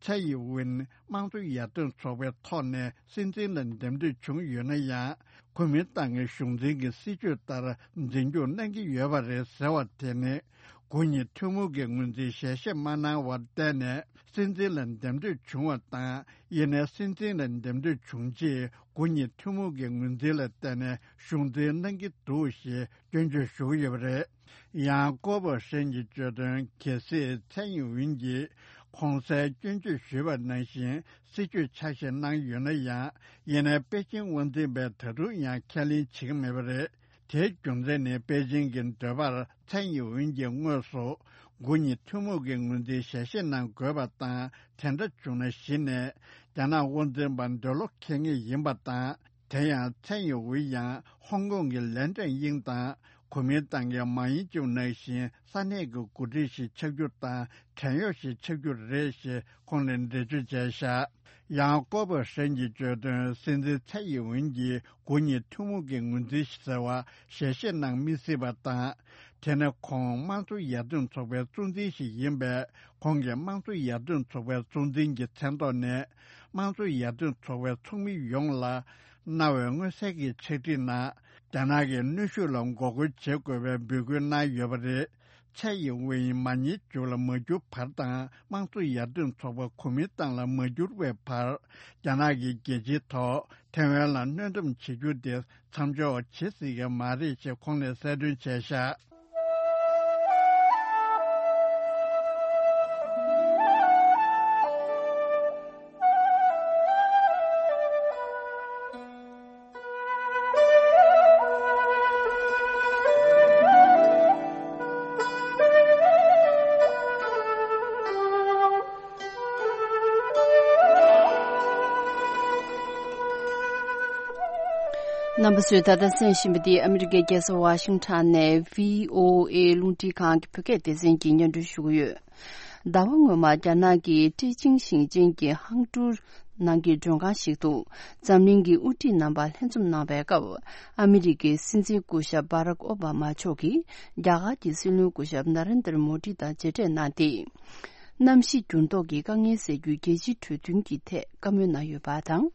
ཚའེ་ཡིན་ཝུན་དམངས་གཙོ་ཡར་ཐོན་ཚོགས་པའི་ཐོག་ནས་སྲིད་འཛིན་ལ་འདེམས་ཐོན་བྱུང་ཡོད་ན་ཡང་། གོ་མིན་ཏང་གི་གཞུང་འཛིན་གྱི་སྲིད་ཇུས་ལྟར་འཛིན་སྐྱོང་གནང་གི་ཡོད་པ་རེད་ཟེར་བ་དེ་ནི། དགུ་ཉིད་ཐུན་མོང་གི་ངོས་འཛིན་ཞལ་བཞེས་མ་གནང་བར་བརྟེན་ནས་སྲིད་འཛིན་ལ་འདེམས་ཐོན་བྱུང་བ་དང་། ཡིན་ནའི་སྲིད་འཛིན་ལ་འདེམས་ཐོན་བྱུང་རྗེས་དགུ་ཉིད་ཐུན་མོང་གི་ངོས་འཛིན་ལ་བརྟེན་ནས་གཞུང་འཛིན་གནང་གི་འདུག་ཞེས་སྐྱོན་བརྗོད་ཞུ་གི་ཡོད་པ་རེད། ཡང་ཀོ་པོ་ཧྲན་གྱིས་བརྗོད་དོན། གལ་སྲིད་ཚའེ་ཡིན་ཝུན་གྱིས་གོང་གསལ་སྐྱོན་བརྗོད་ཞུས་པ་ནང་བཞིན་སྲིད་ཇུས་ཆ་ཤས་གནང་ཡོད་ན་ཡང་། ཡིན་ནའི་པེ་ཅིང་དབང་འཛིན་པས་ད་དུང་ཡང་ཁས་ལེན་བྱེད་ཀྱི་མེད་པ་རེད། དེའི་རྒྱུ་མཚན་ནི་པེ་ཅིང་གི་འདོད་པར་ཚའེ་ཡིན་ཝུན་གྱིས་དངོས་སུ་དགུ་ཉིད་ཐུན་མོང་གི་ངོས་འཛིན་ཞལ་བཞེས་གནང་དགོས་པ་དང་། དེ་འདྲ་བྱུང་ན་གཞི་ནས་རྒྱ་ནག་དབང་འཛིན་པ་འདོད་བློ་ཁེངས་ངེས་ཡིན་པ་དང་། དེ་ཡང་ཚའེ་ཡིན་ཝུན་ཡང་ཧོང་ཀོང་གི་ལན་ཀྲེང་དབྱིང་དང་གོ་མིན་ཏང་གི་མཱ་ཡིན་ཅུང་ནང་བཞིན་ས་གནས་ཀྱི་འགོ་ཁྲིད་ཞིག་ཆགས་རྒྱུ་དང་བྲན་གཡོག་ཞིག་ཆགས་རྒྱུ་རེད་ཞེས་ཁོང་ནས་འགྲེལ་བརྗོད་བྱས་བཞག་ཡང་ཀོ་པོ་ཧྲན་གྱིས་བརྗོད་དོན། སྲིད་འཛིན་ཚའེ་ཡིན་ཝུན་གྱིས་དགུ་ཉིད་ཐུན་མོང་གི་ངོས་འཛིན་ཟེར་བ་ཞལ་བཞེས་གནང་མི་སྲིད་པ་དང་། དེ་ནི་ཁོང་དམངས་གཙོ་ཡར་ཐོན་ཚོགས་པའི་གཙོ་འཛིན་ཞིག་ཡིན་པས། ཁོང་གིས་དམངས་གཙོ་ཡར་ཐོན་ཚོགས་པའི་གཙོ་འཛིན་གྱི་མཚན་ཐོག་ནས། དམངས་གཙོ་ཡར་ཐོན་ཚོགས་པའི་ཚོགས་མི་ཡོངས་ལ་གནང་བའི་མངོན་གསལ་གྱི་ཕྱག་བྲིས་ནང་། རྒྱ་ནག་གི་གནོན་ཤུགས་ལ་འགོག་རྒོལ་བྱེད་དགོས་པའི་འབོད་སྐུལ་གནང་ཡོད་པ་རེད། ཚའེ་ཡིན་ཝུན་མཱ་ཡིན་ཅུང་ལ་མ་འགྱུར་བར་དང་། དམངས་གཙོ་ཡར་ཐོན་ཚོགས་པ་གོ་མིན་ཏང་ལ་མ་འགྱུར་བའི་བར། རྒྱ་ནག་གི་རྒྱལ་སྤྱིའི་ཐོག་ཐེ་ཝན་ལ་གནོན་སྡོམ་བྱེད་རྒྱུ་དེ་མཚམས་འཇོག་བྱེད་སྲིད་ཀྱི་མ་རེད་ཅེས་ཁོང་ནས་གསལ་སྟོན་བྱས་བཞག་རྣམ་པ་ཚོས་ད་ལྟ་གསན་བཞིན་པ་འདི་ཨ་མི་རི་ཀའི་རྒྱལ་ས་ཝ་ཤིང་ཊོན་ནས་བྷི་ཨོ་ཨེ་རླུང་འཕྲིན་ཁང་གི་བོད་སྐད་སྡེ་ཚན་གྱིས་སྙན་སྒྲོན་ཞུ་གི་ཡོད། ཟླ་བ་སྔོན་མ་རྒྱ་ནག་གི་ཀྲེ་ཅིང་ཞིང་ཆེན་གྱི་ཧང་ཀྲུའུ་ནང་གི་མགྲོན་ཁང་ཞིག་ཏུ་འཛམ་གླིང་གི་དབུ་ཁྲིད་རྣམ་པ་ལྷན་འཛོམས་གནང་བའི་སྐབས། ཨ་མི་རི་ཀའི་སྲིད་འཛིན་སྐུ་ཞབས་བྷ་རག་ཨོ་བྷ་མ་མཆོག་གིས་རྒྱ་གར་གྱི་སྲིད་བློན་སྐུ་ཞབས་ན་རེན་དར་མོ་ཌི་དང་མཇལ་འཕྲད་གནང་སྟེ། གནམ་གཤིས་འགྱུར་ལྡོག་གི་དཀའ་ངལ་སེལ་རྒྱུའི་རྒྱལ་སྤྱིའི་གྲོས་མཐུན་གྱི་ཐད་བཀའ་མོལ་གནང་ཡོད་པ་དང་།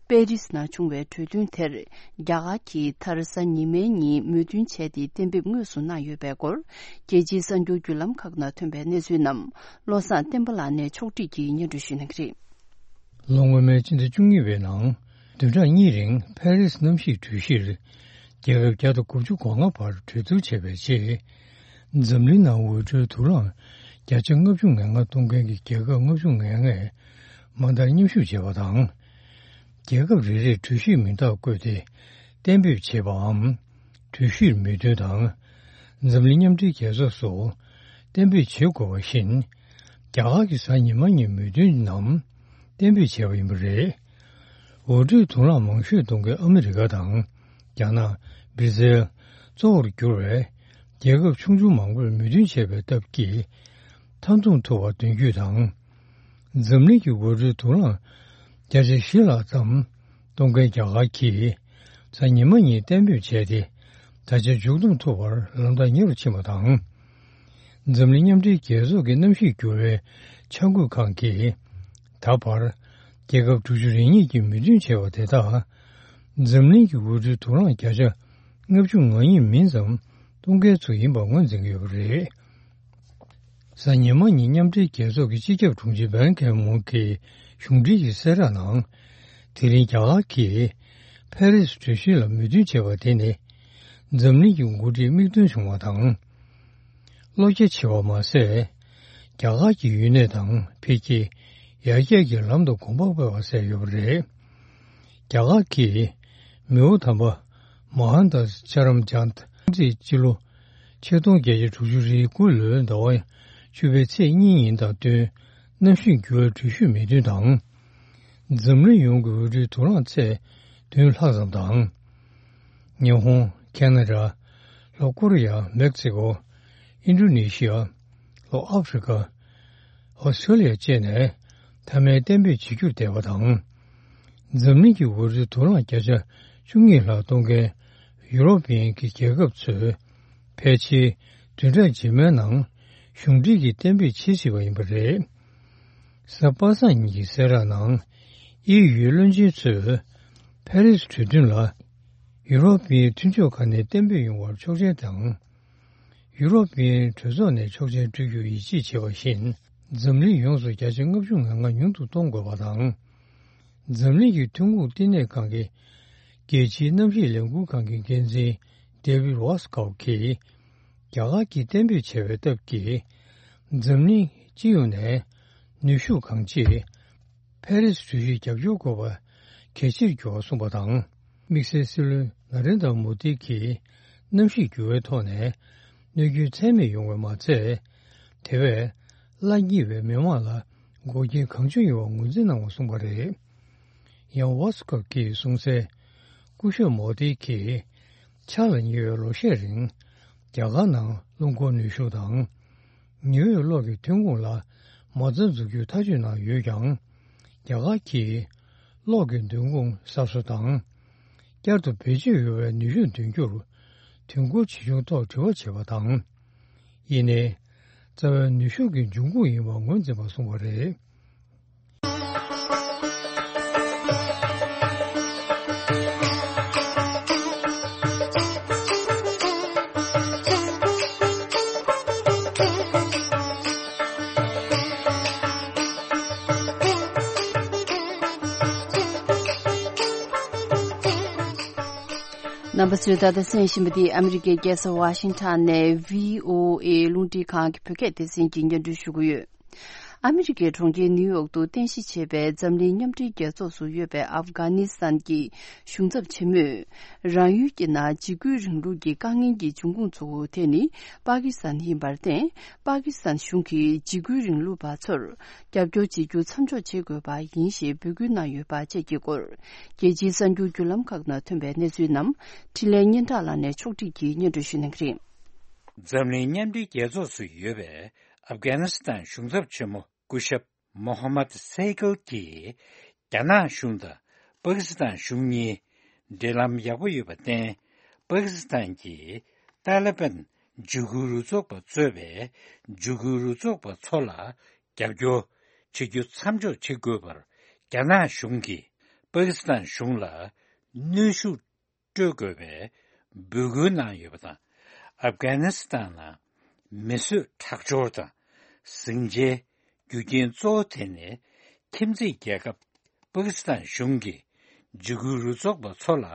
པེ་རིས་ནང་བྱུང་བའི་གྲོས་མཐུན་དེར་རྒྱ་གར་གྱིས་མཐར་གཟའ་ཉི་མའི་ཉིན་མོས་མཐུན་བྱས་ཏེ་གཏན་འབེབས་དངོས་སུ་གནང་ཡོད་པའི་སྐོར། རྒྱལ་སྤྱིའི་གསར་འགྱུར་བརྒྱུད་ལམ་ཁག་ནང་ཐོན་པའི་གནས་ཚུལ་རྣམས་བློ་བཟང་བསྟན་པ་ལགས་ནས་ཕྱོགས་སྒྲིག་གིས་སྙན་སྒྲོན་ཞུ་གནང་གི་རེད། ལོ་སྔོན་མའི་ཕྱི་ཟླ་བཅུ་གཉིས་པའི་ནང་བདུན་ཕྲག་གཉིས་རིང་ཕ་རིས་གནམ་གཤིས་གྲོས་གཞིར་རྒྱལ་ཁབ་བརྒྱ་དང་དགུ་བཅུ་གོ་ལྔ་བར་གྲོས་བསྡུར་བྱས་པའི་རྗེས། འཛམ་གླིང་ནང་འོད་འཕྲོའི་དུག་རླངས་བརྒྱ་ཆ་ལྔ་བཅུ་ང་ལྔ་གཏོང་མཁན་གྱི་རྒྱལ་ཁབ་ལྔ་བཅུ་ང་ལྔས་མ་མཐར་མཉམ་ཞུགས་བྱས་པ་དང་། རྒྱལ་ཁབ་རེ་རེས་གྲོས་གཞིར་མིང་རྟགས་བཀོད་དེ་གཏན་འབེབས་བྱས་པའམ། གྲོས་གཞིར་མོས་མཐུན་དང་། འཛམ་གླིང་མཉམ་འབྲེལ་རྒྱལ་ཚོགས་སུ་གཏན་འབེབས་བྱེད་དགོས་པ་བཞིན། རྒྱ་གར་གྱིས་གཟའ་ཉི་མ་ཉིན་མོས་མཐུན་ནམ་གཏན་འབེབས་བྱས་པ་ཡིན་པ་རེད། འོད་འཕྲོའི་དུག་རླངས་མང་ཤོས་གཏོང་མཁན་ཨ་མི་རི་ཀ་དང་། རྒྱ་ནག། སྦིར་ཛིལ། གཙོ་བོར་གྱུར་བའི་རྒྱལ་ཁབ་ཆུང་ཆུང་མང་པོས་མོས་མཐུན་བྱས་པའི་སྟབས་ཀྱིས། མཐའ་འཛོམས་ཐུབ་པ་དོན་བརྒྱུད་དང་། འཛམ་གླིང་གི་འོད་འཕྲོའི་དུག་རླངས་བརྒྱ་ཆ་བཞི་ལྷག་ཙམ་གཏོང་མཁན་རྒྱ་གར་གྱིས་གཟའ་ཉི་མ་ཉིན་གཏན་འབེབས་བྱས་ཏེ། ད་ཆ་མཇུག་བསྡོམས་ཐུབ་པར་ལམ་ཐག་ཉེ་རུ་ཕྱིན་པ་དང་། འཛམ་གླིང་མཉམ་འབྲེལ་རྒྱལ་ཚོགས་ཀྱི་གནམ་གཤིས་འགྱུར་བའི་འཆར་འགོད་ཁང་གིས་ད་བར་རྒྱལ་ཁབ་དྲུག་ཅུ་རེ་གཉིས་ཀྱིས་མོས་མཐུན་བྱས་པ་དེ་དག་འཛམ་གླིང་གི་འོད་འཕྲོའི་དུག་རླངས་བརྒྱ་ཆ་ལྔ་བཅུ་ང་གཉིས་མིན་ཙམ་གཏོང་མཁན་ཚོ་ཡིན་པ་ངོས་འཛིན་གྱི་ཡོད་པ་རེད། གཟའ་ཉི་མ་ཉིན་མཉམ་འབྲེལ་རྒྱལ་ཚོགས་ཀྱི་སྤྱི་ཁྱབ་དྲུང་ཆེ་བན་ཁེ་མུན་གྱིས་གཞུང་འབྲེལ་གྱི་གསལ་བསྒྲགས་ནང་། དེ་རིང་རྒྱ་གར་གྱིས་ཕ་རི་སི་གྲོས་གཞི་ལ་མོས་མཐུན་བྱས་པ་དེ་ནི་འཛམ་གླིང་གི་འགོ་ཁྲིད་མིག་མཐོང་བྱུང་བ་དང་། བློ་རྒྱ་ཆེ་བ་མ་ཟད། རྒྱ་གར་གྱི་ཡུན་གནས་དང་འཕེལ་རྒྱས་ཡར་རྒྱས་ཀྱི་ལམ་དུ་གོམ་པ་སྤོས་པ་བཟོས་ཡོད་པ་རེད། རྒྱ་གར་གྱིས་མི་དབང་དམ་པ་མ་ཧན་དཱ་ཅ་རམ་ཅན་ ཚེས་སྤྱི་ལོ་ཆིག་སྟོང་བརྒྱད་བརྒྱ་དྲུག་ཅུ་རེ་དགུ་ལོའི་ཟླ་བ་བཅུ་པའི་ཚེས་གཉིས་ཡིན་དང་བསྟུན། གནམ་གཤིས་འགྱུར་བའི་འགྲུལ་བཞུད་མེད་དོན་དང་། འཛམ་གླིང་ཡོངས་ཀྱི་འོས་བསྡུའི་དུག་རླངས་ཚད་བདུན་ལྷག་ཙམ་དང་། ཉི་ཧོང་། ཁེ་ན་ཌ། ལྷོ་ཀོ་རི་ཡ། མེག་སི་ཀོ། ཨིན་ཌོ་ནེ་ཤི་ཡ། ལྷོ་ཨ་ཧྥེ་རི་ཀ། ཨོ་སི་ཀྲོ་ལི་ཡ་བཅས་ནས་མཐའ་མའི་གཏན་འབེབས་བྱེད་རྒྱུར་བསྡད་པ་དང་། འཛམ་གླིང་གི་འོས་བསྡུའི་དུག་རླངས་བརྒྱ་ཆ་བཅུ་གཉིས་ལྷག་གཏོང་མཁན་ཡུ་རོབ་པའི་གི་རྒྱལ་ཁབ་ཚོས་ཕལ་ཆེར་བདུན་ཕྲག་རྗེས་མའི་ནང་གཞུང་འབྲེལ་གྱིས་གཏན་འབེབས་བྱེད་སྲིད་པ་ཡིན་པ་རེད། གཟའ་པ་སངས་ཉིན་གྱི་གསལ་བསྒྲགས་ནང་། ཨི་ཡུའི་བློན་ཆེན་ཚོས་ཕ་རི་སི་གྲོས་མཐུན་ལ་ཡུ་རོབ་པའི་མཐུན་ཕྱོགས་ཁག་ནས་གཏན་འབེབས་ཡོང་བར་ཆོག་མཆན་དང་། ཡུ་རོབ་པའི་གྲོས་ཚོགས་ནས་ཆོག་མཆན་སྤྲོད་རྒྱུར་ཡིད་ཆེས་བྱས་པ་བཞིན། འཛམ་གླིང་ཡོངས་སུ་བརྒྱ་ཆ་ལྔ་བཅུ་ང་ལྔ་ཉུང་དུ་གཏོང་དགོས་པ་དང་། འཛམ་གླིང་གི་ཐོན་ཁུངས་བསྟི་གནས་ཁང་གི་རྒྱལ་སྤྱིའི་གནམ་གཤིས་ལས་འགུལ་ཁང་གི་འགན་འཛིན་ཌེ་བིད་རོ་སི་ཀོབ་ཀྱིས། རྒྱ་གར་གྱིས་གཏན་འབེབས་བྱས་པའི་སྟབས་ཀྱིས། འཛམ་གླིང་སྤྱི་ཡོངས་ནས་ནུས་ཤུགས་གང་ཆེ་ཕ་རི་སི་གྲོས་གཞིར་རྒྱབ་སྐྱོར་དགོས་པ་གལ་ཆེར་གྱུར་བ་གསུངས་པ་དང་། དམིགས་བསལ་སྲིད་བློན་ན་རེན་དྲ་མོ་དི་གིས་གནམ་གཤིས་འགྱུར་བའི་ཐོག་ནས་གནོད་སྐྱོན་ཚད་མེད་ཡོང་བས་མ་ཚད། དེ་བས་སླ་བསྙེལ་བའི་མི་དམངས་ལ་འགོག་རྐྱེན་གང་བྱུང་ཡོང་བ་ངོས་འཛིན་གནང་བ་གསུངས་པ་རེད། ཡང་ཝོ་སི་ཀོབ་ཀྱིས་གསུངས་གསལ། སྐུ་ཞབས་མོ་དི་གིས་ཕྱག་ལ་ཉེ་བའི་ལོ་ཤས་རིང་རྒྱ་གར་ནང་རླུང་འཁོར་ནུས་ཤུགས་དང་། ཉི་འོད་གློག་གི་ཐོན་ཁུངས་ལ་མ་རྩ་འཛུགས་རྒྱུའི་ཐག་གཅོད་གནང་ཡོད་ཀྱང་། རྒྱ་གར་གྱིས་གློག་གི་འདོན་ཁུངས་གསར་བཟོ་དང་། བསྐྱར་དུ་བེད་སྤྱོད་ཡོང་བའི་ནུས་ཤུགས་འདོན་རྒྱུར་དུས་འཁོར་ཇི་བྱུང་ཐོག་དྲི་བ་བྱས་པ་དང་། ཡིན་ནའི། རྩ་བའི་ནུས་ཤུགས་ཀྱི་འབྱུང་ཁུངས་ཡིན་པ་ངོས་འཛིན་པ་གསུངས་པ་རེད། རྣམ་པ་ཚོས་ད་ལྟ་གསན་བཞིན་པ་འདི་ཨ་མི་རི་ཀའི་རྒྱལ་ས་ཝ་ཤིང་ཊོན་ནས་བྷི་ཨོ་ཨེ་རླུང་འཕྲིན་ཁང་གི་བོད་སྐད་སྡེ་ཚན་གྱིས་སྙན་སྒྲོན་ཞུ་གི་ཡོད། ཨ་མི་རི་ཀའི་གྲོང་ཁྱེར་ནིའུ་ཡོག་ཏུ་རྟེན་གཞི་བྱས་པའི་འཛམ་གླིང་མཉམ་འབྲེལ་རྒྱལ་ཚོགས་སུ་ཡོད་པའི་ཨབ་གྷ་ནི་སི་ཐན་གྱི་གཞུང་ཚབ་ཆེན་མོས། རང་ཡུལ་གྱི་ནང་འཇིགས་སྐུལ་རིང་ལུགས་ཀྱི་དཀའ་ངལ་གྱི་འབྱུང་ཁུངས་གཙོ་བོ་དེ་ནི་པ་ཀི་སི་ཐན་ཡིན་པར་བརྟེན། པ་ཀི་སི་ཐན་གཞུང་གིས་འཇིགས་སྐུལ་རིང་ལུགས་པ་ཚོར་རྒྱབ་སྐྱོར་བྱེད་རྒྱུ་མཚམས་འཇོག་བྱེད་དགོས་པ་ཡིན་ཞེས་འབོད་སྐུལ་གནང་ཡོད་པ་བཅས་ཀྱི་སྐོར། རྒྱལ་སྤྱིའི་གསར་འགྱུར་བརྒྱུད་ལམ་ཁག་ནང་ཐོན་པའི་གནས་ཚུལ་རྣམས་འཕྲིན་ལས་སྙན་གྲགས་ལགས་ནས་ཕྱོགས་སྒྲིག་གིས་སྙན་སྒྲོན་ཞུ་གནང་གི་རེད། འཛམ་གླིང་མཉམ་འབྲེལ་རྒྱལ་ཚོགས་སུ་ཡོད་པའི་ཨབ་གྷ་ནི་སི་ཐན་གཞུང་ཚབ་ཆེན་མོ་སྐུ་ཞབས་མོ་ཧམ་མད་སེ་གལ་གྱིས། རྒྱ་ནག་གཞུང་དང་པ་ཀི་སི་ཐན་གཞུང་གཉིས་འབྲེལ་ལམ་ཡག་པོ་ཡོད་པར་བརྟེན། པ་ཀི་སི་ཐན་གྱིས་ཏཱ་ལི་བན་འཇིགས་སྐུལ་རུ་ཚོགས་པ་གཙོས་པའི་འཇིགས་སྐུལ་རུ་ཚོགས་པ་ཚོ་ལ་རྒྱབ་སྐྱོར་བྱེད་རྒྱུ་མཚམས་འཇོག་བྱེད་དགོས་པར། རྒྱ་ནག་གཞུང་གིས་པ་ཀི་སི་ཐན་གཞུང་ལ་གནོན་ཤུགས་སྤྲོད་དགོས་པའི་འབོད་སྐུལ་གནང་ཡོད་པ་དང་། ཨབ་གྷ་ནི་སི་ཐན་ནང་མི་གསོད་ཁྲག་སྦྱོར་དང་ཟིང་ཆའི་རྒྱུ་རྐྱེན་གཙོ་བོ་དེ་ནི། ཁྱིམ་མཚེས་རྒྱལ་ཁབ་པ་ཀི་སི་ཐན་གཞུང་གིས་འཇིགས་སྐུལ་རུ་ཚོགས་པ་ཚོ་ལ་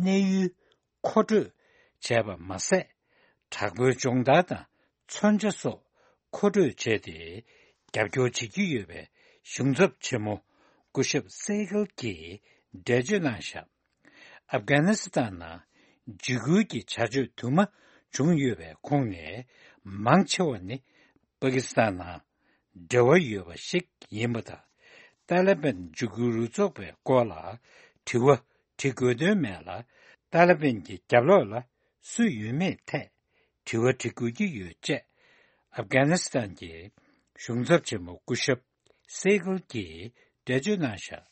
གནས་ཡུལ་མཁོ་སྤྲོད་བྱས་པ་མ་ཟད། དྲག་པོའི་སྦྱོང་བརྡར་དང་མཚོན་ཆ་སོགས་མཁོ་སྤྲོད་བྱས་ཏེ། རྒྱབ་སྐྱོར་བྱེད་ཀྱི་ཡོད་པའི་གཞུང་ཚབ་ཆེན་མོ་སྐུ་ཞབས་སེ་གལ་གྱིས་འགྲེལ་བརྗོད་གནང་བཞག་ཨབ་གྷ་ནི་སི་ཐན་ནང་འཇིགས་སྐུལ་གྱི་བྱ་སྤྱོད་དུ་མ་བྱུང་ཡོད་པའི་ཁོངས་ནས་མང་ཆེ་བ་ནི་པ་ཀི་སི་ཐན་ནང་འབྲེལ་བ་ཡོད་པ་ཞིག་ཡིན་པ་དང་། ཏཱ་ལི་བན་འཇིགས་སྐུལ་རུ་ཚོགས་པའི་སྐོར་ལ་དྲི་བ་དྲི་དགོས་དོན་མེད་ལ། ཏཱ་ལི་བན་གྱི་རྒྱབ་ལོགས་ལ་སུ་ཡོད་མེད་ཐད་དྲི་བ་དྲི་དགོས་ཀྱི་ཡོད་ཅེས། ཨབ་གྷ་ནི་སི་ཐན་གྱི་གཞུང་ཚབ་ཆེན་མོ་སྐུ་ཞབས་སེ་གལ་གྱིས་འགྲེལ་བརྗོད་གནང་བཞག་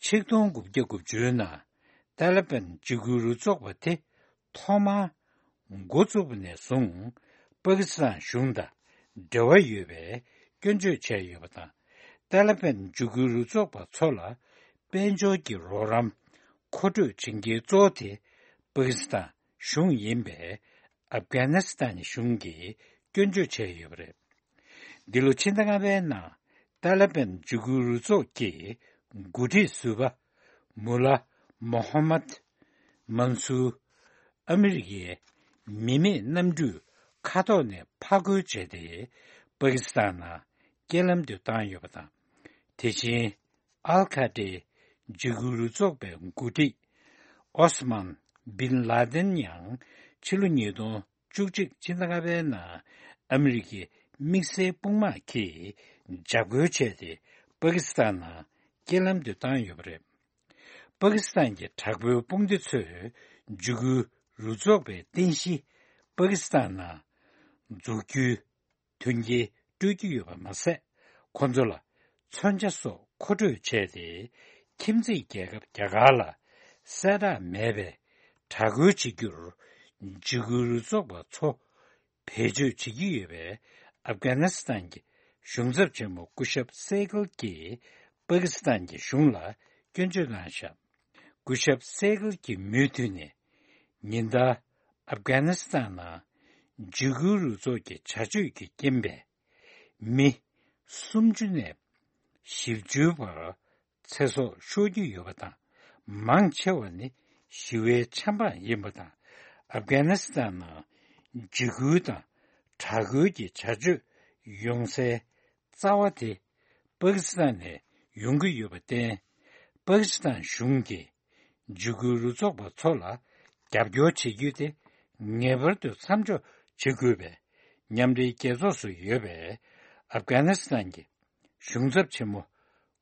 ཆིག་སྟོང་དགུ་བརྒྱ་དགུ་བཅུ་ནང་ཏཱ་ལི་བན་འཇིགས་སྐུལ་རུ་ཚོགས་པ་དེ་ཐོག་མར་འགོ་བཙུགས་པ་ནས་བཟུང་། པ་ཀི་སི་ཐན་གཞུང་དང་འབྲེལ་བ་ཡོད་པའི་སྐྱོན་བརྗོད་བྱས་ཡོད་པ་དང་། ཏཱ་ལི་བན་འཇིགས་སྐུལ་རུ་ཚོགས་པ་ཚོ་ལ་དཔལ་འབྱོར་གྱི་རོགས་རམ་མཁོ་སྤྲོད་བྱེད་མཁན་གཙོ་བོ་དེ་པ་ཀི་སི་ཐན་གཞུང་ཡིན་པའི་ཨབ་གྷ་ནི་སི་ཐན་གཞུང་གིས་སྐྱོན་བརྗོད་བྱས་ཡོད་པ་རེད། འདི་ལོ་ཕྱི་ཟླ་ལྔ་པའི་ནང་ཏཱ་ལི་བན་འཇིགས་སྐུལ་རུ་ཚོགས་ཀྱི་འགོ་ཁྲིད་ཟུར་པ་མུ་ལ་མོ་ཧམ་མད་མན་སུར་ཨ་མི་རི་ཀའི་མི་མེད་གནམ་གྲུས་མཁའ་ཐོག་ནས་ཕར་རྒོལ་བྱས་ཏེ་པ་ཀི་སི་ཐན་ནང་རྐྱེན་ལམ་དུ་བཏང་ཡོད་པ་དང་། དེ་བཞིན། ཨལ་ཁ་ཏྲའི་འཇིགས་སྐུལ་རུ་ཚོགས་པའི་འགོ་ཁྲིད་ཨོ་སི་མན་བིན་ལ་དན་ཡང་ ཕྱི་ལོ་ཉིས་སྟོང་བཅུ་གཅིག་ཕྱི་ཟླ་ལྔ་པའི་ནང་ཨ་མི་རི་ཀའི་དམིགས་བསལ་དཔུང་དམག་གིས་འཇབ་རྒོལ་བྱས་ཏེ། པ་ཀི་སི་ཐན་ནང་རྐྱེན་ལམ་དུ་བཏང་ཡོད་པ་རེད། པ་ཀི་སི་ཐན་གྱི་དྲག་པོའི་དཔུང་སྡེ་ཚོས་འཇིགས་སྐུལ་རུ་ཚོགས་པའི་རྟེན་གཞི་པ་ཀི་སི་ཐན་ནང་འཛུགས་རྒྱུའི་མཐུན་རྐྱེན་སྤྲོད་ཀྱི་ཡོད་པ་མ་ཟད། ཁོ་ཚོ་ལ་མཚོན་ཆ་སོགས་མཁོ་སྤྲོད་བྱས་ཏེ། ཁྱིམ་མཚེས་རྒྱལ་ཁབ་རྒྱ་གར་ལ་གསལ་བསྒྲགས་མེད་པའི་དྲག་རྒོལ་བྱེད་རྒྱུར་འཇིགས་སྐུལ་རུ་ཚོགས་པ་ཚོ་བེད་སྤྱོད་བྱེད་ཀྱི་ཡོད་པས། ཨབ་གྷ་ནི་སི་ཐན་གྱི་གཞུང་ཚབ་ཆེན་མོ་སྐུ་ཞབས་སེ་གལ་གྱིས་པ་ཀི་སི་ཐན་གྱི་གཞུང་ལ་སྐྱོན་བརྗོད་གནང་བཞག་སྐུ་ཞབས་སེ་གལ་གྱིས་མུ་མཐུད་ནས། ཉིན་ལྟར་ཨབ་གྷ་ནི་སི་ཐན་ནང་འཇིགས་སྐུལ་རུ་ཚོགས་ཀྱི་བྱ་སྤྱོད་ཀྱི་རྐྱེན་པས། མི་སུམ་ཅུ་ནས་བཞི་བཅུའི་བར་ཚེ་སྲོག་ཤོར་གྱི་ཡོད་པ་དང་། མང་ཆེ་བ་ནི་ཞི་བའི་ཆབ་འབངས་ཡིན་པ་དང་། ཨབ་གྷ་ནི་སི་ཐན་ནང་འཇིགས་སྐུལ་དང་དྲག་རྒོལ་གྱི་བྱ་སྤྱོད་ཡོང་སའི་རྩ་བ་དེ་པ་ཀི་སི་ཐན་ནས་ཡོང་གི་ཡོད་པར་བརྟེན། པ་ཀི་སི་ཐན་གཞུང་གིས་འཇིགས་སྐུལ་རུ་ཚོགས་པ་ཚོ་ལ་རྒྱབ་སྐྱོར་བྱེད་རྒྱུ་དེ་ངེས་པར་དུ་མཚམས་འཇོག་བྱེད་དགོས་པའི་མཉམ་འབྲེལ་རྒྱལ་ཚོགས་སུ་ཡོད་པའི་ཨབ་གྷ་ནི་སི་ཐན་གྱི་གཞུང་ཚབ་ཆེན་མོ་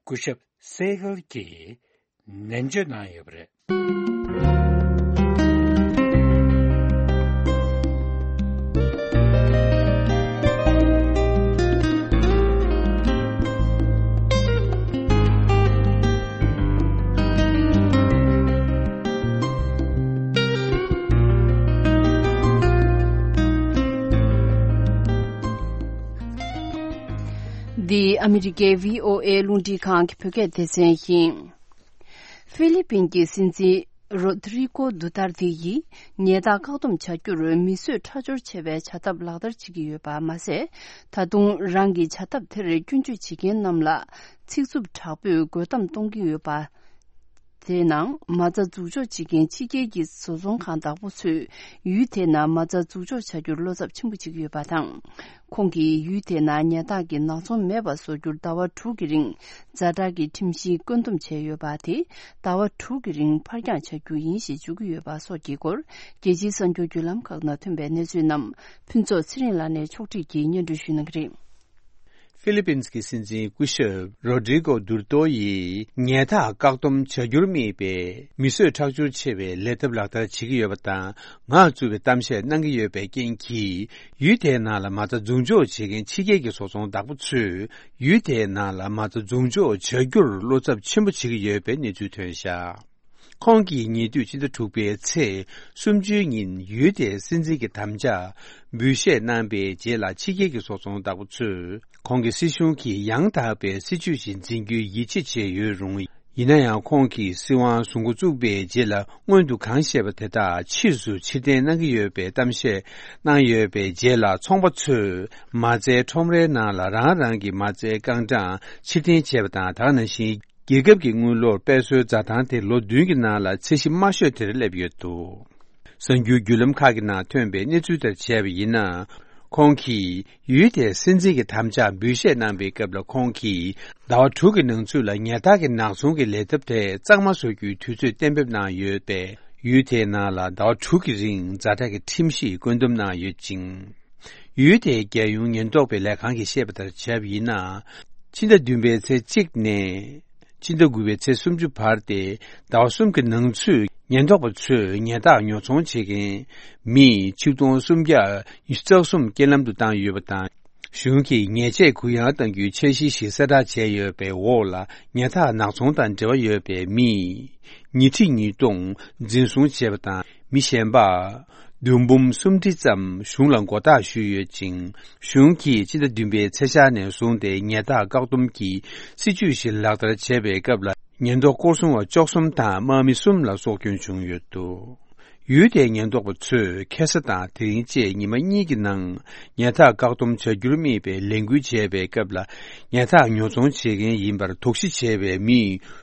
སྐུ་ཞབས་སེ་གལ་གྱིས་ནན་བརྗོད་གནང་ཡོད་པ་རེད། འདི་ཨ་མི་རི་ཀའི་བྷི་ཨོ་ཨེ་རླུང་འཕྲིན་ཁང་གི་བོད་སྐད་སྡེ་ཚན་ཡིན། ཧྥི་ལི་པིན་གྱི་སྲིད་འཛིན་རོ་དྲི་ཀོ་དུ་ཏར་ཏེ་ཡིས་ཉལ་ཐག་བཀག་སྡོམ་བྱ་རྒྱུར་མི་གསོད་ཁྲག་སྦྱོར་བྱེད་པའི་བྱ་ཐབས་ལག་བསྟར་བྱེད་ཀྱི་ཡོད་པ་མ་ཟད། ད་དུང་རང་གི་བྱ་ཐབས་དེར་སྐྱོན་བརྗོད་བྱེད་མཁན་རྣམས་ལ་ཚིག་རྩུབ་དྲག་པོས་རྒོལ་གཏམ་གཏོང་གི་ཡོད་པ། དེའི་ནང་མ་རྩ་འཛུགས་འཇོག་བྱེད་མཁན་ཕྱི་རྒྱལ་གྱི་བཟོ་ཚོང་ཁང་བདག་པོ་ཚོས་ཡུལ་དེའི་ནང་མ་རྩ་འཛུགས་འཇོག་བྱ་རྒྱུར་བློ་འཚབ་ཆེན་པོ་བྱེད་ཀྱི་ཡོད་པ་དང་། ཁོང་གིས་ཡུལ་དེའི་ནང་ཉལ་ཐག་གི་ནག་ཚོང་མེད་པ་བཟོ་རྒྱུར་ཟླ་བ་དྲུག་གི་རིང་ཛ་དྲག་གི་ཁྲིམས་གཞི་བཀོད་འདོམས་བྱས་ཡོད་པ་དེ་ཟླ་བ་དྲུག་གི་རིང་ཕར་འགྱངས་བྱ་རྒྱུ་ཡིན་ཞེས་བརྗོད་ཀྱི་ཡོད་པ་སོགས་ཀྱི་སྐོར། རྒྱལ་སྤྱིའི་གསར་འགྱུར་བརྒྱུད་ལམ་ཁག་ནང་ཐོན་པའི་གནས་ཚུལ་རྣམས་ཕུན་ཚོགས་ཚེ་རིང་ལགས་ནས་ཕྱོགས་སྒྲིག་གིས་སྙན་སྒྲོན་ཞུ་གནང་གི་རེད། ཧྥི་ལི་པིན་གྱི་སྲིད་འཛིན་སྐུ་ཞབས་རོ་ཌི་རི་གོ་དུར་ཏོ་ཡིས་ཉལ་ཐག་བཀག་སྡོམ་བྱ་རྒྱུར་དམིགས་པའི་མི་གསོད་ཁྲག་སྦྱོར་ཆེ་བའི་ལས་ཐབས་ལག་བསྟར་བྱེད་ཀྱི་ཡོད་པ་དང་། ངག་རྩུབ་པའི་གཏམ་བཤད་གནང་གི་ཡོད་པའི་རྐྱེན་གྱིས། ཡུལ་དེའི་ནང་ལ་མ་རྩ་འཛུགས་འཇོག་བྱེད་མཁན་ཕྱི་རྒྱལ་གྱི་བཟོ་ཚོང་བདག་པོ་ཚོས་ཡུལ་དེའི་ནང་ལ་མ་རྩ་འཛུགས་འཇོག་བྱ་རྒྱུར་བློ་འཚབ་ཆེན་པོ་བྱེད་ཀྱི་ཡོད་པའི་གནས་ཚུལ་ཐོན་བཞག་ཁོང་གིས་ཉེ་དུས་ཕྱི་ཟླ་དྲུག་པའི་ཚེས་སུམ་ཅུའི་ཉིན་ཡུལ་དེའི་སྲིད་འཛིན་གྱི་དམ་བཅའ་འབུལ་བཞེས་གནང་པའི་རྗེས་ལ། ཕྱི་རྒྱལ་གྱི་བཟོ་ཚོང་བདག་པོ་ཚོས་ཁོང་གི་སྲིད་གཞུང་གིས་ཡང་དག་པའི་སྲིད་ཇུས་ཤིག་འཛིན་རྒྱུའི་ཡིད་ཆེས་བྱས་ཡོད་རུང་། ཡིན་ན་ཡང་། ཁོང་གིས་སྲིད་དབང་བཟུང་འགོ་བཙུགས་པའི་རྗེས་ལ། སྔོན་དུ་གང་བཤད་པ་དེ་དག་ཕྱིས་སུ་ཕྱིར་འཐེན་གནང་གི་ཡོད་པའི་གཏམ་བཤད་གནང་ཡོད་པའི་རྗེས་ལ། ཚོང་པ་ཚོས་མ་རྩའི་ཁྲོམ་རའི་ནང་ལ་རང་རང་གི་མ་རྩའི་རྐང་གྲངས་ཕྱིར་འཐེན་བྱས་པ་དང་། དེ་ག་ནང་བཞིན། རྒྱལ་ཁབ་ཀྱི་དངུལ་ལོར་དཔལ་གསོའི་འཛའ་ཐང་དེ་ལོ་བདུན་གྱི་ནང་ལ་ཚད་གཞི་དམའ་ཤོས་དེར་སླེབས་ཡོད་འདུག་གསར་འགྱུར་བརྒྱུད་ལམ་ཁག་གི་ནང་ཐོན་པའི་གནས་ཚུལ་ལྟར་བྱས་པ་ཡིན་ན། ཁོང་གིས་ཡུལ་དེའི་སྲིད་འཛིན་གྱི་དམ་བཅའ་འབུལ་བཞེས་གནང་པའི་སྐབས་ལ། ཁོང་གིས་ཟླ་བ་དྲུག་གི་ནང་ཚུད་ལ་ཉལ་ཐག་གི་ནག་ཚོང་གི་ལས་ཐབས་དེ་གཙང་མ་བཟོ་རྒྱུའི་དུས་ཚོད་གཏན་འབེབས་གནང་ཡོད་པས། ཡུལ་དེའི་ནང་ལ་ཟླ་བ་དྲུག་གི་རིང་ཛ་དྲག་གི་ཁྲིམས་གཞི་བཀོད་འདོམས་གནང་ཡོད་ཅིང་། ཡུལ་དེའི་རྒྱལ་ཡོངས་ཉེན་རྟོག་པའི་ལས་ཁང་གིས་བཤད་པ་ལྟར་བྱས་པ་ཡིན་ན། ཕྱི་ཟླ་བདུན་པའི་ཚེས་གཅིག་ནས་ཕྱི་ཟླ་དགུ་པའི་ཚེས་སུམ་ཅུ་བར་ཏེ། ཟླ་བ་གསུམ་གྱི་ནང་ཚུད་ཉེན་རྟོག་པ་ཚོས་ཉལ་ཐག་ཉོ་ཚོང་བྱེད་མཁན་མི་ཆིག་སྟོང་སུམ་བརྒྱ་ཉི་ཤུ་རྩ་གསུམ་རྐྱེན་ལམ་དུ་བཏང་ཡོད་པ་དང་། གཞུང་གིས་ཉེས་ཆད་གུ་ཡངས་གཏང་རྒྱུའི་འཆར་གཞི་ཞིག་གསལ་བསྒྲགས་བྱས་ཡོད་པའི་འོག་ལ། ཉལ་ཐག་ནག་ཚོང་དང་འབྲེལ་བ་ཡོད་པའི་མི་ཉིས་ཁྲི་ཉིས་སྟོང་འཛིན་བཟུང་བྱས་པ་དང་། མི་གཞན་པ་བདུན་འབུམ་སུམ་ཁྲི་ཙམ་གཞུང་ལ་མགོ་བཏགས་ཞུས་ཡོད་ཅིང་། གཞུང་གིས་ཕྱི་ཟླ་བདུན་པའི་ཚེས་ཤར་ནས་བཟུང་སྟེ་ཉལ་ཐག་བཀག་སྡོམ་གྱི་སྲིད་ཇུས་ཤིག་ལག་བསྟར་བྱས་པའི་སྐབས་ལ། ཉེན་རྟོག་སྐོར་སྲུང་བ་བཅུ་གསུམ་དང་དམག་མི་གསུམ་ལ་སྲོག་སྐྱོན་བྱུང་ཡོད་འདུག་ཡུལ་དེའི་ཉེན་རྟོག་པ་ཚོས་ཁ་སང་དང་དེ་རིང་བཅས་ཉི་མ་གཉིས་ཀྱི་ནང་ཉལ་ཐག་བཀག་སྡོམ་བྱ་རྒྱུར་དམིགས་པའི་ལས་འགུལ་བྱས་པའི་སྐབས་ལ། ཉལ་ཐག་ཉོ་ཚོང་བྱེད་མཁན་ཡིན་པར་དོགས་གཞི་བྱས་པའི་མི་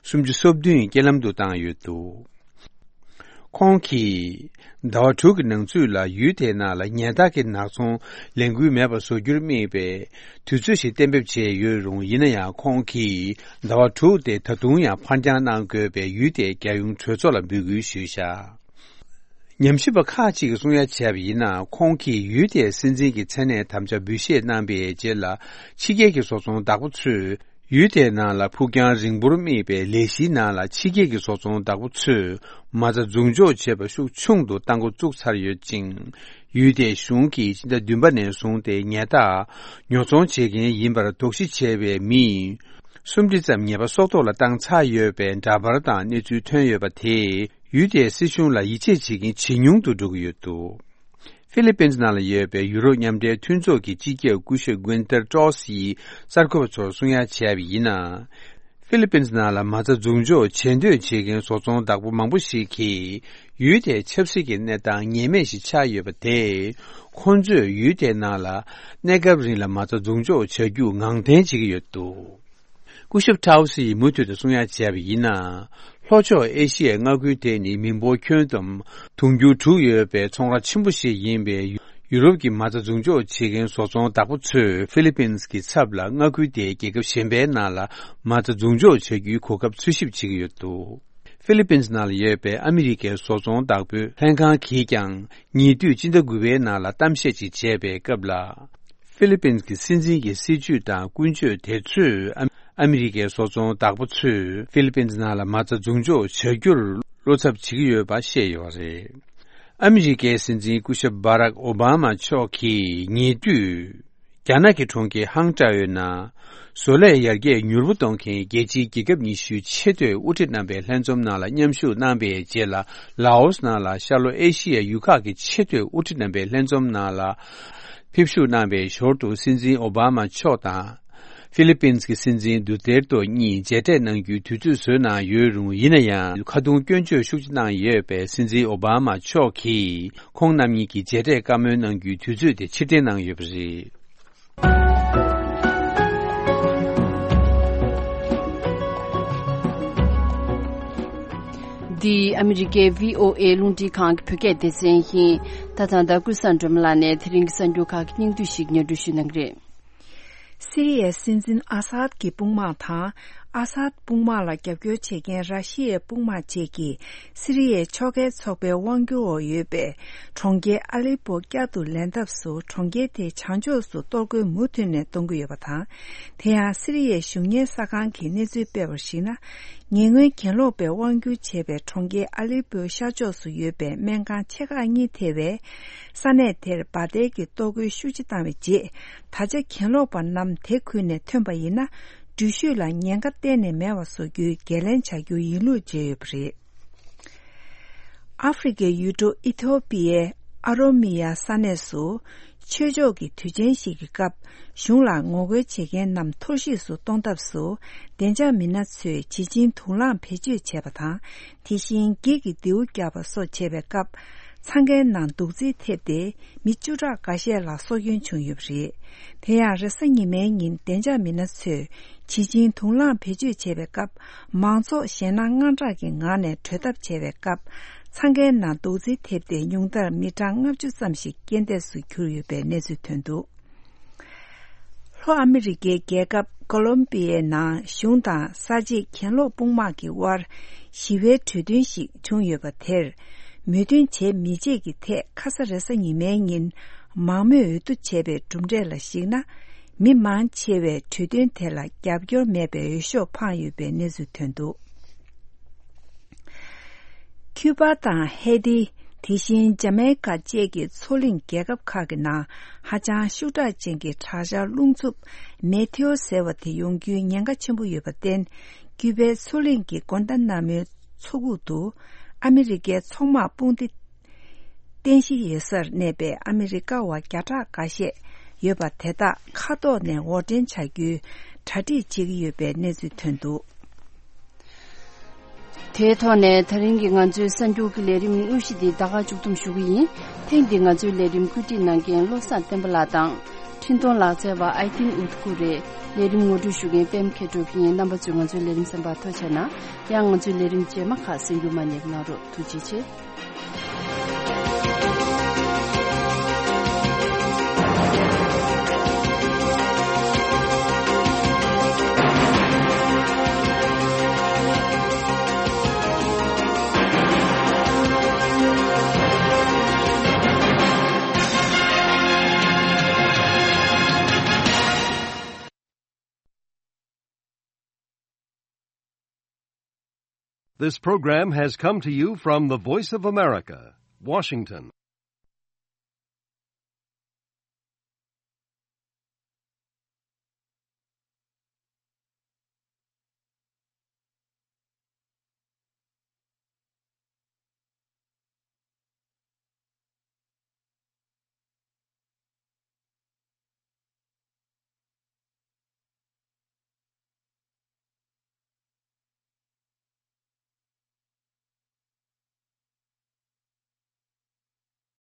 སུམ་ཅུ་སོ་བདུན་རྐྱེན་ལམ་དུ་བཏང་ཡོད་འདུག་ཁོང་གིས་ཟླ་བ་དྲུག་གི་ནང་ཚུད་ལ་ཡུལ་དེའི་ནང་ལ་ཉལ་ཐག་གི་ནག་ཚོང་ལས་འགུལ་མེད་པ་བཟོ་རྒྱུར་དམིགས་པའི་དུས་ཚོད་ཞིག་གཏན་འབེབས་བྱས་ཡོད་རུང་། ཡིན་ན་ཡང་། ཁོང་གིས་ཟླ་བ་དྲུག་དེ་ད་དུང་ཡང་ཕར་འགྱངས་གནང་དགོས་པའི་ཡུལ་དེའི་རྒྱལ་ཡོངས་གྲོས་ཚོགས་ལ་འབོད་སྐུལ་ཞུས་བཞག་ཉམས་ཞིབ་པ་ཁག་ཅིག་གིས་གསུང་ཡ་བྱས་པ་ཡིན་ན། ཁོང་གིས་ཡུལ་དེའི་སྲིད་འཛིན་གྱི་མཚན་གནས་དམ་བཅའ་འབུལ་བཞེས་གནང་པའི་རྗེས་ལ། ཕྱི་རྒྱལ་གྱི་བཟོ་ཚོང་བདག་པོ་ཚོས་ཡུལ་དེའི་ནང་ལ་ཕུགས་རྒྱང་རིང་པོར་དམིགས་པའི་ལས་གཞིའི་ནང་ལ་ཕྱི་རྒྱལ་གྱི་བཟོ་ཚོང་བདག་པོ་ཚོས་མ་རྩ་འཛུགས་འཇོག་བྱེད་པ་ཤུགས་ཆུང་དུ་གཏང་འགོ་བཙུགས་ཚར་ཡོད་ཅིང་། ཡུལ་དེའི་གཞུང་གིས་སྤྱི་ཟླ་བདུན་པ་ནས་བཟུང་སྟེ་ཉལ་ཐག་ཉོ་ཚོང་བྱེད་མཁན་ཡིན་པར་དོགས་གཞི་བྱས་པའི་མི་སུམ་ཁྲི་ཙམ་ཉེས་པ་སྲོག་ཐོག་ལ་བཏང་ཚར་ཡོད་པའི་འདྲ་པར་དང་གནས་ཚུལ་ཐོན་ཡོད་པ་དེས། ཡུལ་དེའི་སྲིད་གཞུང་ལ་ཡིད་ཆེས་བྱེད་མཁན་ཇེ་ཉུང་དུ་འགྲོ་གི་ཡོད་འདུག་ཧྥི་ལི་པིན་ནང་ལ་ཡོད་པའི་ཡུ་རོབ་མཉམ་འབྲེལ་མཐུན་ཚོགས་ཀྱི་སྤྱི་ཁྱབ་སྐུ་ཞབས་Gunther Ross ཡིས་གསར་འགོད་པ་ཚོར་གསུང་ཡ་བྱས་པ་ཡིན་ན། ཧྥི་ལི་པིན་ནང་ལ་མ་རྩ་འཛུགས་འཇོག་བྱེད་འདོད་བྱེད་མཁན་བཟོ་ཚོང་བདག་པོ་མང་པོ་ཞིག་གིས་ཡུལ་དེའི་ཆབ་སྲིད་ཀྱི་གནས་སྟངས་ངེས་མེད་ཞིག་ཆགས་ཡོད་པ་དེས། ཁོང་ཚོས་ཡུལ་དེའི་ནང་ལ་གནས་སྐབས་རིང་ལ་མ་རྩ་འཛུགས་འཇོག་བྱ་རྒྱུ་ངང་འཐེན་བྱེད་ཀྱི་ཡོད་འདུག་སྐུ་ཞབས་ཊའོ་སི་ཡིས་མུ་མཐུད་དུ་གསུང་ཡ་བྱས་པ་ཡིན་ན། ལྷོ་ཕྱོགས་ཨེ་ཤི་ཡའི་མངའ་ཁུལ་དེ་ནི་མི་འབོར་ཁྱོན་བསྡོམས་དུང་ཕྱུར་དྲུག་ཡོད་པའི་ཚོང་ར་ཆེན་པོ་ཞིག་ཡིན་པས། ཡུ་རོབ་ཀྱི་མ་རྩ་འཛུགས་འཇོག་བྱེད་མཁན་བཟོ་ཚོང་བདག་པོ་ཚོས་ཧྥི་ལི་པིན་གྱི་ཚབ་ལ་མངའ་ཁུལ་དེའི་རྒྱལ་ཁབ་གཞན་པའི་ནང་ལ་མ་རྩ་འཛུགས་འཇོག་བྱ་རྒྱུའི་གོ་སྐབས་འཚོལ་ཞིབ་བྱེད་ཀྱི་ཡོད་འདུག་ཧྥི་ལི་པིན་ནང་ལ་ཡོད་པའི་ཨ་མི་རི་ཀའི་བཟོ་ཚོང་བདག་པོའི་ལྷན་ཁང་གིས་ཀྱང་ཉེ་དུས་སྤྱི་ཟླ་དགུ་པའི་ནང་ལ་གཏམ་བཤད་ཅིག་བྱས་པའི་སྐབས་ལ། ཧྥི་ལི་པིན་གྱི་སྲིད་འཛིན་གྱི་སྲིད་ཇུས་དང་ཀུན་སྤྱོད་དེ་ཚོས་ཨ་ཨ་མི་རི་ཀའི་བཟོ་ཚོང་བདག་པོ་ཚོས་ཧྥི་ལི་པིན་ནང་ལ་མ་རྩ་འཛུགས་འཇོག་བྱ་རྒྱུར་བློ་འཚབ་བྱེད་ཀྱི་ཡོད་པ་བཤད་ཡོད་པ་རེད། ཨ་མི་རི་ཀའི་སྲིད་འཛིན་སྐུ་ཞབས་བྷ་རག་ཨོ་བྷ་མ་མཆོག་གིས་ཉེ་དུས། རྒྱ་ནག་གི་གྲོང་ཁྱེར་ཧང་ཀྲའོ་ནང་བཟོ་ལས་ཡར་རྒྱས་མྱུར་པོ་གཏོང་མཁན་རྒྱལ་སྤྱིའི་རྒྱལ་ཁབ་ཉི་ཤུའི་ཆེས་མཐོའི་དབུ་ཁྲིད་རྣམ་པའི་ལྷན་འཛོམས་ནང་ལ་མཉམ་ཞུགས་གནང་པའི་རྗེས་ལ། ལའོ་སི་ནང་ལ་ཤར་ལྷོ་ཨེ་ཤི་ཡའི་ཡུལ་ཁག་གི་ཆེས་མཐོའི་དབུ་ཁྲིད་རྣམ་པའི་ལྷན་འཛོམས་ནང་ལ་ཕེབས་ཞུགས་གནང་པའི་ཞོར་དུ། སྲིད་འཛིན་ཨོ་བྷ་མ་མཆོག་དང་ཧྥི་ལི་པིན་གྱི་སྲིད་འཛིན་དུ་ཏེར་ཏོ་གཉིས་མཇལ་འཕྲད་གནང་རྒྱུའི་དུས་ཚོད་བཟོས་གནང་ཡོད་རུང་། ཡིན་ན་ཡང་། ཁ་རྡུང་སྐྱོན་བརྗོད་ཤུགས་ཆེ་གནང་ཡོད་པས། སྲིད་འཛིན་ཨོ་བྷ་མ་མཆོག་གིས་ཁོང་རྣམ་གཉིས་ཀྱི་མཇལ་འཕྲད་བཀའ་མོལ་གནང་རྒྱུའི་དུས་ཚོད་དེ་ཕྱིར་འཐེན་གནང་ཡོད་པ་རེད། འདི་ཨ་མི་རི་ཀའི་བྷི་ཨོ་ཨེ་རླུང་འཕྲིན་ཁང་གི་བོད་སྐད་སྡེ་ཚན་ཡིན། ད་ཐེངས་ད་ཀུན་བཟང་སྒྲོལ་མ་ལགས་ནས་དེ་རིང་གི་གསར་འགྱུར་ཁག་གི་སྙིང་བསྡུས་ཤིག་སྙན་སྒྲོན་ཞུ་གནང་གི་རེད། སི་རི་ཡའི་སྲིད་འཛིན་ཨ་སཱད་ཀྱི་དཔུང་དམག་དང་། ཨ་སཱད་དཔུང་དམག་ལ་རྒྱབ་སྐྱོར་བྱེད་མཁན་ར་ཤི་ཡའི་དཔུང་དམག་བཅས་ཀྱིས། སི་རི་ཡའི་ཕྱོགས་འགལ་ཚོགས་པའི་དབང་སྒྱུར་འོག་ཡོད་པའི་གྲོང་ཁྱེར་ཨ་ལེ་པོ་བསྐྱར་དུ་ལེན་ཐབས་སུ། གྲོང་ཁྱེར་དེའི་བྱང་ཕྱོགས་སུ་གཏོར་རྒོལ་མུ་མཐུད་ནས་གཏོང་གི་ཡོད་པ་དང་། དེ་ཡང་སི་རི་ཡའི་གཞུང་གཉེར་གསར་ཁང་གིས་གནས་ཚུལ་སྤེལ་བར་གཞིགས་ན། ཉེ་སྔོན་གྱེན་ལོག་པས་དབང་སྒྱུར་བྱས་པའི་གྲོང་ཁྱེར་ཨ་ལེ་པོའི་ཤར་ཕྱོགས་སུ་ཡོད་པའི་སྨན་ཁང་ཆེ་ཁག་གཉིས་ཐེ་བའི་ས་གནས་དེར་འབར་མདེལ་གྱི་གཏོར་རྒོལ་ཤུགས་ཆེ་བཏང་བའི་རྗེས། ད་ཆ་གྱེན་ལོག་པ་རྣམས་དེ་ཁུལ་ནས་ཐོན་པ་ཡིན་ན། འགྲུལ་བཞུད་ལ་ཉེན་ཁ་གཏན་ནས་མེད་པ་བཟོ་རྒྱུའི་འགན་ལེན་བྱ་རྒྱུ་ཡིན་ལུགས་བརྗོད་ཡོད་པ་རེད། ཨ་ཧྥེ་རི་ཁའི་ཡུལ་གྲུ་ཨི་ཐོ་པི་ཡའི་ཨ་རོ་མི་ཡ་ས་གནས་སུ། ཆོས་ཕྱོགས་ཀྱི་དུས་ཆེན་ཞིག་གི་སྐབས། གཞུང་ལ་ངོ་རྒོལ་བྱེད་མཁན་རྣམས་འཐོར་བཤིག་སུ་གཏོང་ཐབས་སུ། བདེ་འཇགས་མི་སྣ་ཚོས་བྱི་ཆིང་དུག་རླངས་བེད་སྤྱོད་བྱས་པ་དང་། དེ་བཞིན་འགྱིག་གི་མདེའུ་བརྒྱབ་པ་སོགས་བྱས་པའི་སྐབས། འཚང་ཁའི་ནང་རྡོག་རྫིས་ཐེབས་ཏེ། མི་བཅུ་ཕྲག་འགའ་ཤས་ལ་སྲོག་སྐྱོན་བྱུང་ཡོད་པ་རེད། དེ་ཡང་། རེས་གཟའ་ཉི་མའི་ཉིན་བདེ་འཇགས་མི་སྣ་ཚོས་བྱི་ཆིང་དུག་རླངས་བེད་སྤྱོད་བྱས་པའི་སྐབས། མང་ཚོགས་ཞེད་སྣང་དངངས་སྐྲག་གི་ངང་ནས་བྲོས་ཐབས་བྱས་པའི་སྐབས། འཚང་ཁའི་ནང་རྡོག་རྫིས་ཐེབས་ཏེ། ཉུང་མཐར་མི་གྲངས་ལྔ་བཅུ་ཙམ་ཞིག་རྐྱེན་འདས་སུ་གྱུར་ཡོད་པའི་གནས་ཚུལ་ཐོན་འདུག་ལྷོ་ཨ་མི་རི་ཀའི་རྒྱལ་ཁབ་ཀོ་ལོམ་པི་ཡའི་ནང་གཞུང་དང་གསར་བརྗེའི་གྱེན་ལོག་དཔུང་དམག་གི་དབར་ཞི་བའི་གྲོས་མཐུན་ཞིག་བྱུང་ཡོད་པ་དེར། མོས་མཐུན་བྱེད་མི་བྱེད་ཀྱི་ཐད། ཁ་ས་རེས་གཟའ་ཉི་མའི་ཉིན་མང་མོས་འོས་བསྡུ་བྱས་པའི་གྲུབ་འབྲས་ལ་གཞིགས་ན། མི་མང་ཆེ་བས་གྲོས་མཐུན་དེ་ལ་རྒྱབ་སྐྱོར་མེད་པའི་འོས་ཤོག་འཕངས་ཡོད་པའི་གནས་ཚུལ་ཐོན་འདུག་ཁྱུ་པ་དང་ཧེ་ཏི། དེ་བཞིན་ཇ་མའི་ཀ་བཅས་ཀྱི་མཚོ་གླིང་རྒྱལ་ཁབ་ཁག་གི་ནང་ཧ་ཅང་ཤུགས་དྲག་ཅན་གྱི་དྲག་ཆར་རླུང་འཚུབ་མེ་ཐེའོ་ཟེར་བ་དེ་ཡོང་རྒྱུའི་ཉེན་ཁ་ཆེན་པོ་ཡོད་པར་བརྟེན། ཀྱུ་པའི་མཚོ་གླིང་གི་གོན་ཏ་ན་མོའི་མཚོ་ཁུག་ཏུ་ཨ་མི་རི་ཀའི་མཚོ་དམག་དཔུང་སྡེ་རྟེན་གཞི་ཡོད་སར་གནས་པའི་ཨ་མི་རི་ཀ་བ་བརྒྱ་ཕྲག་འགའ་ཤས་ཡོད་པ་དེ་དག་མཁའ་ཐོག་ནས་འོར་འདྲེན་བྱ་རྒྱུའི་གྲ་སྒྲིག་བྱེད་ཀྱི་ཡོད་པའི་གནས་ཚུལ་ཐོན་འདུག་དེའི་ཐོག་ནས་ད་རིང་གི་ང་ཚོའི་གསར་འགྱུར་གྱི་ལས་རིམ་དངོས་གཞི་འདི་ད་ག་མཇུག་བསྡོམས་ཞུ་གི་ཡིན། ཐེངས་འདིའི་ང་ཚོའི་ལས་རིམ་བཀོད་སྒྲིག་གནང་མཁན་བློ་བཟང་བསྟན་པ་ལགས་དང་། འཕྲིན་གཏོང་ལག་རྩལ་བ་ཨའི་ཏིན་ཨུད་ཀུ་རེད། ལས་རིམ་ངོ་སྤྲོད་ཞུ་མཁན་པད་མ་མཁས་གྲུབ་ཡིན། རྣམ་པ་ཚོས་ང་ཚོའི་ལས་རིམ་གསན་པར་ཐུགས་རྗེ་གནང་། ཡང་ང་ཚོའི་ལས་རིམ་རྗེས་མ་ཁག་གསན་རྒྱུ་མ་བསྙེལ་གནང་རོགས། ཐུགས་རྗེ་ཆེ། This program has come to you from the Voice of America, Washington.